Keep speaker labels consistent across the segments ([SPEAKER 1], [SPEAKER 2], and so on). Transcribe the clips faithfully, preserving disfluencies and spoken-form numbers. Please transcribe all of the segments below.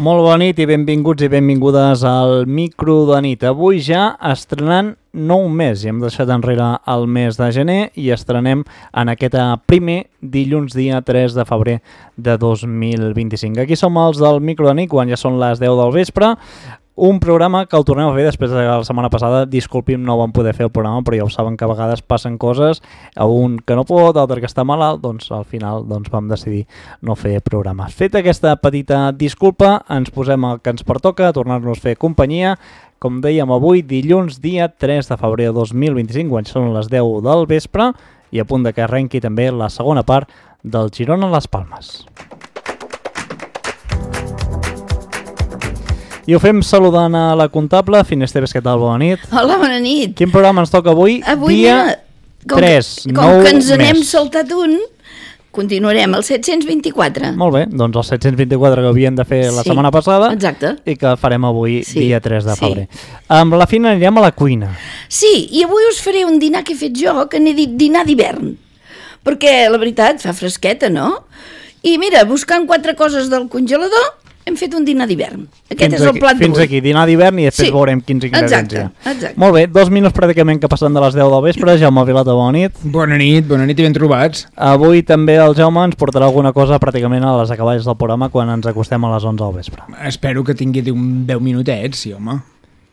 [SPEAKER 1] Molt bona nit i benvinguts i benvingudes al Micro de nit. Avui ja estrenant nou mes i hem deixat enrere el mes de gener i estrenem en aquest primer dilluns dia tres de febrer de dos mil vint-i-cinc. Aquí som els del Micro de nit quan ja són les deu del vespre. Un programa que el tornem a fer després de la setmana passada. Disculpim, no vam poder fer el programa, però ja ho saben que a vegades passen coses, a un que no pot, l'altre que està malalt, doncs al final doncs, vam decidir no fer programa. Feta aquesta petita disculpa, ens posem el que ens pertoca, a tornar-nos a fer companyia. Com dèiem avui, dilluns dia tres de febrer de dos mil vint-i-cinc, quan són les deu del vespre, i a punt de que arrenqui també la segona part del Girona Las Palmes. I ho fem saludant a la comptable. Finesteves, què tal? Bona nit.
[SPEAKER 2] Hola, bona nit.
[SPEAKER 1] Quin programa ens toca avui?
[SPEAKER 2] Avui
[SPEAKER 1] dia
[SPEAKER 2] com
[SPEAKER 1] tres,
[SPEAKER 2] que, com que ens n'hem
[SPEAKER 1] mes.
[SPEAKER 2] saltat un, continuarem el set-cents vint-i-quatre.
[SPEAKER 1] Molt bé, doncs el set-cents vint-i-quatre que havíem de fer la
[SPEAKER 2] Sí,
[SPEAKER 1] setmana passada.
[SPEAKER 2] exacte.
[SPEAKER 1] I que farem avui,
[SPEAKER 2] Sí,
[SPEAKER 1] dia tres de
[SPEAKER 2] sí.
[SPEAKER 1] febrer. Amb la Fina anirem a la cuina.
[SPEAKER 2] Sí, i avui us faré un dinar que he fet jo, que n'he dit dinar d'hivern. Perquè, la veritat, fa fresqueta, no? I mira, buscant quatre coses del congelador, hem fet un dinar d'hivern. Aquest
[SPEAKER 1] Fins
[SPEAKER 2] és el
[SPEAKER 1] aquí,
[SPEAKER 2] plat d'avui.
[SPEAKER 1] Fins aquí, dinar d'hivern i després
[SPEAKER 2] Sí,
[SPEAKER 1] veurem quins ingredients
[SPEAKER 2] exacte,
[SPEAKER 1] hi ha.
[SPEAKER 2] exacte.
[SPEAKER 1] Molt bé, dos minuts pràcticament que passen de les deu del vespre. Jaume Vilata, bona nit.
[SPEAKER 3] Bona nit, bona nit i ben trobats.
[SPEAKER 1] Avui també el Jaume ens portarà alguna cosa pràcticament a les acaballes del programa quan ens acostem a les onze del vespre.
[SPEAKER 3] Espero que tingui un deu minutets, sí, home.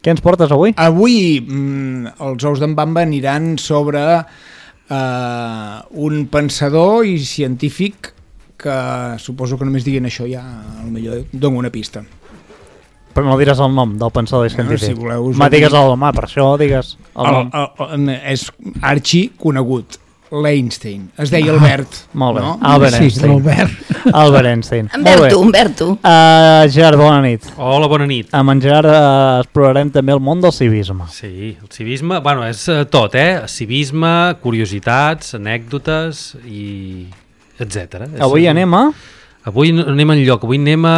[SPEAKER 1] Què ens portes avui?
[SPEAKER 3] Avui mm, els ous d'en Bamba aniran sobre eh, un pensador i científic que suposo que només diguin això ja potser dono una pista.
[SPEAKER 1] Però no diràs el nom del pensador i científic.
[SPEAKER 3] si voleu, us
[SPEAKER 1] Ma,
[SPEAKER 3] ho
[SPEAKER 1] digues
[SPEAKER 3] dic.
[SPEAKER 1] el nom, per això digues el,
[SPEAKER 3] El,
[SPEAKER 1] nom.
[SPEAKER 3] el, el, és arxi conegut, l'Einstein. Es deia Albert.
[SPEAKER 1] Molt bé,
[SPEAKER 3] No?
[SPEAKER 1] Albert
[SPEAKER 4] Sí,
[SPEAKER 1] Einstein.
[SPEAKER 4] l'Albert.
[SPEAKER 1] Albert Einstein. Molt bé.
[SPEAKER 2] Humberto, Humberto.
[SPEAKER 1] Uh, Gerard, bona nit.
[SPEAKER 5] Hola, bona nit.
[SPEAKER 1] Amb en Gerard uh, explorarem també el món del civisme.
[SPEAKER 5] Sí, el civisme, bueno, és uh, tot, eh? Civisme, curiositats, anècdotes i etcètera.
[SPEAKER 1] Avui anem a...
[SPEAKER 5] Avui no anem enlloc, avui anem a...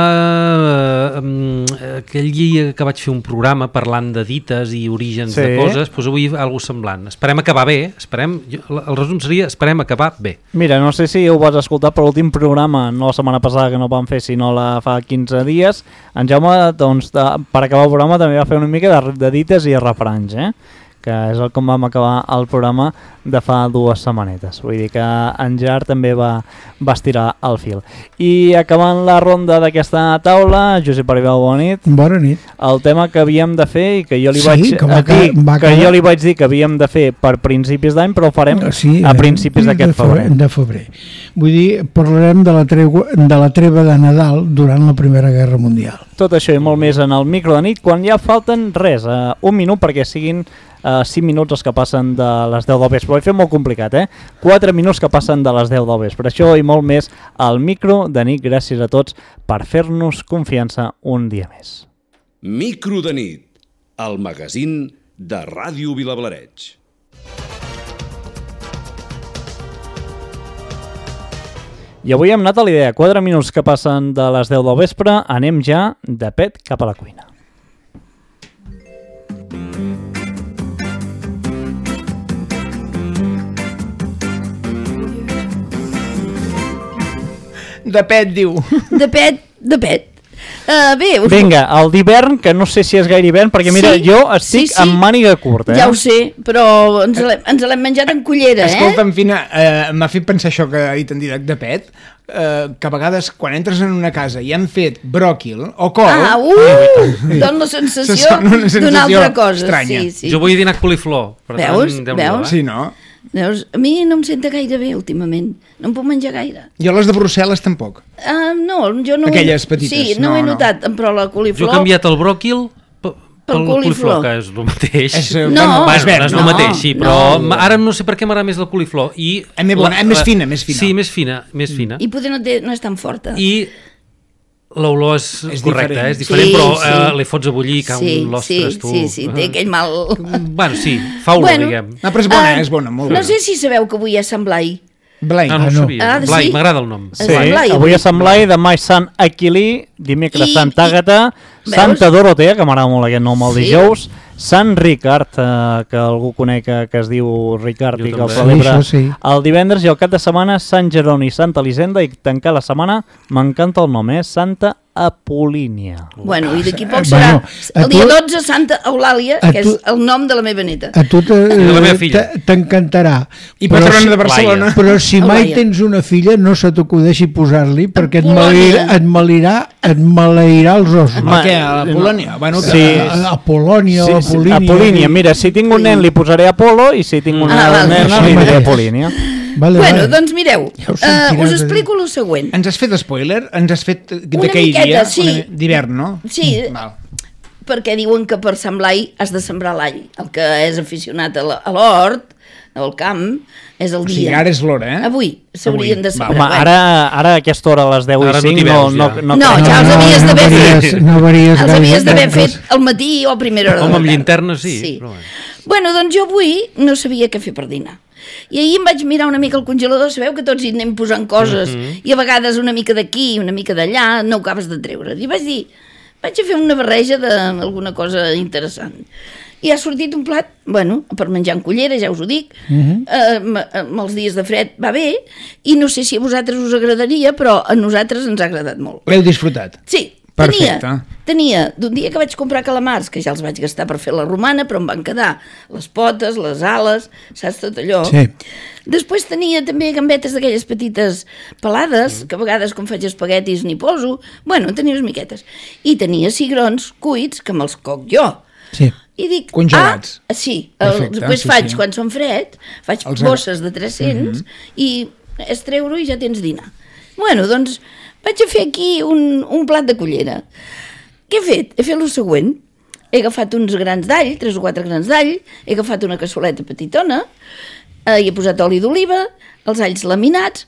[SPEAKER 5] Um, aquell dia que vaig fer un programa parlant de dites i orígens
[SPEAKER 1] Sí.
[SPEAKER 5] de coses, doncs avui alguna semblant. Esperem acabar bé, esperem, jo, el resum seria esperem acabar bé.
[SPEAKER 1] Mira, no sé si ho vas escoltar, però l'últim programa, no la setmana passada que no vam fer, sinó la fa quinze dies, en Jaume, doncs, de, per acabar el programa també va fer una mica de, de dites i refranys, eh? Que és el com vam acabar el programa de fa dues setmanetes. Vull dir que en Gerard també va, va estirar el fil. I acabant la ronda d'aquesta taula, Josep Aribau, bona nit.
[SPEAKER 4] Bona nit.
[SPEAKER 1] El tema que havíem de fer i que jo li
[SPEAKER 4] Sí,
[SPEAKER 1] vaig
[SPEAKER 4] que va
[SPEAKER 1] dir,
[SPEAKER 4] ca- va
[SPEAKER 1] que
[SPEAKER 4] quedar-
[SPEAKER 1] jo li vaig dir que havíem de fer per principis d'any, però ho farem
[SPEAKER 4] Sí,
[SPEAKER 1] a
[SPEAKER 4] eh,
[SPEAKER 1] principis
[SPEAKER 4] de
[SPEAKER 1] d'aquest febrer.
[SPEAKER 4] De febrer. Vull dir, parlarem de la, tregua, de la treva de Nadal durant la Primera Guerra Mundial.
[SPEAKER 1] Tot això i molt més en el Micro de nit, quan ja falten res, uh, un minut perquè siguin uh, cinc minuts els que passen de les deu del vespre. Ho he fet molt complicat, eh? quatre minuts que passen de les deu del vespre. Això i molt més al Micro de nit. Gràcies a tots per fer-nos confiança un dia més.
[SPEAKER 6] Micro de nit, el magazín de Ràdio Vilablareig.
[SPEAKER 1] I avui hem anat a la idea, quatre minuts que passen de les deu del vespre, anem ja de pet cap a la cuina.
[SPEAKER 3] De pet, diu.
[SPEAKER 2] De pet, de pet. Uh, bé, us...
[SPEAKER 1] Vinga, el d'hivern, que no sé si és gaire hivern, perquè mira,
[SPEAKER 2] Sí,
[SPEAKER 1] jo estic
[SPEAKER 2] sí, sí.
[SPEAKER 1] amb màniga curta, eh?
[SPEAKER 2] Ja ho sé, però ens l'hem ens l'hem menjat en cullera, eh?
[SPEAKER 3] Escolta'm, Fina, eh, m'ha fet pensar això que ha dit en directe de pet, eh, que a vegades quan entres en una casa i han fet bròquil o col...
[SPEAKER 2] Ah, uh! Dona la
[SPEAKER 3] Se
[SPEAKER 2] sensació
[SPEAKER 3] sona una
[SPEAKER 2] d'una
[SPEAKER 3] sensació
[SPEAKER 2] altra cosa.
[SPEAKER 3] estranya.
[SPEAKER 2] Sí, sí.
[SPEAKER 5] Jo vull dinar coliflor. Per
[SPEAKER 2] Veus?
[SPEAKER 5] tant, Déu-n'hi-do,
[SPEAKER 2] Veus?
[SPEAKER 5] eh?
[SPEAKER 3] Sí, no?
[SPEAKER 2] Veus? A mi no em senta gaire bé últimament. No em puc menjar gaire.
[SPEAKER 3] Jo les de Brussel·les tampoc.
[SPEAKER 2] Uh, no, jo no...
[SPEAKER 3] Aquelles petites,
[SPEAKER 2] Sí, no,
[SPEAKER 3] no,
[SPEAKER 2] ho he
[SPEAKER 3] no.
[SPEAKER 2] notat, però la
[SPEAKER 5] Jo
[SPEAKER 2] coliflor...
[SPEAKER 5] he canviat el bròquil pel, pel
[SPEAKER 2] coliflor.
[SPEAKER 5] coliflor, que és el mateix.
[SPEAKER 3] És, eh,
[SPEAKER 2] No.
[SPEAKER 3] bueno,
[SPEAKER 5] Bueno,
[SPEAKER 3] és verd,
[SPEAKER 5] no és el
[SPEAKER 2] no,
[SPEAKER 5] mateix, sí, però
[SPEAKER 2] no.
[SPEAKER 5] ma- ara no sé per què m'agrada més la coliflor. I
[SPEAKER 3] És més bona, és més fina, més fina.
[SPEAKER 5] Sí, més fina, més fina.
[SPEAKER 2] I poder no, té, no és tan forta.
[SPEAKER 5] I l'olor és,
[SPEAKER 3] És
[SPEAKER 5] correcta,
[SPEAKER 3] diferent.
[SPEAKER 5] eh? És diferent,
[SPEAKER 2] Sí,
[SPEAKER 5] però
[SPEAKER 2] sí.
[SPEAKER 5] eh, li fots a bullir i cau
[SPEAKER 2] sí,
[SPEAKER 5] un l'ostres,
[SPEAKER 2] sí,
[SPEAKER 5] tu.
[SPEAKER 2] sí, sí, té aquell mal...
[SPEAKER 5] Bueno, sí, fa olor,
[SPEAKER 2] Bueno.
[SPEAKER 5] diguem.
[SPEAKER 3] No, però és bona,
[SPEAKER 2] Ah,
[SPEAKER 3] és bona, molt
[SPEAKER 2] No
[SPEAKER 3] bona.
[SPEAKER 2] sé si sabeu que avui és Sant Blai.
[SPEAKER 3] Blai.
[SPEAKER 5] Ah, no ho
[SPEAKER 4] no.
[SPEAKER 5] sabia.
[SPEAKER 2] Ah,
[SPEAKER 5] Blai,
[SPEAKER 2] sí?
[SPEAKER 5] m'agrada el nom.
[SPEAKER 1] Sí,
[SPEAKER 2] Sant Blai,
[SPEAKER 1] avui
[SPEAKER 2] avui.
[SPEAKER 1] a Sant Blai, demà és Sant Aquilí, dimecres
[SPEAKER 2] I-
[SPEAKER 1] Santa
[SPEAKER 2] i-
[SPEAKER 1] Àgata,
[SPEAKER 2] Veus?
[SPEAKER 1] Santa Dorotea, que m'agrada molt aquest nom el
[SPEAKER 2] Sí.
[SPEAKER 1] dijous, Sant Ricard, eh, que algú conec que, que es diu Ricard
[SPEAKER 5] Jo
[SPEAKER 1] i que el
[SPEAKER 5] també.
[SPEAKER 1] celebra
[SPEAKER 4] Sí, això sí.
[SPEAKER 1] el divendres, i el cap de setmana Sant Jeroni i Santa Elisenda, i tancar la setmana, m'encanta el nom, eh? Santa Apolínia.
[SPEAKER 2] Bueno, i d'aquí
[SPEAKER 4] Eh,
[SPEAKER 2] poc serà
[SPEAKER 4] bueno, a
[SPEAKER 2] el dia
[SPEAKER 4] tu-
[SPEAKER 2] dotze Santa Eulàlia,
[SPEAKER 4] a
[SPEAKER 2] que
[SPEAKER 4] tu-
[SPEAKER 2] és el nom de la meva neta.
[SPEAKER 4] A tu te-
[SPEAKER 5] I de la meva filla.
[SPEAKER 4] te- t'encantarà.
[SPEAKER 3] I
[SPEAKER 4] Però
[SPEAKER 3] patrona
[SPEAKER 4] si-
[SPEAKER 3] de Barcelona.
[SPEAKER 4] Però si mai
[SPEAKER 2] Eulàlia.
[SPEAKER 4] tens una filla, no se t'acudeixi posar-li, perquè et
[SPEAKER 2] Polònia.
[SPEAKER 4] maleirà, et maleirà, et maleirà els ossos.
[SPEAKER 1] Ma-
[SPEAKER 3] Què, a la Polònia? Bueno, que...
[SPEAKER 1] Sí.
[SPEAKER 4] A, a Polònia
[SPEAKER 1] Sí,
[SPEAKER 4] o
[SPEAKER 1] sí,
[SPEAKER 4] Apolínia.
[SPEAKER 1] Apolínia. Mira, si tinc un nen li posaré Apolo, i si tinc una
[SPEAKER 2] Ah, vale.
[SPEAKER 1] nena
[SPEAKER 4] Sí,
[SPEAKER 1] li diré
[SPEAKER 4] vale.
[SPEAKER 1] Apolínia.
[SPEAKER 4] Vale,
[SPEAKER 2] Bueno,
[SPEAKER 4] vale.
[SPEAKER 2] doncs mireu,
[SPEAKER 4] Ja ho
[SPEAKER 2] uh,
[SPEAKER 4] sentiràs
[SPEAKER 2] us
[SPEAKER 4] a dir.
[SPEAKER 2] explico el següent.
[SPEAKER 3] Ens has fet spoiler? Ens has fet
[SPEAKER 2] Una
[SPEAKER 3] d'aquell
[SPEAKER 2] miqueta,
[SPEAKER 3] dia?
[SPEAKER 2] sí.
[SPEAKER 3] Una- D'hivern, no?
[SPEAKER 2] Sí,
[SPEAKER 3] Val.
[SPEAKER 2] perquè diuen que per Sant Blai has de sembrar l'all. El que és aficionat a la- a l'hort, al camp, és el
[SPEAKER 3] O
[SPEAKER 2] dia.
[SPEAKER 3] sigui, ara és l'hora, eh?
[SPEAKER 2] Avui s'haurien
[SPEAKER 3] Avui.
[SPEAKER 2] de
[SPEAKER 3] Va.
[SPEAKER 2] sembrar.
[SPEAKER 1] Home, ara, ara a aquesta hora, a les deu
[SPEAKER 5] Ara
[SPEAKER 1] i
[SPEAKER 5] no
[SPEAKER 1] cinc,
[SPEAKER 5] t'hi
[SPEAKER 1] no,
[SPEAKER 5] veus,
[SPEAKER 1] no,
[SPEAKER 5] ja.
[SPEAKER 1] no,
[SPEAKER 2] No,
[SPEAKER 1] crec.
[SPEAKER 2] ja els havies d'haver
[SPEAKER 4] no
[SPEAKER 2] fet.
[SPEAKER 4] No varies
[SPEAKER 2] Els
[SPEAKER 4] gaire
[SPEAKER 2] havies d'haver
[SPEAKER 4] tanques.
[SPEAKER 2] fet al matí o a primera hora
[SPEAKER 5] Home,
[SPEAKER 2] de
[SPEAKER 5] amb
[SPEAKER 2] la tarda.
[SPEAKER 5] llinterna sí,
[SPEAKER 2] sí.
[SPEAKER 5] però bueno.
[SPEAKER 2] Bueno, doncs jo avui no sabia què fer per dinar. I ahir em vaig mirar una mica al congelador, sabeu que tots hi anem posant coses,
[SPEAKER 5] Mm -hmm.
[SPEAKER 2] i a vegades una mica d'aquí, una mica d'allà, no ho acabes de treure. I vaig dir, vaig a fer una barreja d'alguna cosa interessant. I ha sortit un plat, bueno, per menjar en cullera, ja us ho dic, uh -huh. eh, amb, amb els dies de fred va bé, i no sé si a vosaltres us agradaria, però a nosaltres ens ha agradat molt.
[SPEAKER 3] L'heu disfrutat?
[SPEAKER 2] Sí,
[SPEAKER 3] Perfecte.
[SPEAKER 2] tenia, tenia d'un dia que vaig comprar calamars, que ja els vaig gastar per fer la romana, però em van quedar les potes, les ales, saps, tot allò.
[SPEAKER 4] Sí.
[SPEAKER 2] Després tenia també gambetes d'aquelles petites pelades, que a vegades quan faig espaguetis n'hi poso. Bueno, tenia unes miquetes. I tenia cigrons cuits, que me'ls coc jo.
[SPEAKER 4] Sí.
[SPEAKER 2] I dic,
[SPEAKER 3] Congelats.
[SPEAKER 2] ah, sí, el,
[SPEAKER 3] Perfecte,
[SPEAKER 2] després
[SPEAKER 3] sí,
[SPEAKER 2] faig,
[SPEAKER 3] sí.
[SPEAKER 2] quan són freds, faig
[SPEAKER 3] Els
[SPEAKER 2] bosses de tres-cents
[SPEAKER 3] Mhm.
[SPEAKER 2] i és treure-ho i ja tens dinar. Bueno, doncs vaig a fer aquí un, un plat de cullera. Què he fet? He fet el següent. He agafat uns grans d'all, tres o quatre grans d'all, he agafat una cassoleta petitona, eh, hi he posat oli d'oliva, els alls laminats,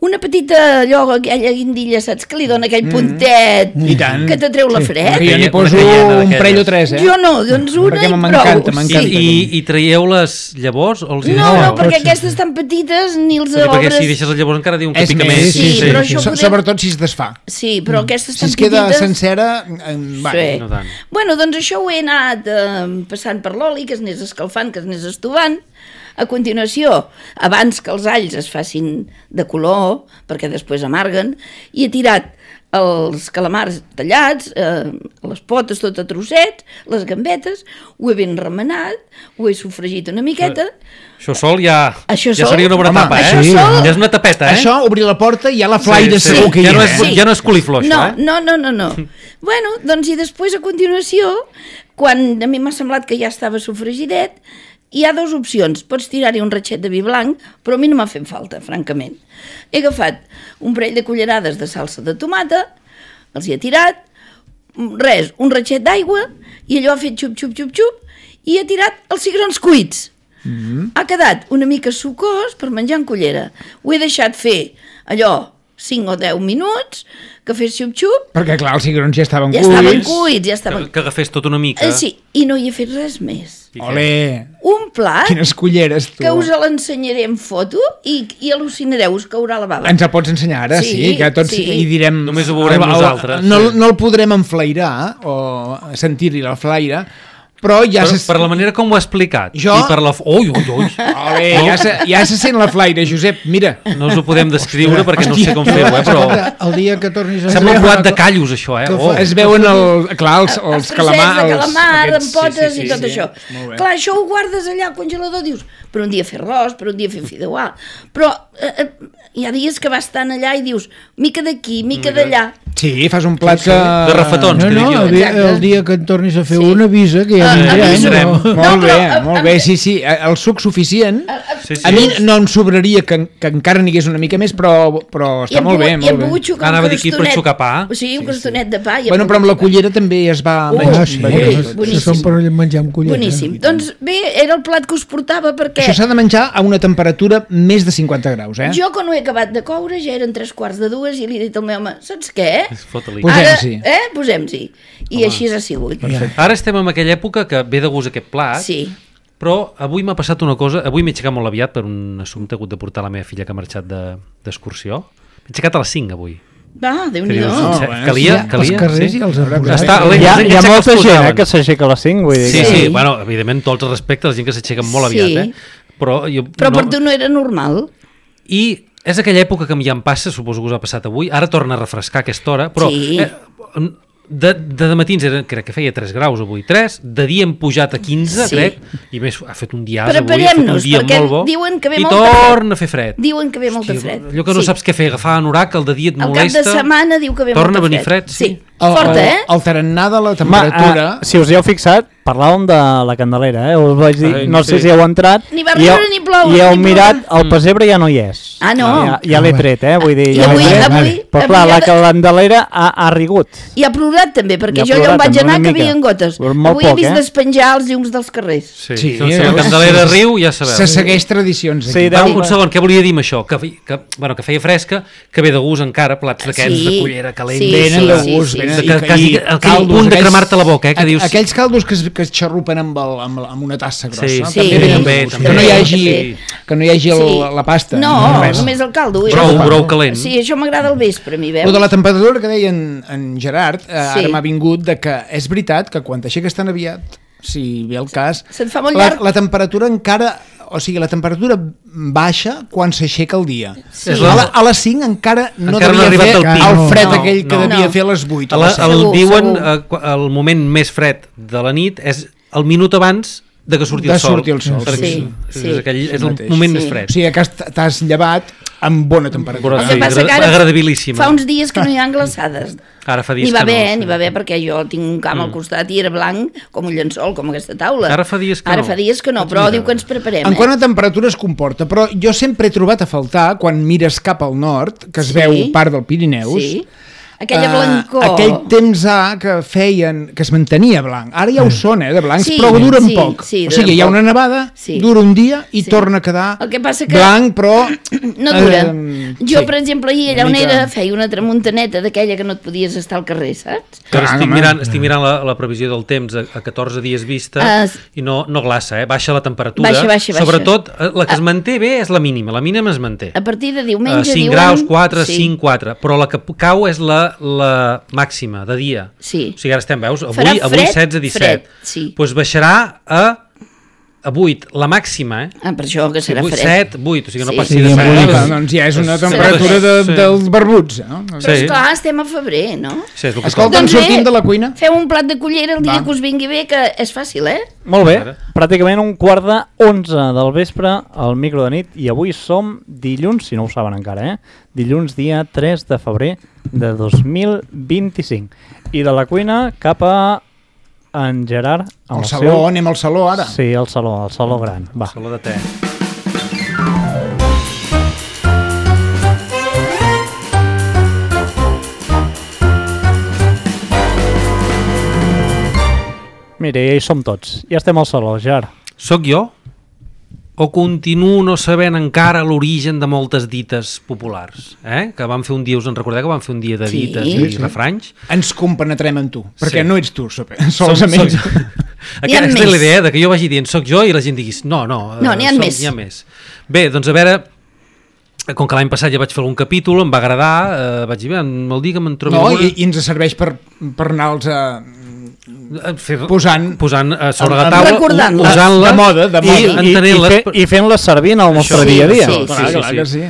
[SPEAKER 2] una petita allò, aquella guindilla, saps, que li dona aquell puntet
[SPEAKER 3] I tant.
[SPEAKER 2] que t'atreu la fred.
[SPEAKER 3] Que jo n'hi
[SPEAKER 5] Una
[SPEAKER 3] poso
[SPEAKER 5] canyena
[SPEAKER 3] un
[SPEAKER 5] d'aquelles.
[SPEAKER 3] parell o tres, eh?
[SPEAKER 2] Jo no, doncs una
[SPEAKER 3] Perquè
[SPEAKER 2] i prou.
[SPEAKER 3] m'encanta,
[SPEAKER 5] I,
[SPEAKER 3] m'encanta.
[SPEAKER 5] i, I traieu les llavors o els hi
[SPEAKER 2] No,
[SPEAKER 5] deixeu?
[SPEAKER 2] no, perquè
[SPEAKER 4] Pots-
[SPEAKER 2] aquestes tan petites ni els
[SPEAKER 5] Sí, perquè
[SPEAKER 2] obres...
[SPEAKER 5] si deixes les llavors encara diuen que
[SPEAKER 3] És
[SPEAKER 5] pica
[SPEAKER 3] més,
[SPEAKER 5] més.
[SPEAKER 2] sí, però això
[SPEAKER 3] So-
[SPEAKER 2] podem-
[SPEAKER 3] Sobretot si es desfà.
[SPEAKER 2] Sí, però aquestes
[SPEAKER 3] Si
[SPEAKER 2] tan
[SPEAKER 3] es queda
[SPEAKER 2] petites...
[SPEAKER 3] sencera... eh, Va.
[SPEAKER 2] Sí.
[SPEAKER 5] no tant.
[SPEAKER 2] Bueno, doncs això ho he anat eh, passant per l'oli, que es anés escalfant, que es anés estovant. A continuació, abans que els alls es facin de color, perquè després amarguen, i he tirat els calamars tallats, eh, les potes tot a trossets, les gambetes, ho he ben remenat, ho he sofregit una miqueta.
[SPEAKER 5] Això sol ja,
[SPEAKER 2] Això
[SPEAKER 5] ja
[SPEAKER 2] sol-
[SPEAKER 5] seria una bona
[SPEAKER 3] Home,
[SPEAKER 5] tapa, eh?
[SPEAKER 2] això sol-
[SPEAKER 5] Ja és una tapeta, eh?
[SPEAKER 3] Això, obrir la porta i ja la flaire
[SPEAKER 5] Sí, sí.
[SPEAKER 3] segur que hi
[SPEAKER 5] Ja no
[SPEAKER 3] ha.
[SPEAKER 5] és-
[SPEAKER 3] eh?
[SPEAKER 5] ja no és coliflor,
[SPEAKER 2] no,
[SPEAKER 5] això, eh?
[SPEAKER 2] No, no, no, no. Bueno, doncs i després a continuació, quan a mi m'ha semblat que ja estava sofregidet, hi ha dues opcions. Pots tirar-hi un ratxet de vi blanc, però a mi no m'ha fet falta, francament. He agafat un parell de cullerades de salsa de tomata, els hi he tirat, res, un ratxet d'aigua, i allò ha fet xup, xup, xup, xup, i he tirat els cigrons cuits. Mm-hmm. Ha quedat una mica sucós per menjar en cullera. Ho he deixat fer allò cinc o deu minuts, que fes xup-xup,
[SPEAKER 3] Perquè, clar, els cigrons ja estaven
[SPEAKER 2] ja
[SPEAKER 3] cuits.
[SPEAKER 2] estaven cuits, ja
[SPEAKER 5] Que,
[SPEAKER 2] estaven...
[SPEAKER 5] que agafés tot una mica.
[SPEAKER 2] Eh, sí, i no hi he fet res més.
[SPEAKER 5] I què?
[SPEAKER 3] Ole,
[SPEAKER 2] Un plat
[SPEAKER 3] quines culleres, tu.
[SPEAKER 2] que us l'ensenyaré en foto i, i al·lucinareu, us caurà la bava.
[SPEAKER 3] Ens el pots ensenyar ara, sí,
[SPEAKER 2] Sí,
[SPEAKER 3] que tots
[SPEAKER 2] sí.
[SPEAKER 3] hi direm...
[SPEAKER 5] Només ho veurem
[SPEAKER 3] el- el-
[SPEAKER 5] nosaltres,
[SPEAKER 3] No,
[SPEAKER 5] sí.
[SPEAKER 3] no el podrem enflairar o sentir-hi la flaire, però ja
[SPEAKER 5] Per,
[SPEAKER 3] se...
[SPEAKER 5] per la manera com ho ha explicat
[SPEAKER 3] Jo-
[SPEAKER 5] i per la... Ui, ui, ui.
[SPEAKER 3] Ole, ja, se, ja se sent la flaire, Josep, mira.
[SPEAKER 5] No us ho podem descriure perquè no sé com feu, eh? Però
[SPEAKER 4] El dia que tornis a...
[SPEAKER 5] sembla un plat de callos, això, eh?
[SPEAKER 4] que
[SPEAKER 5] Oh.
[SPEAKER 4] fa-
[SPEAKER 3] Es veuen, el, clar, els,
[SPEAKER 2] Els
[SPEAKER 3] els
[SPEAKER 2] trossets
[SPEAKER 3] calamars...
[SPEAKER 2] de calamar,
[SPEAKER 3] aquests-
[SPEAKER 2] amb potes
[SPEAKER 3] sí, sí,
[SPEAKER 2] i tot
[SPEAKER 3] sí,
[SPEAKER 2] això.
[SPEAKER 3] sí. Molt bé.
[SPEAKER 2] Clar, això ho guardes allà al congelador, dius, per un dia fer arròs, per un dia fer fideuà, però eh, eh, hi ha dies que vas estant allà i dius, mica d'aquí, mica d'allà.
[SPEAKER 3] Sí, fas un plat que...
[SPEAKER 5] De refetons,
[SPEAKER 4] No,
[SPEAKER 5] que
[SPEAKER 4] no,
[SPEAKER 5] dic jo.
[SPEAKER 4] el dia,
[SPEAKER 2] Exacte.
[SPEAKER 4] el dia que en tornis a fer
[SPEAKER 2] Sí.
[SPEAKER 4] un avisa, que ja
[SPEAKER 2] Ah,
[SPEAKER 4] vindrem.
[SPEAKER 2] avisarem.
[SPEAKER 4] no?
[SPEAKER 3] Molt
[SPEAKER 2] No,
[SPEAKER 3] bé,
[SPEAKER 2] però,
[SPEAKER 3] molt
[SPEAKER 2] a-
[SPEAKER 3] bé,
[SPEAKER 2] a-
[SPEAKER 3] sí, sí, el suc suficient.
[SPEAKER 5] Sí, sí.
[SPEAKER 3] A mi no em sobraria que, que encara n'hi hagués una mica més, però, però
[SPEAKER 2] I
[SPEAKER 3] està
[SPEAKER 2] hem
[SPEAKER 3] molt bé,
[SPEAKER 2] pogut- i
[SPEAKER 3] molt
[SPEAKER 2] hem
[SPEAKER 3] bé.
[SPEAKER 2] pogut xucar
[SPEAKER 5] Anava
[SPEAKER 2] un
[SPEAKER 5] a dir aquí per
[SPEAKER 2] crostonet.
[SPEAKER 5] xucar pa.
[SPEAKER 2] O sigui, un crostonet de pa. i hem
[SPEAKER 3] Bueno, però amb la
[SPEAKER 2] pogut xucar.
[SPEAKER 3] cullera també es va...
[SPEAKER 2] Ui,
[SPEAKER 3] menys-
[SPEAKER 4] Ah, sí,
[SPEAKER 2] Ui,
[SPEAKER 4] això, això
[SPEAKER 2] boníssim.
[SPEAKER 4] són per menjar amb cullera.
[SPEAKER 2] Boníssim. Doncs bé, era el plat que us portava perquè...
[SPEAKER 3] Això s'ha de menjar a una temperatura més de cinquanta graus, eh?
[SPEAKER 2] Jo, quan ho he acabat de coure, ja eren tres quarts de dues i li he dit al meu home, saps què?
[SPEAKER 5] Fota-li.
[SPEAKER 3] Posem-s'hi.
[SPEAKER 2] Ara, eh? Posem-s'hi. I així ha sigut.
[SPEAKER 5] Ara estem en aquella època que ve de gust aquest plat,
[SPEAKER 2] Sí.
[SPEAKER 5] però avui m'ha passat una cosa. Avui m'he aixecat molt aviat per un assumpte, he hagut de portar la meva filla que ha marxat de- d'excursió. M'he aixecat a les cinc avui.
[SPEAKER 2] Va, Déu-n'hi-do.
[SPEAKER 5] Que dius,
[SPEAKER 3] No,
[SPEAKER 5] "Se-
[SPEAKER 3] bueno,
[SPEAKER 5] calia,
[SPEAKER 4] Els
[SPEAKER 5] calia,
[SPEAKER 4] carrers
[SPEAKER 5] sí.
[SPEAKER 4] i els arbres.
[SPEAKER 5] Està,
[SPEAKER 3] Hi
[SPEAKER 1] Hi ha, hi ha
[SPEAKER 5] ja
[SPEAKER 1] molta
[SPEAKER 5] que es
[SPEAKER 1] gent eh,
[SPEAKER 5] posaven.
[SPEAKER 1] que s'aixeca a les cinc, vull dir
[SPEAKER 5] Sí,
[SPEAKER 1] que...
[SPEAKER 5] sí,
[SPEAKER 2] Sí.
[SPEAKER 5] bueno, evidentment, tots els respectes, la gent que s'aixequen molt
[SPEAKER 2] Sí.
[SPEAKER 5] aviat, eh? Però, jo,
[SPEAKER 2] Però
[SPEAKER 5] no...
[SPEAKER 2] per tu no era normal.
[SPEAKER 5] I és aquella època que ja em passa, suposo que us ha passat avui, ara torna a refrescar a aquesta hora, però
[SPEAKER 2] Sí.
[SPEAKER 5] eh, de, de matins eren, crec que feia tres graus avui, tres, de dia hem pujat a quinze,
[SPEAKER 2] Sí.
[SPEAKER 5] crec, i més ha fet un dia avui, ha fet un
[SPEAKER 2] Preparem-nos,
[SPEAKER 5] dia
[SPEAKER 2] perquè
[SPEAKER 5] molt bo,
[SPEAKER 2] diuen que ve
[SPEAKER 5] i
[SPEAKER 2] molta fred.
[SPEAKER 5] torna a fer fred.
[SPEAKER 2] Diuen que ve molta fred.
[SPEAKER 5] Allò que no
[SPEAKER 2] Sí.
[SPEAKER 5] saps què fer, agafar anorac, el de dia et
[SPEAKER 2] Al cap
[SPEAKER 5] molesta,
[SPEAKER 2] de setmana diu que ve
[SPEAKER 5] torna
[SPEAKER 2] molta
[SPEAKER 5] a venir fred, sí.
[SPEAKER 2] sí. Forta, eh?
[SPEAKER 3] El, el tarannà de la
[SPEAKER 1] Home,
[SPEAKER 3] temperatura...
[SPEAKER 1] eh, si us hi heu fixat, parlàvem de la Candelera, eh? Us vaig dir,
[SPEAKER 5] Ai,
[SPEAKER 1] no sé
[SPEAKER 5] sí.
[SPEAKER 1] si heu entrat...
[SPEAKER 2] Ni va
[SPEAKER 1] i heu-
[SPEAKER 2] riure ni ploure,
[SPEAKER 1] I heu
[SPEAKER 2] ni
[SPEAKER 1] mirat,
[SPEAKER 2] ploure.
[SPEAKER 1] el pessebre ja no hi és.
[SPEAKER 2] Ah, no.
[SPEAKER 1] Ja, ja l'he tret, eh? Vull dir,
[SPEAKER 2] I
[SPEAKER 1] ja
[SPEAKER 2] avui,
[SPEAKER 1] l'he tret.
[SPEAKER 2] avui,
[SPEAKER 1] Però clar,
[SPEAKER 2] avui
[SPEAKER 1] la
[SPEAKER 2] ha de-
[SPEAKER 1] Candelera ha, ha rigut.
[SPEAKER 2] I ha plorat també, perquè
[SPEAKER 1] I ha
[SPEAKER 2] jo allà
[SPEAKER 1] plorat
[SPEAKER 2] on vaig
[SPEAKER 1] també,
[SPEAKER 2] anar
[SPEAKER 1] una
[SPEAKER 2] que
[SPEAKER 1] mica.
[SPEAKER 2] havien gotes.
[SPEAKER 1] Però molt
[SPEAKER 2] Avui he
[SPEAKER 1] poc,
[SPEAKER 2] vist
[SPEAKER 1] eh?
[SPEAKER 2] despenjar els llums dels carrers.
[SPEAKER 5] Sí,
[SPEAKER 3] Sí,
[SPEAKER 5] sí, si la
[SPEAKER 3] veus?
[SPEAKER 5] Candelera riu, ja sabeu.
[SPEAKER 3] Se segueix tradicions aquí.
[SPEAKER 1] Sí,
[SPEAKER 5] Va,
[SPEAKER 1] deu-
[SPEAKER 5] un segon, què volia dir amb això? Que, fe- que, bueno, que feia fresca, que ve de gust encara, plats d'aquests
[SPEAKER 2] Sí.
[SPEAKER 5] de cullera calent.
[SPEAKER 2] Sí,
[SPEAKER 3] Venen
[SPEAKER 2] sí,
[SPEAKER 3] de
[SPEAKER 2] sí,
[SPEAKER 3] gust,
[SPEAKER 2] sí,
[SPEAKER 3] venen...
[SPEAKER 5] sí.
[SPEAKER 3] i-
[SPEAKER 5] Que- quasi
[SPEAKER 3] i
[SPEAKER 5] aquell
[SPEAKER 3] caldos,
[SPEAKER 5] punt de
[SPEAKER 3] aquells-
[SPEAKER 5] cremar-te la boca, eh, que
[SPEAKER 3] aqu-
[SPEAKER 5] dius-
[SPEAKER 3] Aquells caldos que es, que es xarrupen amb, el, amb, la- amb una tassa grossa.
[SPEAKER 5] Sí,
[SPEAKER 2] sí,
[SPEAKER 3] també venen
[SPEAKER 2] també,
[SPEAKER 3] de gust.
[SPEAKER 2] també.
[SPEAKER 3] Que no hi hagi,
[SPEAKER 2] Sí.
[SPEAKER 3] que no hi hagi el,
[SPEAKER 2] Sí.
[SPEAKER 3] la pasta.
[SPEAKER 2] No,
[SPEAKER 3] res.
[SPEAKER 2] només el caldo.
[SPEAKER 5] Brou,
[SPEAKER 2] Això-
[SPEAKER 5] brou calent.
[SPEAKER 2] Sí, això m'agrada al vespre, a mi, veus?
[SPEAKER 3] Lo de la temperatura que deia en, en Gerard, eh,
[SPEAKER 2] Sí.
[SPEAKER 3] ara m'ha vingut de que és veritat que quan t'aixeques tan aviat, si ve el cas,
[SPEAKER 2] Se't fa molt
[SPEAKER 3] la,
[SPEAKER 2] llarg.
[SPEAKER 3] la temperatura encara... O sigui, la temperatura baixa quan s'aixeca el dia.
[SPEAKER 2] Sí.
[SPEAKER 5] És
[SPEAKER 3] A,
[SPEAKER 5] la-
[SPEAKER 3] la, a les cinc encara no
[SPEAKER 5] Encara no ha
[SPEAKER 3] devia
[SPEAKER 5] arribat
[SPEAKER 3] fer
[SPEAKER 5] al
[SPEAKER 4] pic.
[SPEAKER 3] el fred
[SPEAKER 4] No,
[SPEAKER 3] aquell que
[SPEAKER 5] no.
[SPEAKER 3] devia
[SPEAKER 2] No.
[SPEAKER 3] fer a les vuit.
[SPEAKER 5] A
[SPEAKER 3] o
[SPEAKER 5] la,
[SPEAKER 3] a les set.
[SPEAKER 5] el
[SPEAKER 2] Segur,
[SPEAKER 5] diuen,
[SPEAKER 2] segur.
[SPEAKER 5] eh, qua- el moment més fred de la nit és el minut abans de que surti
[SPEAKER 3] De
[SPEAKER 5] el sol.
[SPEAKER 3] sortir el sol,
[SPEAKER 5] Perquè
[SPEAKER 2] sí.
[SPEAKER 5] és,
[SPEAKER 2] Sí.
[SPEAKER 5] és, aquell, és
[SPEAKER 3] El
[SPEAKER 5] el
[SPEAKER 3] mateix.
[SPEAKER 5] moment
[SPEAKER 2] Sí.
[SPEAKER 5] més fred.
[SPEAKER 3] O sigui, que has- t'has llevat amb bona temperatura.
[SPEAKER 5] Bona
[SPEAKER 2] El que
[SPEAKER 5] Sí,
[SPEAKER 2] passa que
[SPEAKER 5] agra-
[SPEAKER 2] ara
[SPEAKER 5] agradabilíssima.
[SPEAKER 2] fa uns dies que no hi ha glaçades.
[SPEAKER 5] Ara fa dies
[SPEAKER 2] N'hi va
[SPEAKER 5] que no,
[SPEAKER 2] bé,
[SPEAKER 5] sí.
[SPEAKER 2] n'hi va bé, perquè jo tinc un camp al costat i era blanc com un llençol, com aquesta taula.
[SPEAKER 5] Ara fa dies que
[SPEAKER 2] Ara
[SPEAKER 5] no.
[SPEAKER 2] fa dies que no, però diu que ens preparem,
[SPEAKER 3] En
[SPEAKER 2] eh?
[SPEAKER 3] quant a temperatura es comporta, però jo sempre he trobat a faltar, quan mires cap al nord, que es
[SPEAKER 2] Sí.
[SPEAKER 3] veu part del Pirineus,
[SPEAKER 2] Sí. Aquella
[SPEAKER 3] eh,
[SPEAKER 2] blancor.
[SPEAKER 3] aquell temps A que feien, que es mantenia blanc. Ara ja ho són, eh, de blancs,
[SPEAKER 2] Sí,
[SPEAKER 3] però duren
[SPEAKER 2] sí,
[SPEAKER 3] poc.
[SPEAKER 2] sí,
[SPEAKER 3] o sigui,
[SPEAKER 2] duren
[SPEAKER 3] hi ha
[SPEAKER 2] poc.
[SPEAKER 3] una nevada,
[SPEAKER 2] Sí.
[SPEAKER 3] dura un dia i
[SPEAKER 2] Sí.
[SPEAKER 3] torna a quedar
[SPEAKER 2] El que passa que
[SPEAKER 3] blanc, però...
[SPEAKER 2] no dura.
[SPEAKER 3] eh,
[SPEAKER 2] jo,
[SPEAKER 3] sí.
[SPEAKER 2] per exemple, ahir allà
[SPEAKER 3] Una
[SPEAKER 2] on
[SPEAKER 3] mica-
[SPEAKER 2] era feia una tramuntaneta d'aquella que no et podies estar al carrer, saps?
[SPEAKER 5] Però
[SPEAKER 3] Clar,
[SPEAKER 5] estic
[SPEAKER 3] home.
[SPEAKER 5] mirant, estic mirant la, la previsió del temps a, a catorze dies vista
[SPEAKER 2] Ah, s-
[SPEAKER 5] i no, no glaça, eh? Baixa la temperatura.
[SPEAKER 2] Baixa, baixa, baixa.
[SPEAKER 5] Sobretot, eh, la que es manté bé és la mínima, la mínima es manté.
[SPEAKER 2] A partir de
[SPEAKER 5] Uh,
[SPEAKER 2] diumenge
[SPEAKER 5] cinc
[SPEAKER 2] diuen...
[SPEAKER 5] graus, quatre,
[SPEAKER 2] sí.
[SPEAKER 5] cinc, quatre, però la que p- cau és la, la màxima de dia.
[SPEAKER 2] Sí.
[SPEAKER 5] O sigui, ara estem, veus? Avui,
[SPEAKER 2] Farà
[SPEAKER 5] avui
[SPEAKER 2] fred,
[SPEAKER 5] setze, disset.
[SPEAKER 2] fred, sí.
[SPEAKER 5] Pues baixarà a, a vuit, la màxima, eh?
[SPEAKER 2] Ah, per això que serà
[SPEAKER 5] vuit,
[SPEAKER 2] fred.
[SPEAKER 5] set, vuit, o sigui, no
[SPEAKER 2] Sí.
[SPEAKER 5] passi
[SPEAKER 4] Sí,
[SPEAKER 5] de
[SPEAKER 4] amb
[SPEAKER 5] set.
[SPEAKER 4] vuit.
[SPEAKER 3] Clar, doncs ja és una
[SPEAKER 2] Sí.
[SPEAKER 3] temperatura de,
[SPEAKER 5] Sí.
[SPEAKER 3] dels barbuts, no?
[SPEAKER 2] Però
[SPEAKER 5] Sí.
[SPEAKER 2] esclar, estem a febrer, no?
[SPEAKER 5] Sí, és el que
[SPEAKER 3] Escolta,
[SPEAKER 5] toca.
[SPEAKER 3] en sortim de la cuina?
[SPEAKER 2] Feu un plat de cullera el dia
[SPEAKER 3] Va.
[SPEAKER 2] que us vingui bé, que és fàcil, eh?
[SPEAKER 1] Molt bé,
[SPEAKER 5] Ara.
[SPEAKER 1] pràcticament un quart de onze del vespre al micro de nit i avui som dilluns, si no ho saben encara, eh? Dilluns dia tres de febrer de dos mil vint-i-cinc. I de la cuina cap a en Gerard amb
[SPEAKER 3] Al
[SPEAKER 1] el
[SPEAKER 3] saló,
[SPEAKER 1] seu...
[SPEAKER 3] anem al saló ara.
[SPEAKER 1] Sí, al saló, al saló gran. Va.
[SPEAKER 5] Saló de te.
[SPEAKER 1] Mira, ja hi som tots. Ja estem al saló, Gerard.
[SPEAKER 5] Soc jo? O continuo no sabent encara l'origen de moltes dites populars? Eh? Que vam fer un dia, us en recordeu que vam fer un dia de
[SPEAKER 2] Sí.
[SPEAKER 5] dites
[SPEAKER 2] Sí,
[SPEAKER 5] i
[SPEAKER 3] sí.
[SPEAKER 5] refranys?
[SPEAKER 3] Ens compenetrem en tu, perquè
[SPEAKER 5] Sí.
[SPEAKER 3] no ets tu, sope- solament.
[SPEAKER 5] Som- som-
[SPEAKER 2] N'hi ha
[SPEAKER 5] Aquesta és
[SPEAKER 2] més.
[SPEAKER 5] la idea, de que jo vagi dient soc jo i la gent diguis no, no,
[SPEAKER 2] No,
[SPEAKER 5] eh,
[SPEAKER 2] n'hi ha
[SPEAKER 5] som-
[SPEAKER 2] més.
[SPEAKER 5] N'hi ha més. Bé, doncs a veure, com que l'any passat ja vaig fer algun capítol, em va agradar, eh, vaig dir, bé, el dia que me'n trobi
[SPEAKER 3] No,
[SPEAKER 5] alguna...
[SPEAKER 3] i, i ens serveix per, per anar-los a...
[SPEAKER 5] eh, fer,
[SPEAKER 3] posant-
[SPEAKER 5] posant eh, sobre la
[SPEAKER 3] en-
[SPEAKER 5] taula,
[SPEAKER 2] recordant-les.
[SPEAKER 5] usant-les
[SPEAKER 3] De moda, de
[SPEAKER 5] i
[SPEAKER 3] moda.
[SPEAKER 1] I, i,
[SPEAKER 5] entenent-les.
[SPEAKER 1] fe, i fent-les servir en el nostre
[SPEAKER 5] Això.
[SPEAKER 1] dia a dia.
[SPEAKER 2] Sí,
[SPEAKER 3] Clar,
[SPEAKER 5] sí,
[SPEAKER 3] clar
[SPEAKER 5] sí.
[SPEAKER 3] que sí.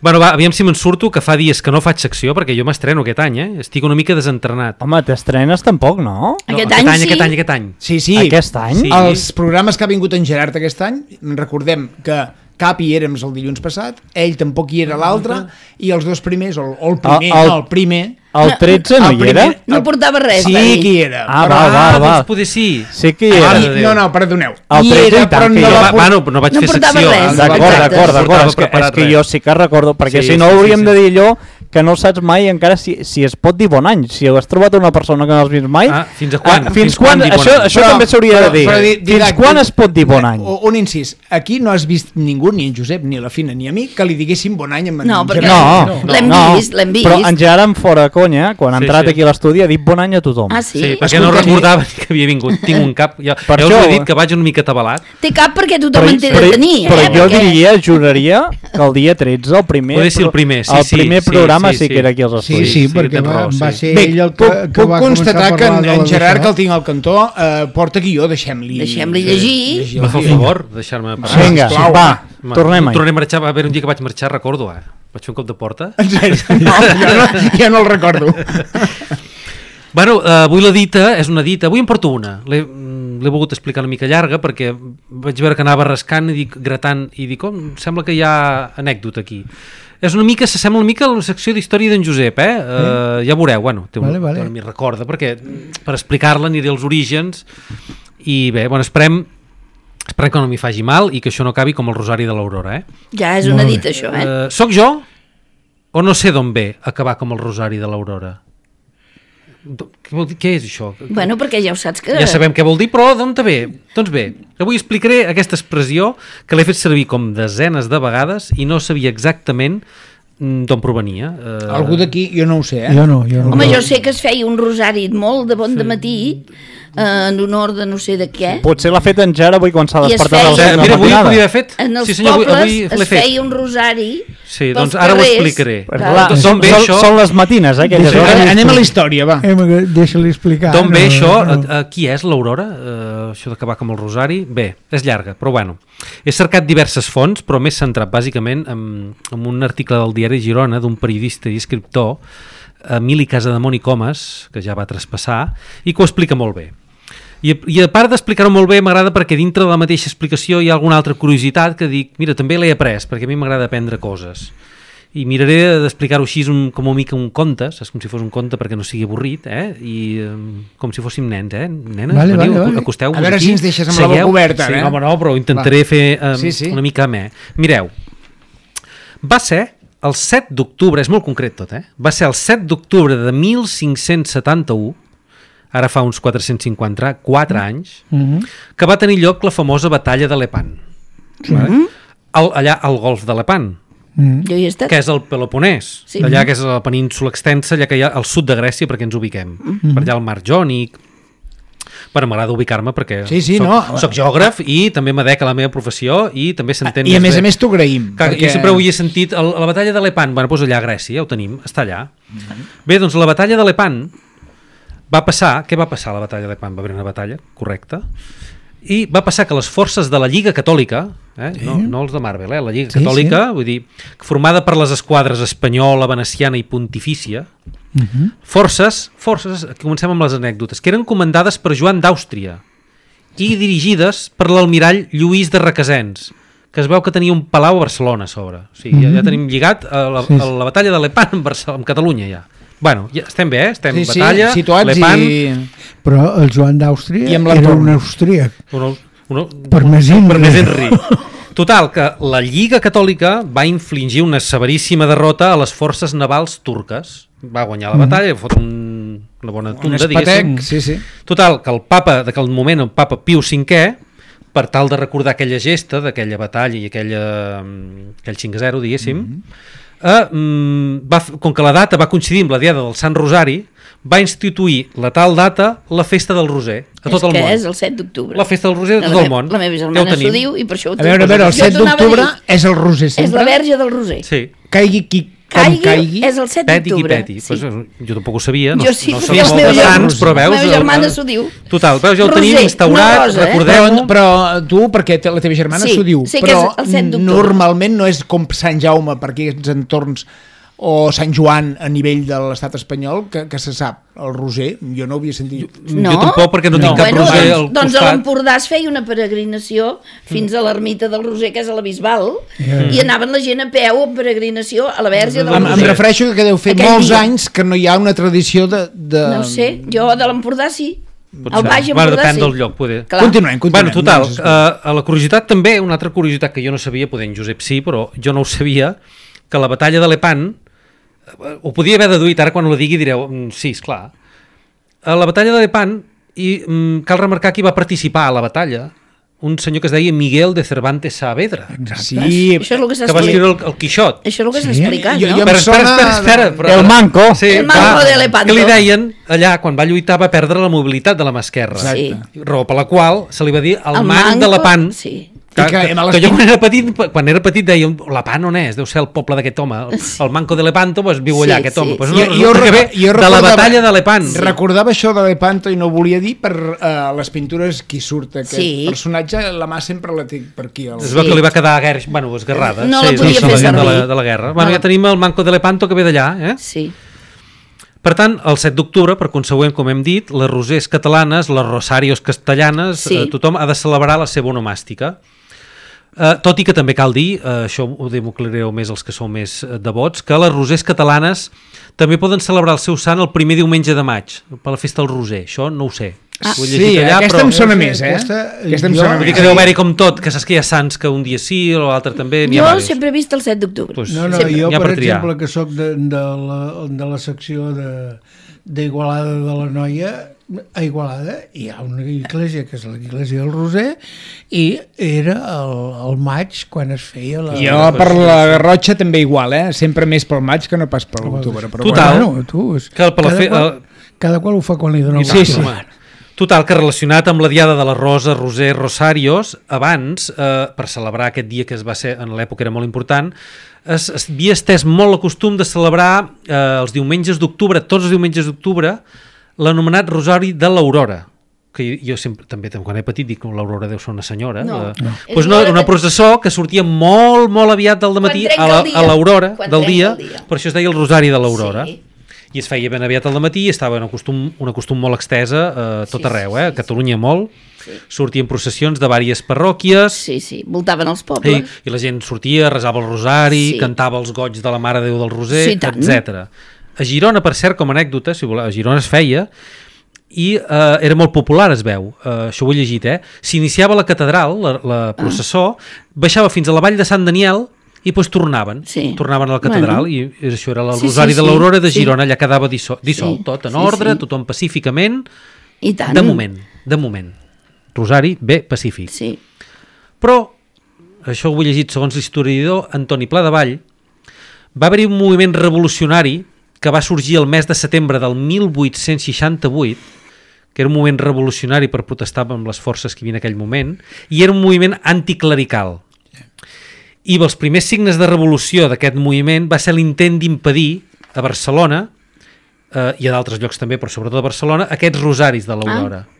[SPEAKER 5] Bueno, va, aviam si me'n surto, que fa dies que no faig secció, perquè jo m'estreno aquest any, eh? Estic una mica desentrenat.
[SPEAKER 1] Home, t'estrenes tampoc, no?
[SPEAKER 5] No,
[SPEAKER 2] Aquest
[SPEAKER 5] aquest
[SPEAKER 2] any
[SPEAKER 5] any,
[SPEAKER 2] sí.
[SPEAKER 5] aquest any, aquest any.
[SPEAKER 3] Sí, sí.
[SPEAKER 1] Aquest any?
[SPEAKER 5] Sí.
[SPEAKER 3] Els programes que ha vingut en Gerard aquest any, recordem que cap hi érem el dilluns passat, ell tampoc hi era l'altre, i els dos primers, o, o el primer,
[SPEAKER 1] El- el-
[SPEAKER 3] no, el primer...
[SPEAKER 1] El tretze no
[SPEAKER 3] el
[SPEAKER 1] hi era?
[SPEAKER 3] primer-
[SPEAKER 2] No portava res,
[SPEAKER 3] Sí
[SPEAKER 2] va dir.
[SPEAKER 3] que hi era.
[SPEAKER 1] Ah,
[SPEAKER 3] però-
[SPEAKER 1] va, va,
[SPEAKER 5] Ah,
[SPEAKER 1] va.
[SPEAKER 5] doncs poder sí.
[SPEAKER 1] Sí que hi
[SPEAKER 3] Ah,
[SPEAKER 1] era.
[SPEAKER 5] Mare de Déu.
[SPEAKER 3] no, no, perdoneu.
[SPEAKER 1] El
[SPEAKER 3] Hi
[SPEAKER 1] tretze
[SPEAKER 3] era,
[SPEAKER 1] i tant
[SPEAKER 3] però
[SPEAKER 1] que
[SPEAKER 3] no
[SPEAKER 1] hi
[SPEAKER 5] Jo,
[SPEAKER 1] era.
[SPEAKER 3] va
[SPEAKER 5] va,
[SPEAKER 3] portar...
[SPEAKER 5] bueno, no vaig
[SPEAKER 2] No
[SPEAKER 5] fer
[SPEAKER 2] portava
[SPEAKER 5] secció.
[SPEAKER 2] res.
[SPEAKER 5] eh?
[SPEAKER 1] D'acord,
[SPEAKER 2] Exacte.
[SPEAKER 1] d'acord, d'acord.
[SPEAKER 5] Portava
[SPEAKER 1] És que, és
[SPEAKER 5] preparat
[SPEAKER 1] que
[SPEAKER 5] res.
[SPEAKER 1] jo sí que recordo, perquè
[SPEAKER 5] Sí,
[SPEAKER 1] si no
[SPEAKER 5] sí, sí,
[SPEAKER 1] hauríem
[SPEAKER 5] sí.
[SPEAKER 1] de dir allò que no saps mai encara si, si es pot dir bon any. Si has trobat una persona que no has vist mai...
[SPEAKER 5] Ah, fins a quan?
[SPEAKER 1] Ah, fins,
[SPEAKER 5] Fins
[SPEAKER 1] quan?
[SPEAKER 5] quan dir bon
[SPEAKER 1] Això,
[SPEAKER 5] any?
[SPEAKER 1] això
[SPEAKER 3] Però-
[SPEAKER 1] també s'hauria de
[SPEAKER 3] però-
[SPEAKER 1] dir.
[SPEAKER 3] però di-
[SPEAKER 1] Fins
[SPEAKER 3] didac-
[SPEAKER 1] quan es pot dir bon any?
[SPEAKER 3] Un, un incís. Aquí no has vist ningú, ni en Josep, ni la Fina, ni a mi, que li diguéssim bon any amb en
[SPEAKER 2] No, perquè-
[SPEAKER 3] Gerard.
[SPEAKER 1] No,
[SPEAKER 2] L'hem
[SPEAKER 1] no,
[SPEAKER 2] vist, l'hem vist.
[SPEAKER 1] Però en Gerard, en fora conya, quan ha
[SPEAKER 5] Sí,
[SPEAKER 1] entrat
[SPEAKER 5] sí.
[SPEAKER 1] aquí a l'estudi, ha dit bon any a tothom.
[SPEAKER 2] Ah, sí?
[SPEAKER 5] Sí, perquè no
[SPEAKER 3] Escolta,
[SPEAKER 5] recordava ni que havia vingut. Tinc un cap... Ja,
[SPEAKER 1] Per
[SPEAKER 5] ja us
[SPEAKER 1] això-
[SPEAKER 5] he dit que vaig una mica atabalat.
[SPEAKER 2] Té cap perquè tothom en té
[SPEAKER 1] però,
[SPEAKER 2] de tenir,
[SPEAKER 1] però
[SPEAKER 2] eh?
[SPEAKER 1] jo
[SPEAKER 2] perquè...
[SPEAKER 1] diria, juraria, que el dia tretze, el primer,
[SPEAKER 5] Poder ser el primer, sí,
[SPEAKER 1] el
[SPEAKER 5] sí,
[SPEAKER 1] primer
[SPEAKER 5] sí,
[SPEAKER 1] programa programa sí, sí. sí que era aquí als
[SPEAKER 4] Sí,
[SPEAKER 1] estudis.
[SPEAKER 4] sí,
[SPEAKER 5] sí,
[SPEAKER 4] perquè
[SPEAKER 5] tens
[SPEAKER 4] va,
[SPEAKER 5] raó,
[SPEAKER 4] va
[SPEAKER 5] sí.
[SPEAKER 4] ser
[SPEAKER 3] Bé,
[SPEAKER 4] ell el que,
[SPEAKER 3] puc,
[SPEAKER 4] que
[SPEAKER 3] puc
[SPEAKER 4] va començar
[SPEAKER 3] constatar
[SPEAKER 4] a
[SPEAKER 3] que
[SPEAKER 4] parlar
[SPEAKER 3] en,
[SPEAKER 4] de la
[SPEAKER 3] en Gerard,
[SPEAKER 4] Daixà.
[SPEAKER 3] que el tinc al cantó, eh, porta guió, deixem-li...
[SPEAKER 2] Deixem-li llegir.
[SPEAKER 5] Me fa el favor, deixar-me parlar.
[SPEAKER 1] Vinga,
[SPEAKER 3] sisplau.
[SPEAKER 1] va,
[SPEAKER 5] Ma-
[SPEAKER 1] tornem-hi.
[SPEAKER 5] Tornem a marxar, va haver un dia que vaig marxar, recordo, eh? Vaig fer un cop de porta.
[SPEAKER 3] En sèrio? No, jo no, ja no el recordo.
[SPEAKER 5] Bueno, eh, avui la dita és una dita, avui en porto una. L'he l'he volgut explicar una mica llarga perquè vaig veure que anava rascant i dic, gratant i dic, oh, sembla que hi ha anècdota aquí. És una mica, s'assembla una mica a la secció d'història d'en Josep, eh? Uh, ja veureu, bueno, té un,
[SPEAKER 4] Vale, vale.
[SPEAKER 5] té una mica recorda, perquè per explicar-la aniré als orígens i bé, bueno, esperem esperem que no m'hi faci mal i que això no acabi com el Rosari de l'Aurora, eh?
[SPEAKER 2] Ja és una dita, això, eh?
[SPEAKER 5] Uh, soc jo o no sé d'on ve acabar com el Rosari de l'Aurora? Què, vol dir, què és això?
[SPEAKER 2] Bueno, perquè ja ho saps que...
[SPEAKER 5] Ja sabem què vol dir, però d'on te ve? Doncs bé, avui explicaré aquesta expressió que l'he fet servir com desenes de vegades i no sabia exactament mm, d'on provenia. Uh...
[SPEAKER 3] Algú d'aquí, jo no ho sé, eh?
[SPEAKER 4] Jo no, jo no.
[SPEAKER 2] Home, jo sé que es feia un rosari molt de bon de matí eh, en honor de no sé de què.
[SPEAKER 1] Potser l'ha fet en Ger avui quan s'ha
[SPEAKER 2] I es
[SPEAKER 1] despertat
[SPEAKER 2] feia-
[SPEAKER 1] a les
[SPEAKER 5] Eh,
[SPEAKER 1] set de
[SPEAKER 5] mira,
[SPEAKER 1] la
[SPEAKER 5] avui ho
[SPEAKER 1] matinada.
[SPEAKER 5] podia haver fet.
[SPEAKER 2] En els
[SPEAKER 5] sí, senyor, avui,
[SPEAKER 2] pobles
[SPEAKER 5] avui l'he
[SPEAKER 2] es
[SPEAKER 5] fet.
[SPEAKER 2] feia un rosari
[SPEAKER 5] Sí,
[SPEAKER 2] pels
[SPEAKER 5] doncs ara ho
[SPEAKER 2] carrers.
[SPEAKER 5] explicaré.
[SPEAKER 1] Però
[SPEAKER 2] Clar.
[SPEAKER 1] clar,
[SPEAKER 5] D'on
[SPEAKER 1] són,
[SPEAKER 5] ve
[SPEAKER 1] són,
[SPEAKER 5] això?
[SPEAKER 1] són les matines, eh, aquelles
[SPEAKER 4] Deixa-
[SPEAKER 1] hores.
[SPEAKER 3] Anem a la història, va.
[SPEAKER 4] Eh, Deixa-li explicar.
[SPEAKER 5] D'on ve
[SPEAKER 4] no,
[SPEAKER 5] això?
[SPEAKER 4] no.
[SPEAKER 5] A, a qui és l'Aurora? Uh, això d'acabar com el Rosari? Bé, és llarga, però bueno. He cercat diverses fonts, però m'he centrat bàsicament en, en un article del diari Girona d'un periodista i escriptor, Emili Casademont i Comas, que ja va traspassar, i que ho explica molt bé. I, i a part d'explicar-ho molt bé, m'agrada perquè dintre de la mateixa explicació hi ha alguna altra curiositat que dic, mira, també l'he après, perquè a mi m'agrada aprendre coses. I miraré d'explicar-ho així un, com una mica un conte, saps? Com si fos un conte perquè no sigui avorrit, eh? I um, com si fóssim nens, eh? Nenes,
[SPEAKER 4] Vale,
[SPEAKER 5] veniu,
[SPEAKER 4] vale, vale.
[SPEAKER 5] acosteu-vos
[SPEAKER 3] A veure
[SPEAKER 5] aquí,
[SPEAKER 3] si ens deixes amb la boca
[SPEAKER 5] seieu.
[SPEAKER 3] oberta,
[SPEAKER 5] sí,
[SPEAKER 3] eh?
[SPEAKER 5] home, no, però intentaré
[SPEAKER 3] Va.
[SPEAKER 5] fer um,
[SPEAKER 3] Sí, sí.
[SPEAKER 5] una mica amè. Mireu, va ser el set d'octubre, és molt concret tot, eh? Va ser el set d'octubre de mil cinc-cents setanta-u, ara fa uns quatre-cents cinquanta-quatre anys,
[SPEAKER 4] Mhm.
[SPEAKER 5] que va tenir lloc la famosa batalla de Lepant. Vale? Al, allà al golf de Lepant,
[SPEAKER 4] Mhm.
[SPEAKER 2] Jo hi he estat.
[SPEAKER 5] que és el Peloponès,
[SPEAKER 2] Sí.
[SPEAKER 5] allà que és la península extensa, allà que hi ha al sud de Grècia, perquè ens ubiquem. Per allà al mar Jònic. Bueno, m'agrada ubicar-me perquè
[SPEAKER 3] Sí, sí,
[SPEAKER 5] soc,
[SPEAKER 3] no.
[SPEAKER 5] soc geògraf i també m'adec a la meva professió i també s'entén
[SPEAKER 3] I a més
[SPEAKER 5] bé.
[SPEAKER 3] a més t'ho agraïm.
[SPEAKER 5] Que Jo sempre ho he sentit, el, la batalla de Lepant, bueno, doncs allà a Grècia, ja ho tenim, està allà. Bé, doncs la batalla de Lepant va passar, què va passar a la batalla de Lepant? Va haver una batalla, correcte, i va passar que les forces de la Lliga Catòlica, eh? no, no els de Marvel, eh? la Lliga
[SPEAKER 4] Sí,
[SPEAKER 5] Catòlica, sí. vull dir, formada per les esquadres espanyola, veneciana i pontifícia,
[SPEAKER 4] Mhm.
[SPEAKER 5] forces, forces, aquí comencem amb les anècdotes, que eren comandades per Joan d'Àustria i dirigides per l'almirall Lluís de Requesens, que es veu que tenia un palau a Barcelona a sobre. O sigui, mm -hmm. ja, ja tenim lligat a la,
[SPEAKER 4] Sí, sí.
[SPEAKER 5] a la batalla de Lepant amb, Barcelona, amb Catalunya ja. Bueno, ja estem bé, eh? Estem
[SPEAKER 3] Sí, sí,
[SPEAKER 5] batalla,
[SPEAKER 3] situats
[SPEAKER 5] Lepant,
[SPEAKER 3] i...
[SPEAKER 4] Però el Joan d'Àustria
[SPEAKER 3] I amb
[SPEAKER 4] era
[SPEAKER 3] l'entorn.
[SPEAKER 4] un austríac.
[SPEAKER 5] uno, uno,
[SPEAKER 4] Per més Inri.
[SPEAKER 5] per més Henry. Total, que la Lliga Catòlica va infligir una severíssima derrota a les forces navals turques. Va guanyar la batalla, va fotre un, una bona
[SPEAKER 3] Un
[SPEAKER 5] tunda, diguéssim.
[SPEAKER 3] espatec, sí, sí.
[SPEAKER 5] Total, que el papa, d'aquell moment, el papa Piu cinquè, per tal de recordar aquella gesta d'aquella batalla i aquella, mm, aquell cinc a zero, diguéssim, mm -hmm. eh, mm, va, f- com que la data va coincidir amb la diada del Sant Rosari, va instituir la tal data la festa del Roser a tot
[SPEAKER 2] és
[SPEAKER 5] el
[SPEAKER 2] que
[SPEAKER 5] món.
[SPEAKER 2] és el set d'octubre.
[SPEAKER 5] La festa del Roser a tot
[SPEAKER 2] la
[SPEAKER 5] el
[SPEAKER 2] me-
[SPEAKER 5] món.
[SPEAKER 2] La meva
[SPEAKER 5] Ja ho
[SPEAKER 2] germana s'ho
[SPEAKER 5] tenim.
[SPEAKER 2] diu i per això ho
[SPEAKER 3] A veure, a veure, el
[SPEAKER 2] Jo
[SPEAKER 3] set
[SPEAKER 2] t'ho anava a
[SPEAKER 3] d'octubre
[SPEAKER 2] dir.
[SPEAKER 3] és el Roser
[SPEAKER 2] És
[SPEAKER 3] sempre.
[SPEAKER 2] la verge del Roser.
[SPEAKER 5] Sí.
[SPEAKER 3] Caigui qui com
[SPEAKER 2] Caigui,
[SPEAKER 3] caigui.
[SPEAKER 2] és el set
[SPEAKER 5] Peti qui
[SPEAKER 2] d'octubre.
[SPEAKER 5] peti.
[SPEAKER 2] Sí.
[SPEAKER 5] Pues, eh, jo tampoc ho sabia. No,
[SPEAKER 2] Jo sí,
[SPEAKER 5] no
[SPEAKER 2] perquè
[SPEAKER 5] som
[SPEAKER 2] la
[SPEAKER 5] molt
[SPEAKER 2] meva
[SPEAKER 5] de
[SPEAKER 2] germana-
[SPEAKER 5] sants, però veus...
[SPEAKER 2] la meva
[SPEAKER 5] el-
[SPEAKER 2] germana
[SPEAKER 5] el-
[SPEAKER 2] s'ho diu.
[SPEAKER 5] Total, veus, ja ho
[SPEAKER 2] Roser,
[SPEAKER 5] tenim
[SPEAKER 2] una
[SPEAKER 5] instaurat,
[SPEAKER 2] rosa, eh?
[SPEAKER 5] recordem-ho.
[SPEAKER 3] Però, però tu, perquè te- la teva germana
[SPEAKER 2] Sí,
[SPEAKER 3] s'ho diu,
[SPEAKER 2] sé que
[SPEAKER 3] però
[SPEAKER 2] és el set d'octubre.
[SPEAKER 3] normalment no és com Sant Jaume per aquests entorns o Sant Joan a nivell de l'estat espanyol que, que se sap, el Roser, jo no ho havia sentit.
[SPEAKER 2] No?
[SPEAKER 5] Jo tampoc, perquè no,
[SPEAKER 3] No.
[SPEAKER 5] tinc cap
[SPEAKER 2] Bueno,
[SPEAKER 5] Roser
[SPEAKER 2] doncs,
[SPEAKER 5] al
[SPEAKER 2] doncs a
[SPEAKER 5] costat.
[SPEAKER 2] l'Empordà es feia una peregrinació fins a l'ermita del Roser, que és a la Bisbal, i anaven la gent a peu en peregrinació a la verge del
[SPEAKER 3] Em, em
[SPEAKER 2] Roser.
[SPEAKER 3] refereixo que deu fer
[SPEAKER 2] Aquell
[SPEAKER 3] molts
[SPEAKER 2] dia.
[SPEAKER 3] anys que no hi ha una tradició de... de...
[SPEAKER 2] No ho sé, jo de l'Empordà sí.
[SPEAKER 5] Potser.
[SPEAKER 2] Al Baix
[SPEAKER 5] Bueno,
[SPEAKER 2] Empordà
[SPEAKER 5] depèn
[SPEAKER 2] sí.
[SPEAKER 5] del lloc, poder.
[SPEAKER 2] Clar.
[SPEAKER 3] Continuem, continuem.
[SPEAKER 5] Bueno, total,
[SPEAKER 3] Doncs,
[SPEAKER 5] uh, a la curiositat també, una altra curiositat que jo no sabia, poder en Josep sí, però jo no ho sabia, que la batalla de Lepant, eh, ho podia haver deduït, ara quan ho digui direu, mm, sí, esclar. A la batalla de Lepant, i mm, cal remarcar qui va participar a la batalla, un senyor que es deia Miguel de Cervantes Saavedra,
[SPEAKER 3] Sí,
[SPEAKER 2] Això és el que s'ha
[SPEAKER 5] que va escriure
[SPEAKER 2] explicat.
[SPEAKER 5] el, el Quixot.
[SPEAKER 2] Això és el que s'ha
[SPEAKER 3] Sí?
[SPEAKER 2] explicat,
[SPEAKER 3] Jo-
[SPEAKER 2] no?
[SPEAKER 3] jo-
[SPEAKER 5] Però
[SPEAKER 3] em
[SPEAKER 5] espera,
[SPEAKER 3] sona
[SPEAKER 5] espera, espera. Però,
[SPEAKER 1] El manco.
[SPEAKER 5] Sí,
[SPEAKER 2] El manco
[SPEAKER 5] va,
[SPEAKER 2] de Lepanto.
[SPEAKER 5] que li deien, allà, quan va lluitar, va perdre la mobilitat de la mà esquerra.
[SPEAKER 2] Sí.
[SPEAKER 5] Raó per la qual se li va dir el,
[SPEAKER 2] El
[SPEAKER 5] man de
[SPEAKER 2] manco,
[SPEAKER 5] Lepant,
[SPEAKER 2] sí.
[SPEAKER 5] Que,
[SPEAKER 3] que,
[SPEAKER 5] que, que jo quan era petit, quan era petit deia, Lepant on és? Deu ser el poble d'aquest home, el, el Manco de Lepanto, pues, viu allà,
[SPEAKER 2] Sí,
[SPEAKER 5] aquest
[SPEAKER 2] sí,
[SPEAKER 5] home. Pues,
[SPEAKER 2] sí.
[SPEAKER 5] no,
[SPEAKER 3] Jo- jo
[SPEAKER 5] resulta que ve
[SPEAKER 3] reco- jo
[SPEAKER 5] de la
[SPEAKER 3] recordava-
[SPEAKER 5] batalla de Lepant.
[SPEAKER 3] Sí. Recordava això de Lepanto i no ho volia dir per uh, les pintures qui surt aquest
[SPEAKER 2] Sí.
[SPEAKER 3] personatge, la mà sempre la té per aquí. El...
[SPEAKER 5] Es veu que li va quedar guerra, bueno, esgarrada.
[SPEAKER 2] No la
[SPEAKER 5] sí,
[SPEAKER 2] podia
[SPEAKER 5] sí,
[SPEAKER 2] fer
[SPEAKER 5] de la,
[SPEAKER 2] servir.
[SPEAKER 5] de la guerra. Bueno,
[SPEAKER 2] No la-
[SPEAKER 5] ja tenim el Manco de Lepanto que ve d'allà, eh?
[SPEAKER 2] Sí.
[SPEAKER 5] Per tant, el set d'octubre, per consegüent, com hem dit, les rosers catalanes, les rosarios castellanes,
[SPEAKER 2] Sí.
[SPEAKER 5] eh, tothom ha de celebrar la seva onomàstica. Eh, tot i que també cal dir, eh, això ho democlareu més els que sou més eh, devots, que les rosers catalanes també poden celebrar el seu sant el primer diumenge de maig, per la festa del roser. Això no ho sé.
[SPEAKER 2] Ah.
[SPEAKER 5] Ho he
[SPEAKER 3] Sí,
[SPEAKER 5] llegit allà,
[SPEAKER 3] aquesta
[SPEAKER 5] però...
[SPEAKER 3] em sona més, eh?
[SPEAKER 4] Aquesta,
[SPEAKER 3] Aquesta em
[SPEAKER 4] jo-
[SPEAKER 3] sona
[SPEAKER 5] Vull dir
[SPEAKER 3] més.
[SPEAKER 5] que deu haver-hi com tot, que saps que hi ha sants que un dia sí, l'altre també, n'hi
[SPEAKER 2] Jo
[SPEAKER 5] ha diversos.
[SPEAKER 2] sempre he vist el set d'octubre.
[SPEAKER 5] Pues-
[SPEAKER 4] No, no,
[SPEAKER 2] Sempre.
[SPEAKER 4] jo,
[SPEAKER 5] N'hi ha
[SPEAKER 4] per
[SPEAKER 5] per triar.
[SPEAKER 4] exemple, que sóc de, de, la, de la secció de d'Igualada de la Noia, a Igualada hi ha una església que és l'església del Roser i era el, el maig quan es feia la...
[SPEAKER 3] Jo per la Garrotxa també igual, eh? Sempre més pel maig que no pas per l'octubre. Però
[SPEAKER 5] Total.
[SPEAKER 4] Bueno, tu, és,
[SPEAKER 5] Que per la
[SPEAKER 4] cada,
[SPEAKER 5] fe-
[SPEAKER 4] qual,
[SPEAKER 5] el-
[SPEAKER 4] cada qual ho fa quan li dona el
[SPEAKER 3] Sí,
[SPEAKER 4] gust.
[SPEAKER 3] sí.
[SPEAKER 4] Home.
[SPEAKER 5] Total, que relacionat amb la diada de la Rosa, Roser, Rosarios, abans, eh, per celebrar aquest dia que es va ser, en l'època era molt important, es, es havia estès molt el costum de celebrar eh, els diumenges d'octubre, tots els diumenges d'octubre, l'anomenat Rosari de l'Aurora, que jo sempre, també quan he petit dic que l'Aurora deu ser una senyora.
[SPEAKER 2] No,
[SPEAKER 5] eh?
[SPEAKER 2] no.
[SPEAKER 5] Pues
[SPEAKER 2] És
[SPEAKER 5] no,
[SPEAKER 2] l'hora
[SPEAKER 5] una
[SPEAKER 2] que-
[SPEAKER 5] processó que sortia molt, molt aviat del dematí
[SPEAKER 2] trenca
[SPEAKER 5] a la-
[SPEAKER 2] el dia.
[SPEAKER 5] a l'Aurora
[SPEAKER 2] Quan
[SPEAKER 5] del
[SPEAKER 2] trenca
[SPEAKER 5] dia,
[SPEAKER 2] el dia.
[SPEAKER 5] per això es deia el Rosari de l'Aurora.
[SPEAKER 2] Sí.
[SPEAKER 5] I es feia ben aviat al matí, estava en un costum, una costum molt extesa a tot
[SPEAKER 2] Sí,
[SPEAKER 5] arreu,
[SPEAKER 2] sí,
[SPEAKER 5] eh? a
[SPEAKER 2] sí,
[SPEAKER 5] Catalunya molt,
[SPEAKER 2] Sí.
[SPEAKER 5] sortien processions de diverses parròquies,
[SPEAKER 2] Sí, sí, voltaven els
[SPEAKER 5] i,
[SPEAKER 2] pobles.
[SPEAKER 5] i la gent sortia, resava el rosari,
[SPEAKER 2] Sí.
[SPEAKER 5] cantava els goig de la Mare de Déu del Roser,
[SPEAKER 2] Sí, tant.
[SPEAKER 5] etcètera. A Girona, per cert, com a anècdota, si voleu, a Girona es feia, i eh, era molt popular, es veu, eh, això ho he llegit, eh? S'iniciava a la catedral, la, la processó, baixava fins a la vall de Sant Daniel, i doncs tornaven,
[SPEAKER 2] Sí.
[SPEAKER 5] tornaven a la catedral,
[SPEAKER 2] Bueno.
[SPEAKER 5] i això era el
[SPEAKER 2] Sí,
[SPEAKER 5] Rosari
[SPEAKER 2] sí,
[SPEAKER 5] de
[SPEAKER 2] sí,
[SPEAKER 5] l'Aurora de
[SPEAKER 2] sí.
[SPEAKER 5] Girona, allà quedava dissol, dissolt,
[SPEAKER 2] Sí,
[SPEAKER 5] tot en
[SPEAKER 2] sí,
[SPEAKER 5] ordre,
[SPEAKER 2] sí.
[SPEAKER 5] tothom pacíficament,
[SPEAKER 2] I tant.
[SPEAKER 5] de moment, de moment. Rosari, bé, pacífic.
[SPEAKER 2] Sí.
[SPEAKER 5] Però, això ho he llegit segons l'historiador Antoni Pladevall, va haver-hi un moviment revolucionari que va sorgir el mes de setembre del mil vuit-cents seixanta-vuit, que era un moviment revolucionari per protestar amb les forces que hi havia en aquell moment, i era un moviment anticlerical. I els primers signes de revolució d'aquest moviment va ser l'intent d'impedir a Barcelona, eh, i a d'altres llocs també, però sobretot a Barcelona, aquests rosaris de l'Aurora. Ah.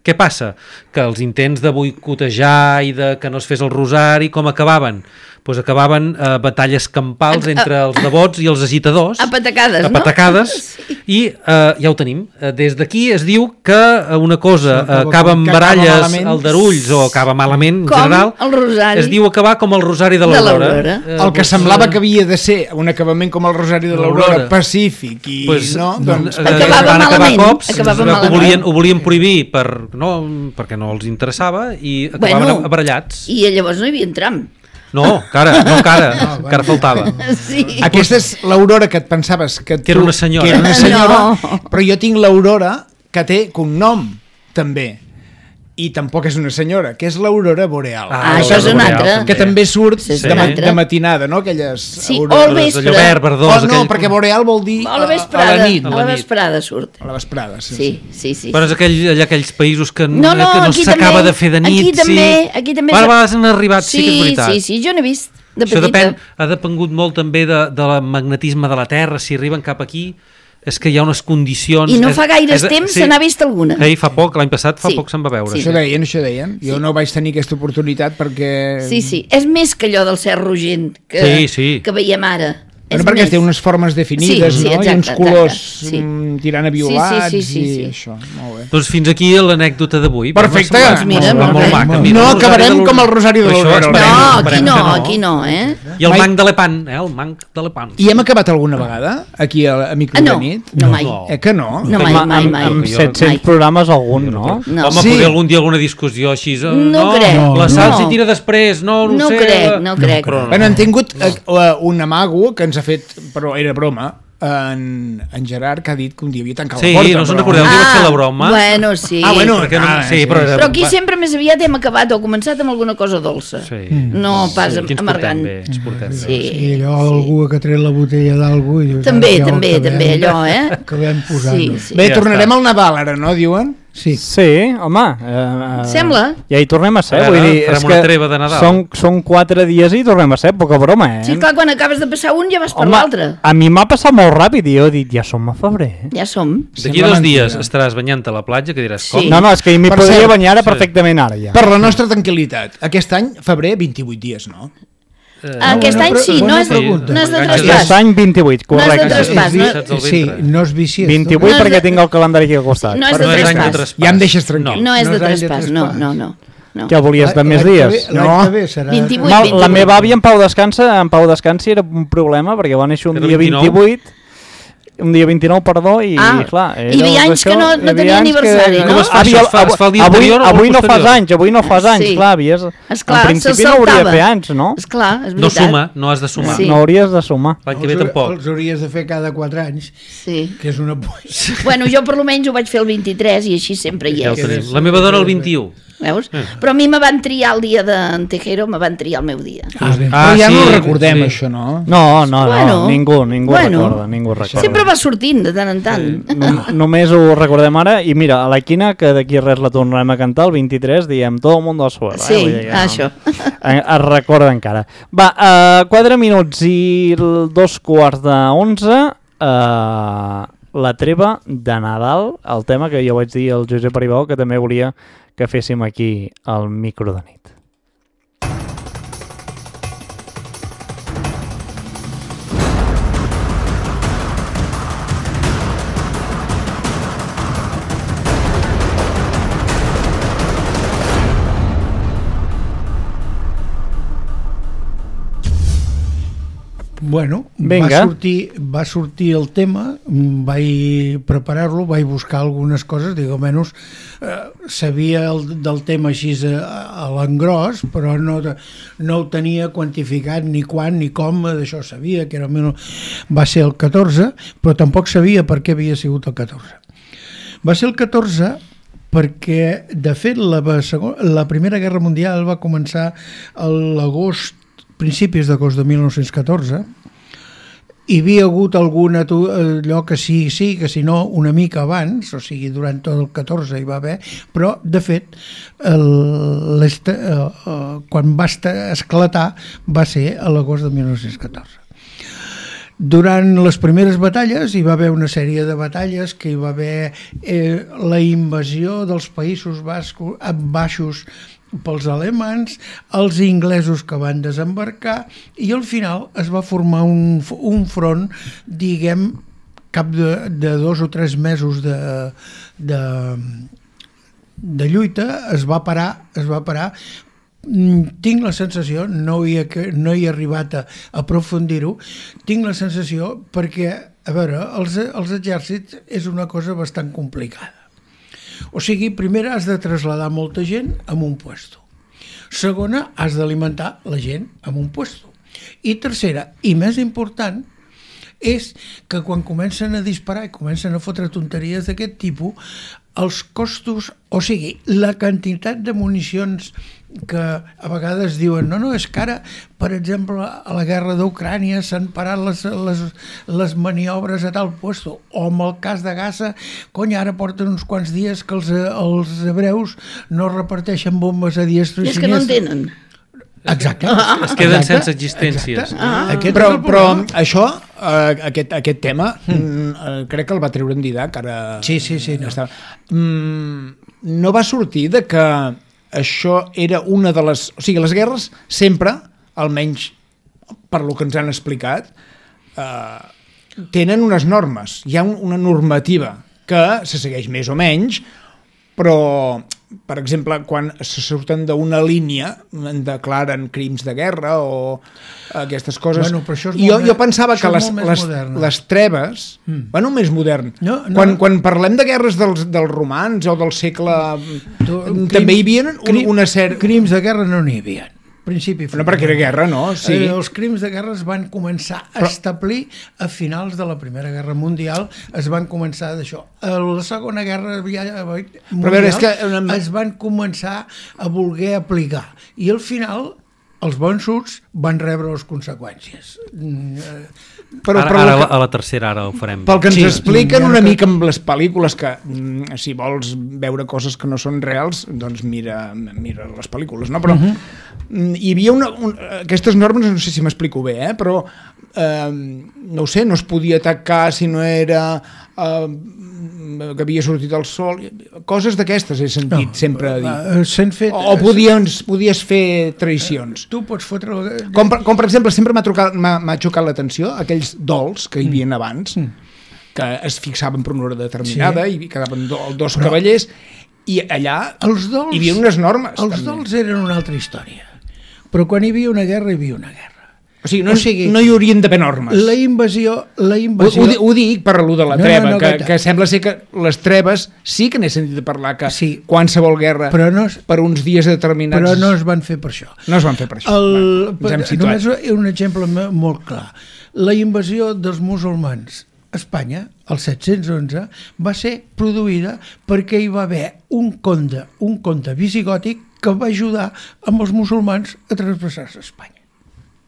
[SPEAKER 5] Què passa? Que els intents de boicotejar i de que no es fes el rosari, com acabaven? Pues acabaven eh, batalles campals entre els devots i els agitadors.
[SPEAKER 2] A patacades,
[SPEAKER 5] a
[SPEAKER 2] no?
[SPEAKER 5] patacades,
[SPEAKER 2] Sí.
[SPEAKER 5] i eh, ja ho tenim. Eh, Des d'aquí es diu que eh, una cosa
[SPEAKER 3] Acaba
[SPEAKER 5] eh, acaba amb
[SPEAKER 3] com- que acaba
[SPEAKER 5] baralles,
[SPEAKER 3] malament.
[SPEAKER 5] aldarulls, o acaba malament en
[SPEAKER 2] Com
[SPEAKER 5] general,
[SPEAKER 2] el rosari.
[SPEAKER 5] es diu acabar com el rosari de
[SPEAKER 2] De
[SPEAKER 5] l'Aurora.
[SPEAKER 2] l'Aurora.
[SPEAKER 5] Eh,
[SPEAKER 3] El que
[SPEAKER 5] pues,
[SPEAKER 3] semblava
[SPEAKER 5] eh,
[SPEAKER 3] que havia de ser un acabament com el Rosari de l'Aurora,
[SPEAKER 5] l'Aurora.
[SPEAKER 3] pacífic i
[SPEAKER 5] pues,
[SPEAKER 3] no,
[SPEAKER 5] no,
[SPEAKER 3] doncs
[SPEAKER 5] eh,
[SPEAKER 2] Acabava
[SPEAKER 5] van acabar
[SPEAKER 2] malament,
[SPEAKER 5] cops,
[SPEAKER 2] acabava
[SPEAKER 5] es veu que ho
[SPEAKER 2] malament.
[SPEAKER 5] volien, ho volien prohibir per, no, perquè no els interessava i acabaven
[SPEAKER 2] Bueno,
[SPEAKER 5] barallats.
[SPEAKER 2] I llavors no hi havia tram.
[SPEAKER 5] No, cara, no, cara, encara faltava.
[SPEAKER 2] Sí.
[SPEAKER 3] aquesta és l'Aurora que et pensaves que,
[SPEAKER 5] Que era
[SPEAKER 3] tu-
[SPEAKER 5] una senyora.
[SPEAKER 3] que era una senyora,
[SPEAKER 2] No.
[SPEAKER 3] però jo tinc l'Aurora que té cognom també, i tampoc és una senyora, que és l'Aurora Boreal.
[SPEAKER 2] Ah,
[SPEAKER 5] l'Aurora
[SPEAKER 2] això és una
[SPEAKER 5] Boreal,
[SPEAKER 2] altra.
[SPEAKER 5] també.
[SPEAKER 3] que també surt
[SPEAKER 2] Sí, és
[SPEAKER 3] de,
[SPEAKER 2] una
[SPEAKER 3] ma
[SPEAKER 2] altra.
[SPEAKER 3] de matinada, no? Aquelles
[SPEAKER 2] Sí,
[SPEAKER 3] aurores.
[SPEAKER 2] o al
[SPEAKER 5] Allò
[SPEAKER 2] vespre.
[SPEAKER 5] verd, verdós,
[SPEAKER 3] Oh, no,
[SPEAKER 5] aquell...
[SPEAKER 3] perquè Boreal vol dir
[SPEAKER 2] A la
[SPEAKER 3] a,
[SPEAKER 2] vesprada.
[SPEAKER 3] a la nit,
[SPEAKER 2] A
[SPEAKER 5] a
[SPEAKER 2] la
[SPEAKER 5] la nit.
[SPEAKER 2] vesprada surt.
[SPEAKER 3] a la vesprada. Sí,
[SPEAKER 2] Sí, sí, sí.
[SPEAKER 5] Però és aquell, allà aquells països que
[SPEAKER 2] No, no,
[SPEAKER 5] que no
[SPEAKER 2] aquí
[SPEAKER 5] s'acaba
[SPEAKER 2] també,
[SPEAKER 5] de fer de nit.
[SPEAKER 2] aquí també,
[SPEAKER 5] sí.
[SPEAKER 2] aquí també
[SPEAKER 5] Ara
[SPEAKER 2] s'ha-
[SPEAKER 5] a vegades han arribat, sí,
[SPEAKER 2] Sí,
[SPEAKER 5] que és veritat.
[SPEAKER 2] sí, sí, jo n'he vist de
[SPEAKER 5] Això
[SPEAKER 2] petita.
[SPEAKER 5] depèn, ha depengut molt també de, de la magnetisme de la Terra, si arriben cap aquí, és que hi ha unes condicions...
[SPEAKER 2] I no
[SPEAKER 5] és-
[SPEAKER 2] fa gaires
[SPEAKER 5] és-
[SPEAKER 2] temps
[SPEAKER 5] sí.
[SPEAKER 2] se n'ha vist alguna.
[SPEAKER 5] Ei, fa poc, l'any passat, fa
[SPEAKER 2] Sí.
[SPEAKER 5] poc se'n va veure.
[SPEAKER 2] Sí.
[SPEAKER 3] Això deien, això deien. Jo
[SPEAKER 2] Sí.
[SPEAKER 3] no vaig tenir aquesta oportunitat perquè...
[SPEAKER 2] Sí, sí, és més que allò del cert rogent que,
[SPEAKER 5] Sí, sí.
[SPEAKER 2] que veiem ara.
[SPEAKER 3] Bueno,
[SPEAKER 2] És
[SPEAKER 3] perquè
[SPEAKER 2] més.
[SPEAKER 3] té unes formes definides,
[SPEAKER 2] Sí, sí,
[SPEAKER 3] no?
[SPEAKER 2] exacte,
[SPEAKER 3] I uns colors
[SPEAKER 2] exacte, sí.
[SPEAKER 3] mm, tirant a
[SPEAKER 2] Sí, sí,
[SPEAKER 3] violats
[SPEAKER 2] sí, sí, sí.
[SPEAKER 3] i això. Molt bé.
[SPEAKER 5] Doncs fins aquí l'anècdota d'avui.
[SPEAKER 3] Perfecte.
[SPEAKER 5] M'ha semblat-
[SPEAKER 3] Doncs
[SPEAKER 2] mira,
[SPEAKER 5] m'ha semblat
[SPEAKER 2] molt
[SPEAKER 5] molt
[SPEAKER 2] bé.
[SPEAKER 5] maca.
[SPEAKER 3] No
[SPEAKER 5] Mira, el Rosari
[SPEAKER 3] acabarem
[SPEAKER 5] de l'Aurora.
[SPEAKER 3] com el Rosari de
[SPEAKER 5] Això
[SPEAKER 3] l'Aurora.
[SPEAKER 5] esperem,
[SPEAKER 2] No, aquí
[SPEAKER 5] esperem
[SPEAKER 2] no,
[SPEAKER 5] que
[SPEAKER 2] aquí no, eh?
[SPEAKER 5] I el
[SPEAKER 3] Mai-
[SPEAKER 5] manc de l'Epant, eh? El manc de l'Epant.
[SPEAKER 3] I hem acabat alguna vegada aquí a, a Micro
[SPEAKER 2] Ah, no,
[SPEAKER 3] de nit?
[SPEAKER 2] no mai.
[SPEAKER 5] No.
[SPEAKER 3] Eh que no?
[SPEAKER 2] No, mai,
[SPEAKER 1] Amb-
[SPEAKER 2] mai,
[SPEAKER 1] amb-
[SPEAKER 2] mai.
[SPEAKER 1] Amb
[SPEAKER 5] Jo-
[SPEAKER 1] set-cents
[SPEAKER 2] mai.
[SPEAKER 1] programes algun, no?
[SPEAKER 2] No.
[SPEAKER 5] Home,
[SPEAKER 3] Sí.
[SPEAKER 5] potser algun dia alguna discussió així. eh,
[SPEAKER 2] No crec,
[SPEAKER 5] La sal
[SPEAKER 2] no.
[SPEAKER 5] s'hi tira després, no, no,
[SPEAKER 2] No
[SPEAKER 5] sé.
[SPEAKER 2] crec, no crec.
[SPEAKER 5] Però
[SPEAKER 3] Bueno, hem tingut eh, eh, un amago que ens ha fet, però era broma, en, en Gerard, que ha dit que un dia havia tancat
[SPEAKER 5] Sí,
[SPEAKER 3] la porta.
[SPEAKER 5] no se'n
[SPEAKER 3] però-
[SPEAKER 5] recordeu, ah, va fer la broma.
[SPEAKER 2] Bueno, sí.
[SPEAKER 3] Ah, bueno,
[SPEAKER 5] Perquè no,
[SPEAKER 3] Ah,
[SPEAKER 5] sí,
[SPEAKER 3] sí.
[SPEAKER 5] però, era,
[SPEAKER 2] Però aquí
[SPEAKER 5] va-
[SPEAKER 2] sempre més aviat hem acabat o començat amb alguna cosa dolça.
[SPEAKER 5] Sí.
[SPEAKER 2] No pas
[SPEAKER 5] Sí, aquí ens
[SPEAKER 2] amargant.
[SPEAKER 5] portem bé, ens portem bé.
[SPEAKER 2] Sí.
[SPEAKER 4] I allò, algú que ha tret la botella d'algú i dius...
[SPEAKER 2] També,
[SPEAKER 4] "Ara ja ho
[SPEAKER 2] també,
[SPEAKER 4] acabem-
[SPEAKER 2] també, allò, eh?
[SPEAKER 4] Acabem posant-ho.
[SPEAKER 2] Sí, sí.
[SPEAKER 3] Bé,
[SPEAKER 5] Ja
[SPEAKER 3] tornarem
[SPEAKER 5] està.
[SPEAKER 3] al Nadal ara, no, diuen?
[SPEAKER 4] Sí.
[SPEAKER 1] Sí, home. Eh,
[SPEAKER 2] Sembla.
[SPEAKER 1] Ja hi tornem a ser.
[SPEAKER 5] A veure,
[SPEAKER 1] vull dir,
[SPEAKER 5] farem
[SPEAKER 1] és
[SPEAKER 5] una
[SPEAKER 1] que
[SPEAKER 5] treva de Nadal.
[SPEAKER 1] Són, són quatre dies i tornem a ser, poca broma, eh?
[SPEAKER 2] Sí, clar, quan acabes de passar un ja vas per
[SPEAKER 1] Home,
[SPEAKER 2] l'altre.
[SPEAKER 1] a mi m'ha passat molt ràpid i jo he dit, ja som a febrer. Eh?
[SPEAKER 2] Ja som.
[SPEAKER 5] D'aquí
[SPEAKER 3] Sembla
[SPEAKER 5] dos
[SPEAKER 3] mentida.
[SPEAKER 5] dies estaràs banyant a la platja, que diràs,
[SPEAKER 2] Sí.
[SPEAKER 5] com?
[SPEAKER 1] No, no, és que m'hi
[SPEAKER 3] Per
[SPEAKER 1] podria
[SPEAKER 3] cert,
[SPEAKER 1] banyar ara
[SPEAKER 5] sí.
[SPEAKER 1] perfectament ara ja.
[SPEAKER 3] Per la nostra tranquil·litat, aquest any, febrer, vint-i-vuit dies, no?
[SPEAKER 5] Eh,
[SPEAKER 2] Aquest
[SPEAKER 4] bona
[SPEAKER 2] any
[SPEAKER 4] pre-
[SPEAKER 2] sí,
[SPEAKER 4] bona
[SPEAKER 2] no és,
[SPEAKER 4] pregunta.
[SPEAKER 2] no és de
[SPEAKER 5] Enganxes
[SPEAKER 2] traspàs.
[SPEAKER 1] Aquest any vint-i-vuit,
[SPEAKER 2] No és de
[SPEAKER 1] correcte.
[SPEAKER 2] traspàs.
[SPEAKER 5] no?
[SPEAKER 4] vi-
[SPEAKER 5] Saps el
[SPEAKER 4] sí,
[SPEAKER 5] ventre.
[SPEAKER 4] no és biciesta.
[SPEAKER 1] vint-i-vuit
[SPEAKER 2] No és
[SPEAKER 1] perquè
[SPEAKER 2] de-
[SPEAKER 1] tinc el calendari aquí al costat.
[SPEAKER 2] No és de
[SPEAKER 5] no és any de
[SPEAKER 2] traspàs.
[SPEAKER 5] traspàs.
[SPEAKER 3] Ja em deixes tranquil.
[SPEAKER 5] No.
[SPEAKER 2] No és
[SPEAKER 4] No
[SPEAKER 2] de
[SPEAKER 4] és any de
[SPEAKER 2] traspàs, no,
[SPEAKER 4] traspàs.
[SPEAKER 2] no, no. no.
[SPEAKER 1] Què volies, de més
[SPEAKER 4] L'any que
[SPEAKER 1] dies?
[SPEAKER 4] ve- L'any
[SPEAKER 3] No.
[SPEAKER 4] que ve serà...
[SPEAKER 2] vint-i-vuit.
[SPEAKER 1] No, la
[SPEAKER 2] vint-i-vuit.
[SPEAKER 1] meva àvia en Pau Descansa, en Pau Descansi era un problema perquè va néixer un
[SPEAKER 5] Era
[SPEAKER 1] dia
[SPEAKER 5] vint-i-nou.
[SPEAKER 1] vint-i-vuit, un dia vint-nou, perdó, i
[SPEAKER 2] Ah,
[SPEAKER 1] clar...
[SPEAKER 2] hi havia
[SPEAKER 1] era
[SPEAKER 2] anys
[SPEAKER 1] això,
[SPEAKER 2] que no-
[SPEAKER 1] hi
[SPEAKER 2] no
[SPEAKER 1] havia
[SPEAKER 2] tenia
[SPEAKER 1] anys
[SPEAKER 2] aniversari,
[SPEAKER 1] que-
[SPEAKER 2] no?
[SPEAKER 5] Com es fa
[SPEAKER 1] Avui-
[SPEAKER 5] això? Es fa- es fa el dia
[SPEAKER 1] avui,
[SPEAKER 5] anterior o el
[SPEAKER 1] avui no
[SPEAKER 5] posterior?
[SPEAKER 1] fas anys, avui no fas anys,
[SPEAKER 2] Sí.
[SPEAKER 1] clar, havies...
[SPEAKER 2] Esclar,
[SPEAKER 1] en principi
[SPEAKER 2] se'ls
[SPEAKER 1] no hauria de
[SPEAKER 2] saltava.
[SPEAKER 1] fer anys, no?
[SPEAKER 2] Esclar, és
[SPEAKER 5] No
[SPEAKER 2] veritat.
[SPEAKER 5] suma, no has de sumar.
[SPEAKER 2] Sí.
[SPEAKER 1] No hauries de sumar.
[SPEAKER 5] L'any que ve
[SPEAKER 4] Els-
[SPEAKER 5] tampoc.
[SPEAKER 4] Els hauries de fer cada quatre anys,
[SPEAKER 2] Sí.
[SPEAKER 4] que és una polla.
[SPEAKER 2] Bueno, jo per lo menys ho vaig fer el vint-i-tres i així sempre hi
[SPEAKER 5] Ja ho
[SPEAKER 2] és.
[SPEAKER 5] tenim. La meva dona el vint-i-u.
[SPEAKER 2] Veus? Però a mi me van triar el dia d'en Tejero, me van triar el meu dia.
[SPEAKER 4] Ah, bé.
[SPEAKER 5] Ah,
[SPEAKER 3] Però ja
[SPEAKER 5] sí,
[SPEAKER 3] no ho recordem,
[SPEAKER 5] sí.
[SPEAKER 3] això, no?
[SPEAKER 1] No, no,
[SPEAKER 2] Bueno,
[SPEAKER 1] no, ningú, ningú
[SPEAKER 2] bueno.
[SPEAKER 1] recorda, ningú recorda.
[SPEAKER 2] Sempre va sortint de tant en tant.
[SPEAKER 1] No, només ho recordem ara i mira, a la quina que d'aquí res la tornarem a cantar el vint-i-tres, diem Todo el mundo al suelo.
[SPEAKER 2] Sí,
[SPEAKER 1] eh? Vull dir que
[SPEAKER 2] això.
[SPEAKER 1] Eh, es recorda encara. Va, uh, quatre minuts i el dos quarts d'onze, uh, la treva de Nadal, el tema que jo vaig dir al Josep Aribau que també volia que féssim aquí al micro de nit.
[SPEAKER 4] Bueno,
[SPEAKER 1] Vinga.
[SPEAKER 4] va sortir, va sortir el tema, mm, vaig preparar-lo, vaig buscar algunes coses, dic, almenys eh, sabia el, del tema així a, a l'engròs, però no, no ho tenia quantificat ni quan ni com, d'això sabia que era el, va ser el catorze, però tampoc sabia per què havia sigut el catorze. Va ser el catorze perquè, de fet, la, la Primera Guerra Mundial va començar a l'agost, principis d'agost de mil nou-cents catorze, hi havia hagut algun atu- allò que sí, sí, que si no una mica abans, o sigui, durant tot el catorze hi va haver, però, de fet, el, l'est, eh, eh, quan va estar, esclatar va ser a l'agost de mil nou-cents catorze. Durant les primeres batalles hi va haver una sèrie de batalles que hi va haver eh, la invasió dels Països Bascos, Baixos pels alemans, els inglesos que van desembarcar i al final es va formar un, un front, diguem, cap de, de dos o tres mesos de, de, de lluita, es va parar, es va parar. Tinc la sensació, no hi he, no hi he arribat a aprofundir-ho, tinc la sensació perquè, a veure, els, els exèrcits és una cosa bastant complicada. O sigui, primer has de traslladar molta gent en un puesto. Segona, has d'alimentar la gent en un puesto. I tercera, i més important, és que quan comencen a disparar i comencen a fotre tonteries d'aquest tipus, els costos, o sigui, la quantitat de municions que a vegades diuen no, no, és que ara, per exemple, a la guerra d'Ucrània s'han parat les, les, les maniobres a tal puesto, o en el cas de Gaza, cony, ara porten uns quants dies que els, els hebreus no reparteixen bombes a diestro i
[SPEAKER 2] És que no
[SPEAKER 4] siniestre.
[SPEAKER 2] entenen.
[SPEAKER 4] Exacte.
[SPEAKER 5] Es queden
[SPEAKER 4] exacte,
[SPEAKER 5] sense existències.
[SPEAKER 4] exacte.
[SPEAKER 2] Ah.
[SPEAKER 4] Aquest
[SPEAKER 3] Però,
[SPEAKER 4] és el
[SPEAKER 3] però
[SPEAKER 4] problema.
[SPEAKER 3] això, eh, aquest, aquest tema, mm. eh, crec que el va treure en Didac, ara...
[SPEAKER 4] Sí, sí, sí, no.
[SPEAKER 3] Està... Mm, no va sortir de que això era una de les... O sigui, les guerres sempre, almenys per lo que ens han explicat, eh, tenen unes normes. Hi ha un, una normativa que se segueix més o menys, però, per exemple, quan se surten d'una línia en declaren crims de guerra o aquestes coses.
[SPEAKER 4] Bueno, però això és
[SPEAKER 3] jo,
[SPEAKER 4] molt
[SPEAKER 3] jo
[SPEAKER 4] més-
[SPEAKER 3] pensava
[SPEAKER 4] això
[SPEAKER 3] que
[SPEAKER 4] és
[SPEAKER 3] les,
[SPEAKER 4] molt més
[SPEAKER 3] les,
[SPEAKER 4] modern.
[SPEAKER 3] les treves... Mm. Bueno, més modern.
[SPEAKER 4] No, no.
[SPEAKER 3] Quan, quan parlem de guerres dels, dels romans o del segle...
[SPEAKER 4] Tu,
[SPEAKER 3] també hi havia un,
[SPEAKER 4] crim-
[SPEAKER 3] una sèrie...
[SPEAKER 4] Crims de guerra no n'hi havia. Principi
[SPEAKER 3] No, perquè era guerra, no? Sí.
[SPEAKER 4] Eh, els crims de guerra es van començar a establir a finals de la Primera Guerra Mundial, es van començar d'això. A la Segona Guerra Mundial
[SPEAKER 3] veure, és que...
[SPEAKER 4] es van començar a voler aplicar. I al final els vençuts van rebre les conseqüències.
[SPEAKER 3] Però,
[SPEAKER 5] ara,
[SPEAKER 3] però
[SPEAKER 5] ara
[SPEAKER 3] que,
[SPEAKER 5] a la tercera ara ho farem.
[SPEAKER 3] pel que ens
[SPEAKER 4] Sí,
[SPEAKER 3] expliquen
[SPEAKER 4] ja
[SPEAKER 3] una
[SPEAKER 4] que-
[SPEAKER 3] mica amb les pel·lícules que, mm, si vols veure coses que no són reals, doncs mira, mira les pel·lícules, no? Però mm, hi havia una, un, aquestes normes, no sé si m'explico bé, eh? Però eh, no ho sé, no es podia atacar si no era eh, que havia sortit el sol, coses d'aquestes he sentit no, sempre dir.
[SPEAKER 4] Uh, S'han fet...
[SPEAKER 3] O, o podies, podies fer traïcions.
[SPEAKER 4] Tu pots fotre...
[SPEAKER 3] Com per, com per exemple, sempre m'ha trucat- m'ha m'ha xocat l'atenció aquells dols que hi havia abans, que es fixaven per una hora determinada
[SPEAKER 4] Sí.
[SPEAKER 3] i quedaven do, dos Però, cavallers, i allà
[SPEAKER 4] Els dols,
[SPEAKER 3] hi havia unes normes.
[SPEAKER 4] Els
[SPEAKER 3] també.
[SPEAKER 4] dols eren una altra història. Però quan hi havia una guerra, hi havia una guerra.
[SPEAKER 3] O sigui, no,
[SPEAKER 4] o sigui,
[SPEAKER 3] no hi haurien d'haver normes.
[SPEAKER 4] La invasió... La
[SPEAKER 3] Ho,
[SPEAKER 4] invasió...
[SPEAKER 3] ho, di- ho dic per allò de la
[SPEAKER 4] No,
[SPEAKER 3] treva,
[SPEAKER 4] no, no,
[SPEAKER 3] que,
[SPEAKER 4] que-
[SPEAKER 3] que sembla ser que les treves sí que n'he sentit a parlar, que
[SPEAKER 4] Sí.
[SPEAKER 3] qualsevol guerra
[SPEAKER 4] Però no es-
[SPEAKER 3] per uns dies determinats
[SPEAKER 4] Però no es van fer per això.
[SPEAKER 3] no es van fer per això.
[SPEAKER 4] El,
[SPEAKER 3] Va, ens hem situat.
[SPEAKER 4] només un exemple me- molt clar. La invasió dels musulmans a Espanya, el set-cents onze, va ser produïda perquè hi va haver un conde, un conde visigòtic que va ajudar amb els musulmans a transversar-se a Espanya.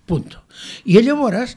[SPEAKER 4] Punto. I llavors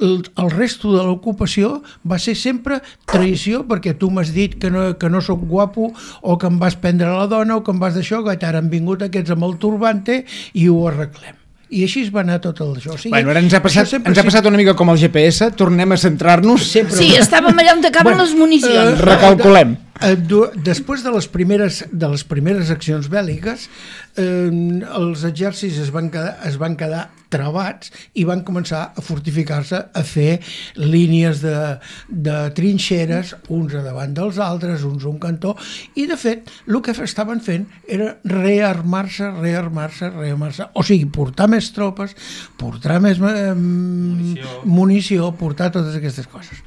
[SPEAKER 4] el, el resto de l'ocupació va ser sempre traïció perquè tu m'has dit que no, que no sóc guapo o que em vas prendre la dona o que em vas d'això, que ara han vingut aquests amb el turbante i ho arreglem. I així es va anar tot el això. O sigui,
[SPEAKER 3] Bueno, ara ens ha, passat,
[SPEAKER 4] això sempre
[SPEAKER 3] ens ha passat una mica com el G P S, tornem a centrar-nos,
[SPEAKER 4] Sempre-
[SPEAKER 2] Sí, estàvem allà on acaben les municions.
[SPEAKER 3] recalculem.
[SPEAKER 4] Eh, du- Després de les primeres, de les primeres accions bèl·liques, eh, els exèrcits es van quedar, es van quedar travats i van començar a fortificar-se, a fer línies de, de trinxeres, uns a davant dels altres, uns a un cantó, i de fet el que estaven fent era rearmar-se, rearmar-se, rearmar-se, o sigui, portar més tropes, portar més eh, munició. munició, portar totes aquestes coses.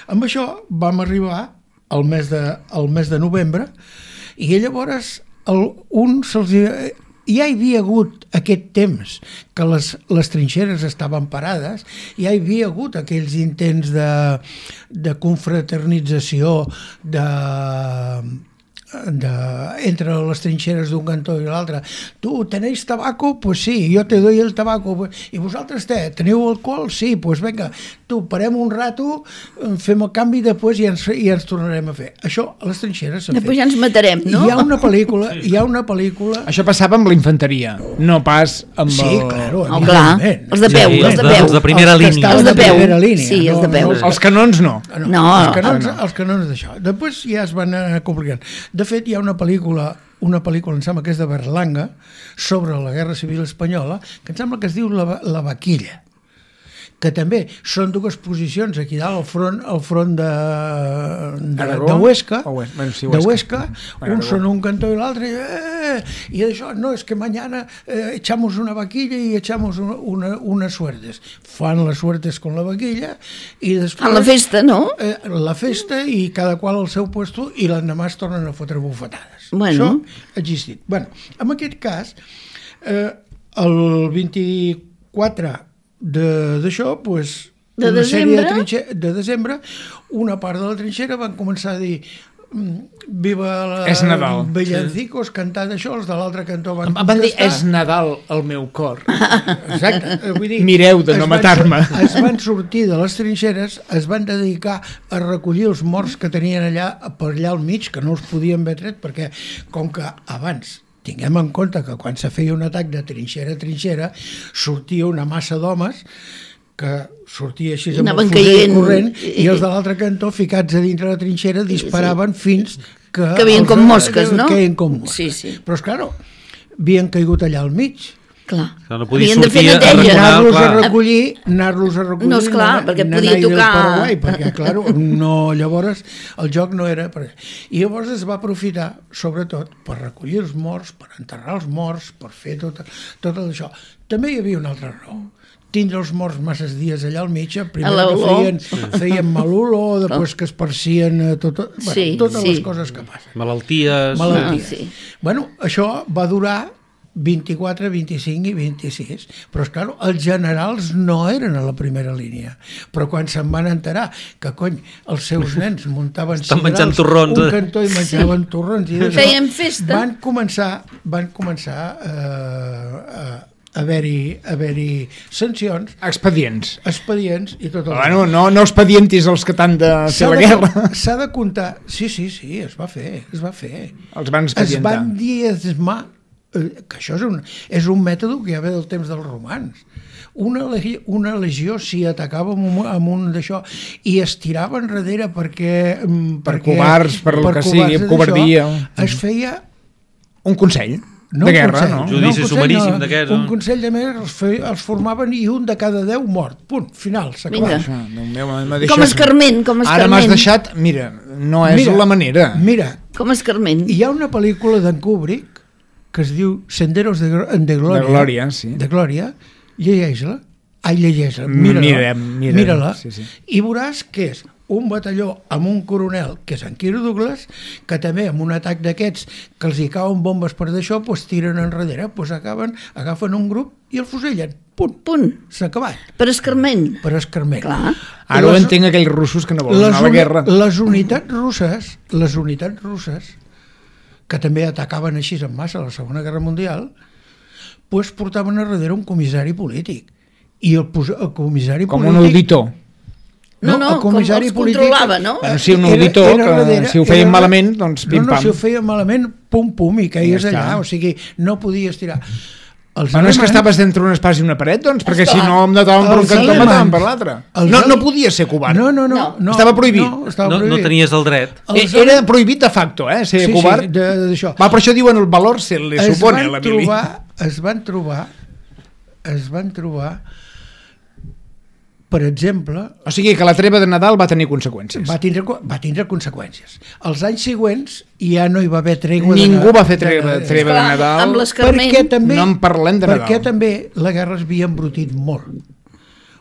[SPEAKER 4] Amb això vam arribar al mes de, al mes de novembre i llavors el, un se'ls... Ja hi havia hagut aquest temps que les, les trinxeres estaven parades, ja hi havia hagut aquells intents de, de confraternització de, de, entre les trinxeres d'un cantó i l'altre. Tu, tenéis tabaco? Pues sí, yo te doy el tabaco. I vosaltres te, teniu alcohol? Sí, pues venga, tu, parem un rato, fem el canvi i després ja ens, ja ens tornarem a fer. Això a les trinxeres s'ha fet.
[SPEAKER 2] Després ja ens matarem, no?
[SPEAKER 4] Hi ha una pel·lícula, hi ha una pel·lícula...
[SPEAKER 3] Això passava amb la infanteria, no pas amb
[SPEAKER 4] Sí,
[SPEAKER 3] el...
[SPEAKER 4] claro.
[SPEAKER 2] Oh, clar,
[SPEAKER 4] evidentment.
[SPEAKER 2] els de peu,
[SPEAKER 5] Sí,
[SPEAKER 2] els de
[SPEAKER 5] els de-
[SPEAKER 2] peu.
[SPEAKER 5] els de primera
[SPEAKER 4] Els que
[SPEAKER 5] línia.
[SPEAKER 4] estaven
[SPEAKER 2] Els de
[SPEAKER 4] a
[SPEAKER 2] peu.
[SPEAKER 4] primera línia.
[SPEAKER 2] Sí, els de peu.
[SPEAKER 3] Els canons no.
[SPEAKER 4] No,
[SPEAKER 2] No,
[SPEAKER 4] els canons,
[SPEAKER 3] no.
[SPEAKER 4] els canons d'això. Després ja es van anar complicant. De fet, hi ha una pel·lícula, una pel·lícula, em sembla que és de Berlanga, sobre la Guerra Civil Espanyola, que em sembla que es diu La, la Vaquilla, que també són dues posicions aquí dalt, al front, al front de, de,
[SPEAKER 3] Aragó?
[SPEAKER 4] de Huesca,
[SPEAKER 3] O Hues- bueno, sí,
[SPEAKER 4] de
[SPEAKER 3] Huesca.
[SPEAKER 4] Huesca,
[SPEAKER 3] Aragó.
[SPEAKER 4] uns són un cantó i l'altre, eh, i això, no, és que mañana eh, echamos una vaquilla y echamos una, una, unas suertes. Fan les suertes con la vaquilla i després...
[SPEAKER 2] A la festa, no?
[SPEAKER 4] Eh, la festa i cada qual al seu puesto i l'endemà es tornen a fotre bufetades.
[SPEAKER 2] Bueno.
[SPEAKER 4] Això ha existit. Bueno, en aquest cas, eh, el vint-i-quatre de- d'això, pues,
[SPEAKER 2] De
[SPEAKER 4] una sèrie de,
[SPEAKER 2] desembre?
[SPEAKER 4] trinxe, de desembre, una part de la trinxera van començar a dir mm, viva la...
[SPEAKER 3] És Nadal.
[SPEAKER 4] Villancicos, cantant això, els de l'altre cantó van
[SPEAKER 3] Em van dir,
[SPEAKER 4] protestar.
[SPEAKER 3] és Nadal el meu cor.
[SPEAKER 4] Exacte, eh, vull dir,
[SPEAKER 3] Mireu de
[SPEAKER 4] es
[SPEAKER 3] no
[SPEAKER 4] van
[SPEAKER 3] matar-me.
[SPEAKER 4] sur- Es van sortir de les trinxeres, es van dedicar a recollir els morts que tenien allà, per allà al mig, que no els podien haver tret, perquè com que abans tinguem en compte que quan se feia un atac de trinxera a trinxera sortia una massa d'homes que sortia així
[SPEAKER 2] I
[SPEAKER 4] amb el
[SPEAKER 2] anaven
[SPEAKER 4] fusell
[SPEAKER 2] caient.
[SPEAKER 4] corrent i els de l'altre cantó ficats a dintre la trinxera disparaven fins que...
[SPEAKER 2] Que veien
[SPEAKER 4] els-
[SPEAKER 2] com mosques, no?
[SPEAKER 4] Que veien com mosques.
[SPEAKER 2] Sí, sí.
[SPEAKER 4] Però, esclar, havien caigut allà al mig.
[SPEAKER 2] Clar.
[SPEAKER 5] Clar, no podia
[SPEAKER 2] Havien de fer
[SPEAKER 5] sortir a
[SPEAKER 2] neteja.
[SPEAKER 5] arreglar.
[SPEAKER 4] Anar-los a
[SPEAKER 5] clar.
[SPEAKER 4] recollir, anar-los a recollir...
[SPEAKER 2] No, esclar,
[SPEAKER 4] anar-
[SPEAKER 2] perquè
[SPEAKER 4] anar
[SPEAKER 2] podia
[SPEAKER 4] del
[SPEAKER 2] tocar-
[SPEAKER 4] Paraguai, perquè, clar, no, llavors el joc no era... Per... I llavors es va aprofitar, sobretot, per recollir els morts, per enterrar els morts, per fer tot, tot això. També hi havia una altra raó. Tindre els morts masses dies allà al mig, primer
[SPEAKER 2] A
[SPEAKER 4] que
[SPEAKER 2] l'olor.
[SPEAKER 4] feien, feien mal olor, després que es parcien eh, tot, bueno,
[SPEAKER 2] Sí,
[SPEAKER 4] totes
[SPEAKER 2] sí.
[SPEAKER 4] les coses que passen.
[SPEAKER 5] Malalties...
[SPEAKER 4] Malalties.
[SPEAKER 2] Ah, sí.
[SPEAKER 4] Bueno, això va durar vint-i-quatre, vint-i-cinc i vint-i-sis, però és clar, els generals no eren a la primera línia, però quan se'n van enterar que cony, els seus nens muntaven
[SPEAKER 5] Estan menjant
[SPEAKER 4] cigrals,
[SPEAKER 5] torrons,
[SPEAKER 4] un
[SPEAKER 5] eh?
[SPEAKER 4] cantó i menjaven torrons i d'això,
[SPEAKER 2] Feien festa.
[SPEAKER 4] van començar van començar eh, a, haver-hi haver-hi sancions,
[SPEAKER 3] Expedients.
[SPEAKER 4] expedients i tot el...
[SPEAKER 3] Bueno, no, no expedientis els que t'han de fer
[SPEAKER 4] S'ha
[SPEAKER 3] la
[SPEAKER 4] de,
[SPEAKER 3] guerra.
[SPEAKER 4] s'ha de comptar... Sí, sí, sí, es va fer, es va fer.
[SPEAKER 3] Els van
[SPEAKER 4] Es
[SPEAKER 3] expedientar.
[SPEAKER 4] van diezmar, eh, que això és un, és un mètode que ja ve del temps dels romans. Una, legi- una legió s'hi atacava amb un, amb un d'això i es tirava enrere perquè... mm,
[SPEAKER 3] Per
[SPEAKER 4] perquè,
[SPEAKER 3] covards, per lo que sigui,
[SPEAKER 4] d'això,
[SPEAKER 3] covardia.
[SPEAKER 4] Es feia...
[SPEAKER 3] Un consell
[SPEAKER 4] No
[SPEAKER 3] de
[SPEAKER 4] un
[SPEAKER 3] guerra,
[SPEAKER 4] consell,
[SPEAKER 3] no?
[SPEAKER 5] Judici
[SPEAKER 4] un consell,
[SPEAKER 5] sumaríssim d'aquests,
[SPEAKER 4] Un
[SPEAKER 5] no?
[SPEAKER 4] consell de més els, fe, els formaven i un de cada deu mort. Punt, final, s'ha
[SPEAKER 2] Vinga.
[SPEAKER 4] acabat.
[SPEAKER 3] Això, Déu meu, m'ha
[SPEAKER 2] Com
[SPEAKER 3] deixat-
[SPEAKER 2] escarment, com
[SPEAKER 3] Ara m'has
[SPEAKER 2] escarment.
[SPEAKER 3] deixat... Mira, no és
[SPEAKER 4] Mira,
[SPEAKER 3] la manera.
[SPEAKER 4] Mira,
[SPEAKER 2] Com escarment.
[SPEAKER 4] hi ha una pel·lícula d'en Kubrick que es diu Senderos de, Gro- de Glòria.
[SPEAKER 3] De Glòria, sí.
[SPEAKER 4] De Glòria. Llegeix-la. Ai, llegeix-la.
[SPEAKER 3] Mm,
[SPEAKER 4] Mira-la.
[SPEAKER 3] mirem, mirem,
[SPEAKER 4] Mira-la.
[SPEAKER 3] sí, sí.
[SPEAKER 4] I veuràs que és un batalló amb un coronel, que és en Kirk Douglas, que també amb un atac d'aquests que els hi cauen bombes per d'això, doncs tiren enrere, doncs acaben, agafen un grup i el fusellen. Punt.
[SPEAKER 2] Punt.
[SPEAKER 4] S'ha acabat.
[SPEAKER 2] Per escarment.
[SPEAKER 4] Per escarment.
[SPEAKER 2] Clar.
[SPEAKER 3] Ara ho
[SPEAKER 4] Les-
[SPEAKER 3] entenc aquells russos que no volen
[SPEAKER 4] les,
[SPEAKER 3] anar a la
[SPEAKER 4] uni-
[SPEAKER 3] guerra.
[SPEAKER 4] les unitats russes, les unitats russes, que també atacaven així en massa a la Segona Guerra Mundial, doncs portaven a darrere un comissari polític. I el, pos- el comissari
[SPEAKER 3] Com
[SPEAKER 4] polític...
[SPEAKER 3] un auditor.
[SPEAKER 2] No, no,
[SPEAKER 4] el comissari
[SPEAKER 2] com els controlava, no?
[SPEAKER 3] Bueno, sí, un auditor, que si ho feien malament, doncs
[SPEAKER 4] no,
[SPEAKER 3] pim-pam.
[SPEAKER 4] No, si ho feien malament, pum-pum, i queies
[SPEAKER 3] Ja està.
[SPEAKER 4] allà, o sigui, no podies tirar. Els
[SPEAKER 3] Bueno, és que
[SPEAKER 4] alemanys-
[SPEAKER 3] estaves entre un espàs i una paret, doncs, perquè si
[SPEAKER 2] Esclar.
[SPEAKER 3] no em mataven per un
[SPEAKER 4] Els
[SPEAKER 3] cantó, em mataven
[SPEAKER 4] alemanys-
[SPEAKER 3] per l'altre.
[SPEAKER 4] els
[SPEAKER 3] No,
[SPEAKER 4] ale-
[SPEAKER 3] no podia ser covard.
[SPEAKER 4] No, no, no,
[SPEAKER 2] No.
[SPEAKER 4] no.
[SPEAKER 3] Estava prohibit.
[SPEAKER 4] No, estava
[SPEAKER 5] No, no
[SPEAKER 4] prohibit.
[SPEAKER 5] tenies el dret.
[SPEAKER 4] Els
[SPEAKER 3] Eh, Era prohibit de facto, eh, ser
[SPEAKER 4] Sí, sí,
[SPEAKER 3] covard.
[SPEAKER 4] de- d'això.
[SPEAKER 3] Va, per això diuen el valor se li
[SPEAKER 4] es
[SPEAKER 3] supone a
[SPEAKER 4] van
[SPEAKER 3] la mili.
[SPEAKER 4] trobar, es van trobar es van trobar per exemple
[SPEAKER 3] O sigui que la treva de Nadal va tenir conseqüències.
[SPEAKER 4] va tindre, va tindre conseqüències. Els anys següents ja no hi va haver tregua de
[SPEAKER 3] Ningú
[SPEAKER 4] Na-
[SPEAKER 3] va fer treva,
[SPEAKER 4] de-
[SPEAKER 3] treva de
[SPEAKER 2] Esclar,
[SPEAKER 3] Nadal.
[SPEAKER 2] amb l'escarment.
[SPEAKER 4] perquè també,
[SPEAKER 3] No en parlem de
[SPEAKER 4] perquè
[SPEAKER 3] Nadal.
[SPEAKER 4] també la guerra es havia embrutit molt.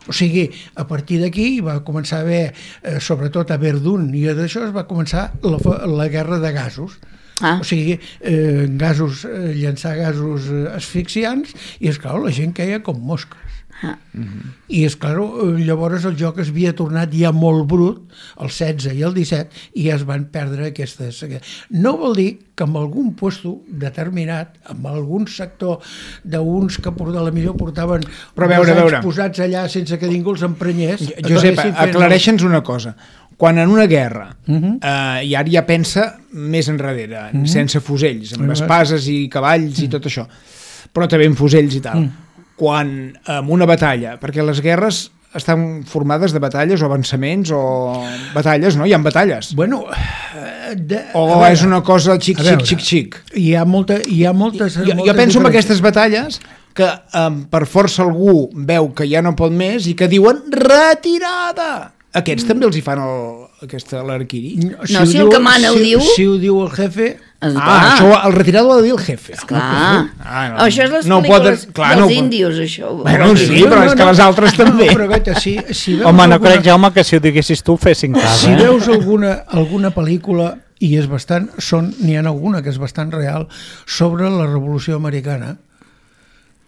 [SPEAKER 4] O sigui, a partir d'aquí va començar a haver, eh, sobretot a Verdun i a d'això, es va començar la, fa- la guerra de gasos.
[SPEAKER 2] Ah.
[SPEAKER 4] O sigui, eh, gasos, eh, llançar gasos eh, asfixiants i, esclar, la gent queia com mosques.
[SPEAKER 2] Ah.
[SPEAKER 4] I, esclar, eh, llavors el joc es havia tornat ja molt brut, el setze i el disset, i ja es van perdre aquestes... No vol dir que en algun puesto determinat, en algun sector d'uns que por- de la millor portaven
[SPEAKER 3] Però a veure,
[SPEAKER 4] dos anys
[SPEAKER 3] a veure.
[SPEAKER 4] posats allà sense que ningú els emprenyés...
[SPEAKER 3] Josep,
[SPEAKER 4] acabessin fent-
[SPEAKER 3] aclareixa'ns una cosa. Quan en una guerra, uh
[SPEAKER 4] Mhm.
[SPEAKER 3] -huh. eh, i ara ja pensa més enrere, uh -huh. sense fusells, amb
[SPEAKER 4] Mhm.
[SPEAKER 3] espases i cavalls i tot això, però també amb fusells i tal.
[SPEAKER 4] Mhm.
[SPEAKER 3] Quan en una batalla, perquè les guerres estan formades de batalles o avançaments o batalles, no? Hi ha batalles.
[SPEAKER 4] Bueno, eh, de,
[SPEAKER 3] O
[SPEAKER 4] a veure,
[SPEAKER 3] és una cosa xic,
[SPEAKER 4] a
[SPEAKER 3] xic,
[SPEAKER 4] veure,
[SPEAKER 3] xic, xic.
[SPEAKER 4] Hi ha, molta, hi ha moltes...
[SPEAKER 3] Jo, jo
[SPEAKER 4] moltes
[SPEAKER 3] penso en
[SPEAKER 4] diferències.
[SPEAKER 3] aquestes batalles que um, per força algú veu que ja no pot més i que diuen retirada. Aquests també els hi fan el, aquesta l'arquiri.
[SPEAKER 2] No,
[SPEAKER 4] ho
[SPEAKER 2] si el
[SPEAKER 4] diu-
[SPEAKER 2] que mana ho
[SPEAKER 4] si,
[SPEAKER 2] diu-
[SPEAKER 4] Si ho diu el jefe...
[SPEAKER 2] Esclar.
[SPEAKER 3] Ah, això, el retirado ho ha de dir el jefe.
[SPEAKER 2] Clar.
[SPEAKER 3] Ah, no.
[SPEAKER 2] Això és les
[SPEAKER 3] No
[SPEAKER 2] pel·lícules
[SPEAKER 3] poden- clar,
[SPEAKER 2] dels
[SPEAKER 3] no pot-
[SPEAKER 2] índios, això.
[SPEAKER 3] Bueno, sí, però és que les altres també.
[SPEAKER 4] No, però gaita, si, si veus
[SPEAKER 1] Home, no
[SPEAKER 4] alguna,
[SPEAKER 1] crec, Jaume, que si ho diguessis tu fessin cas,
[SPEAKER 4] si
[SPEAKER 1] eh?
[SPEAKER 4] veus alguna, alguna pel·lícula, i és bastant, són, n'hi ha alguna que és bastant real, sobre la Revolució Americana,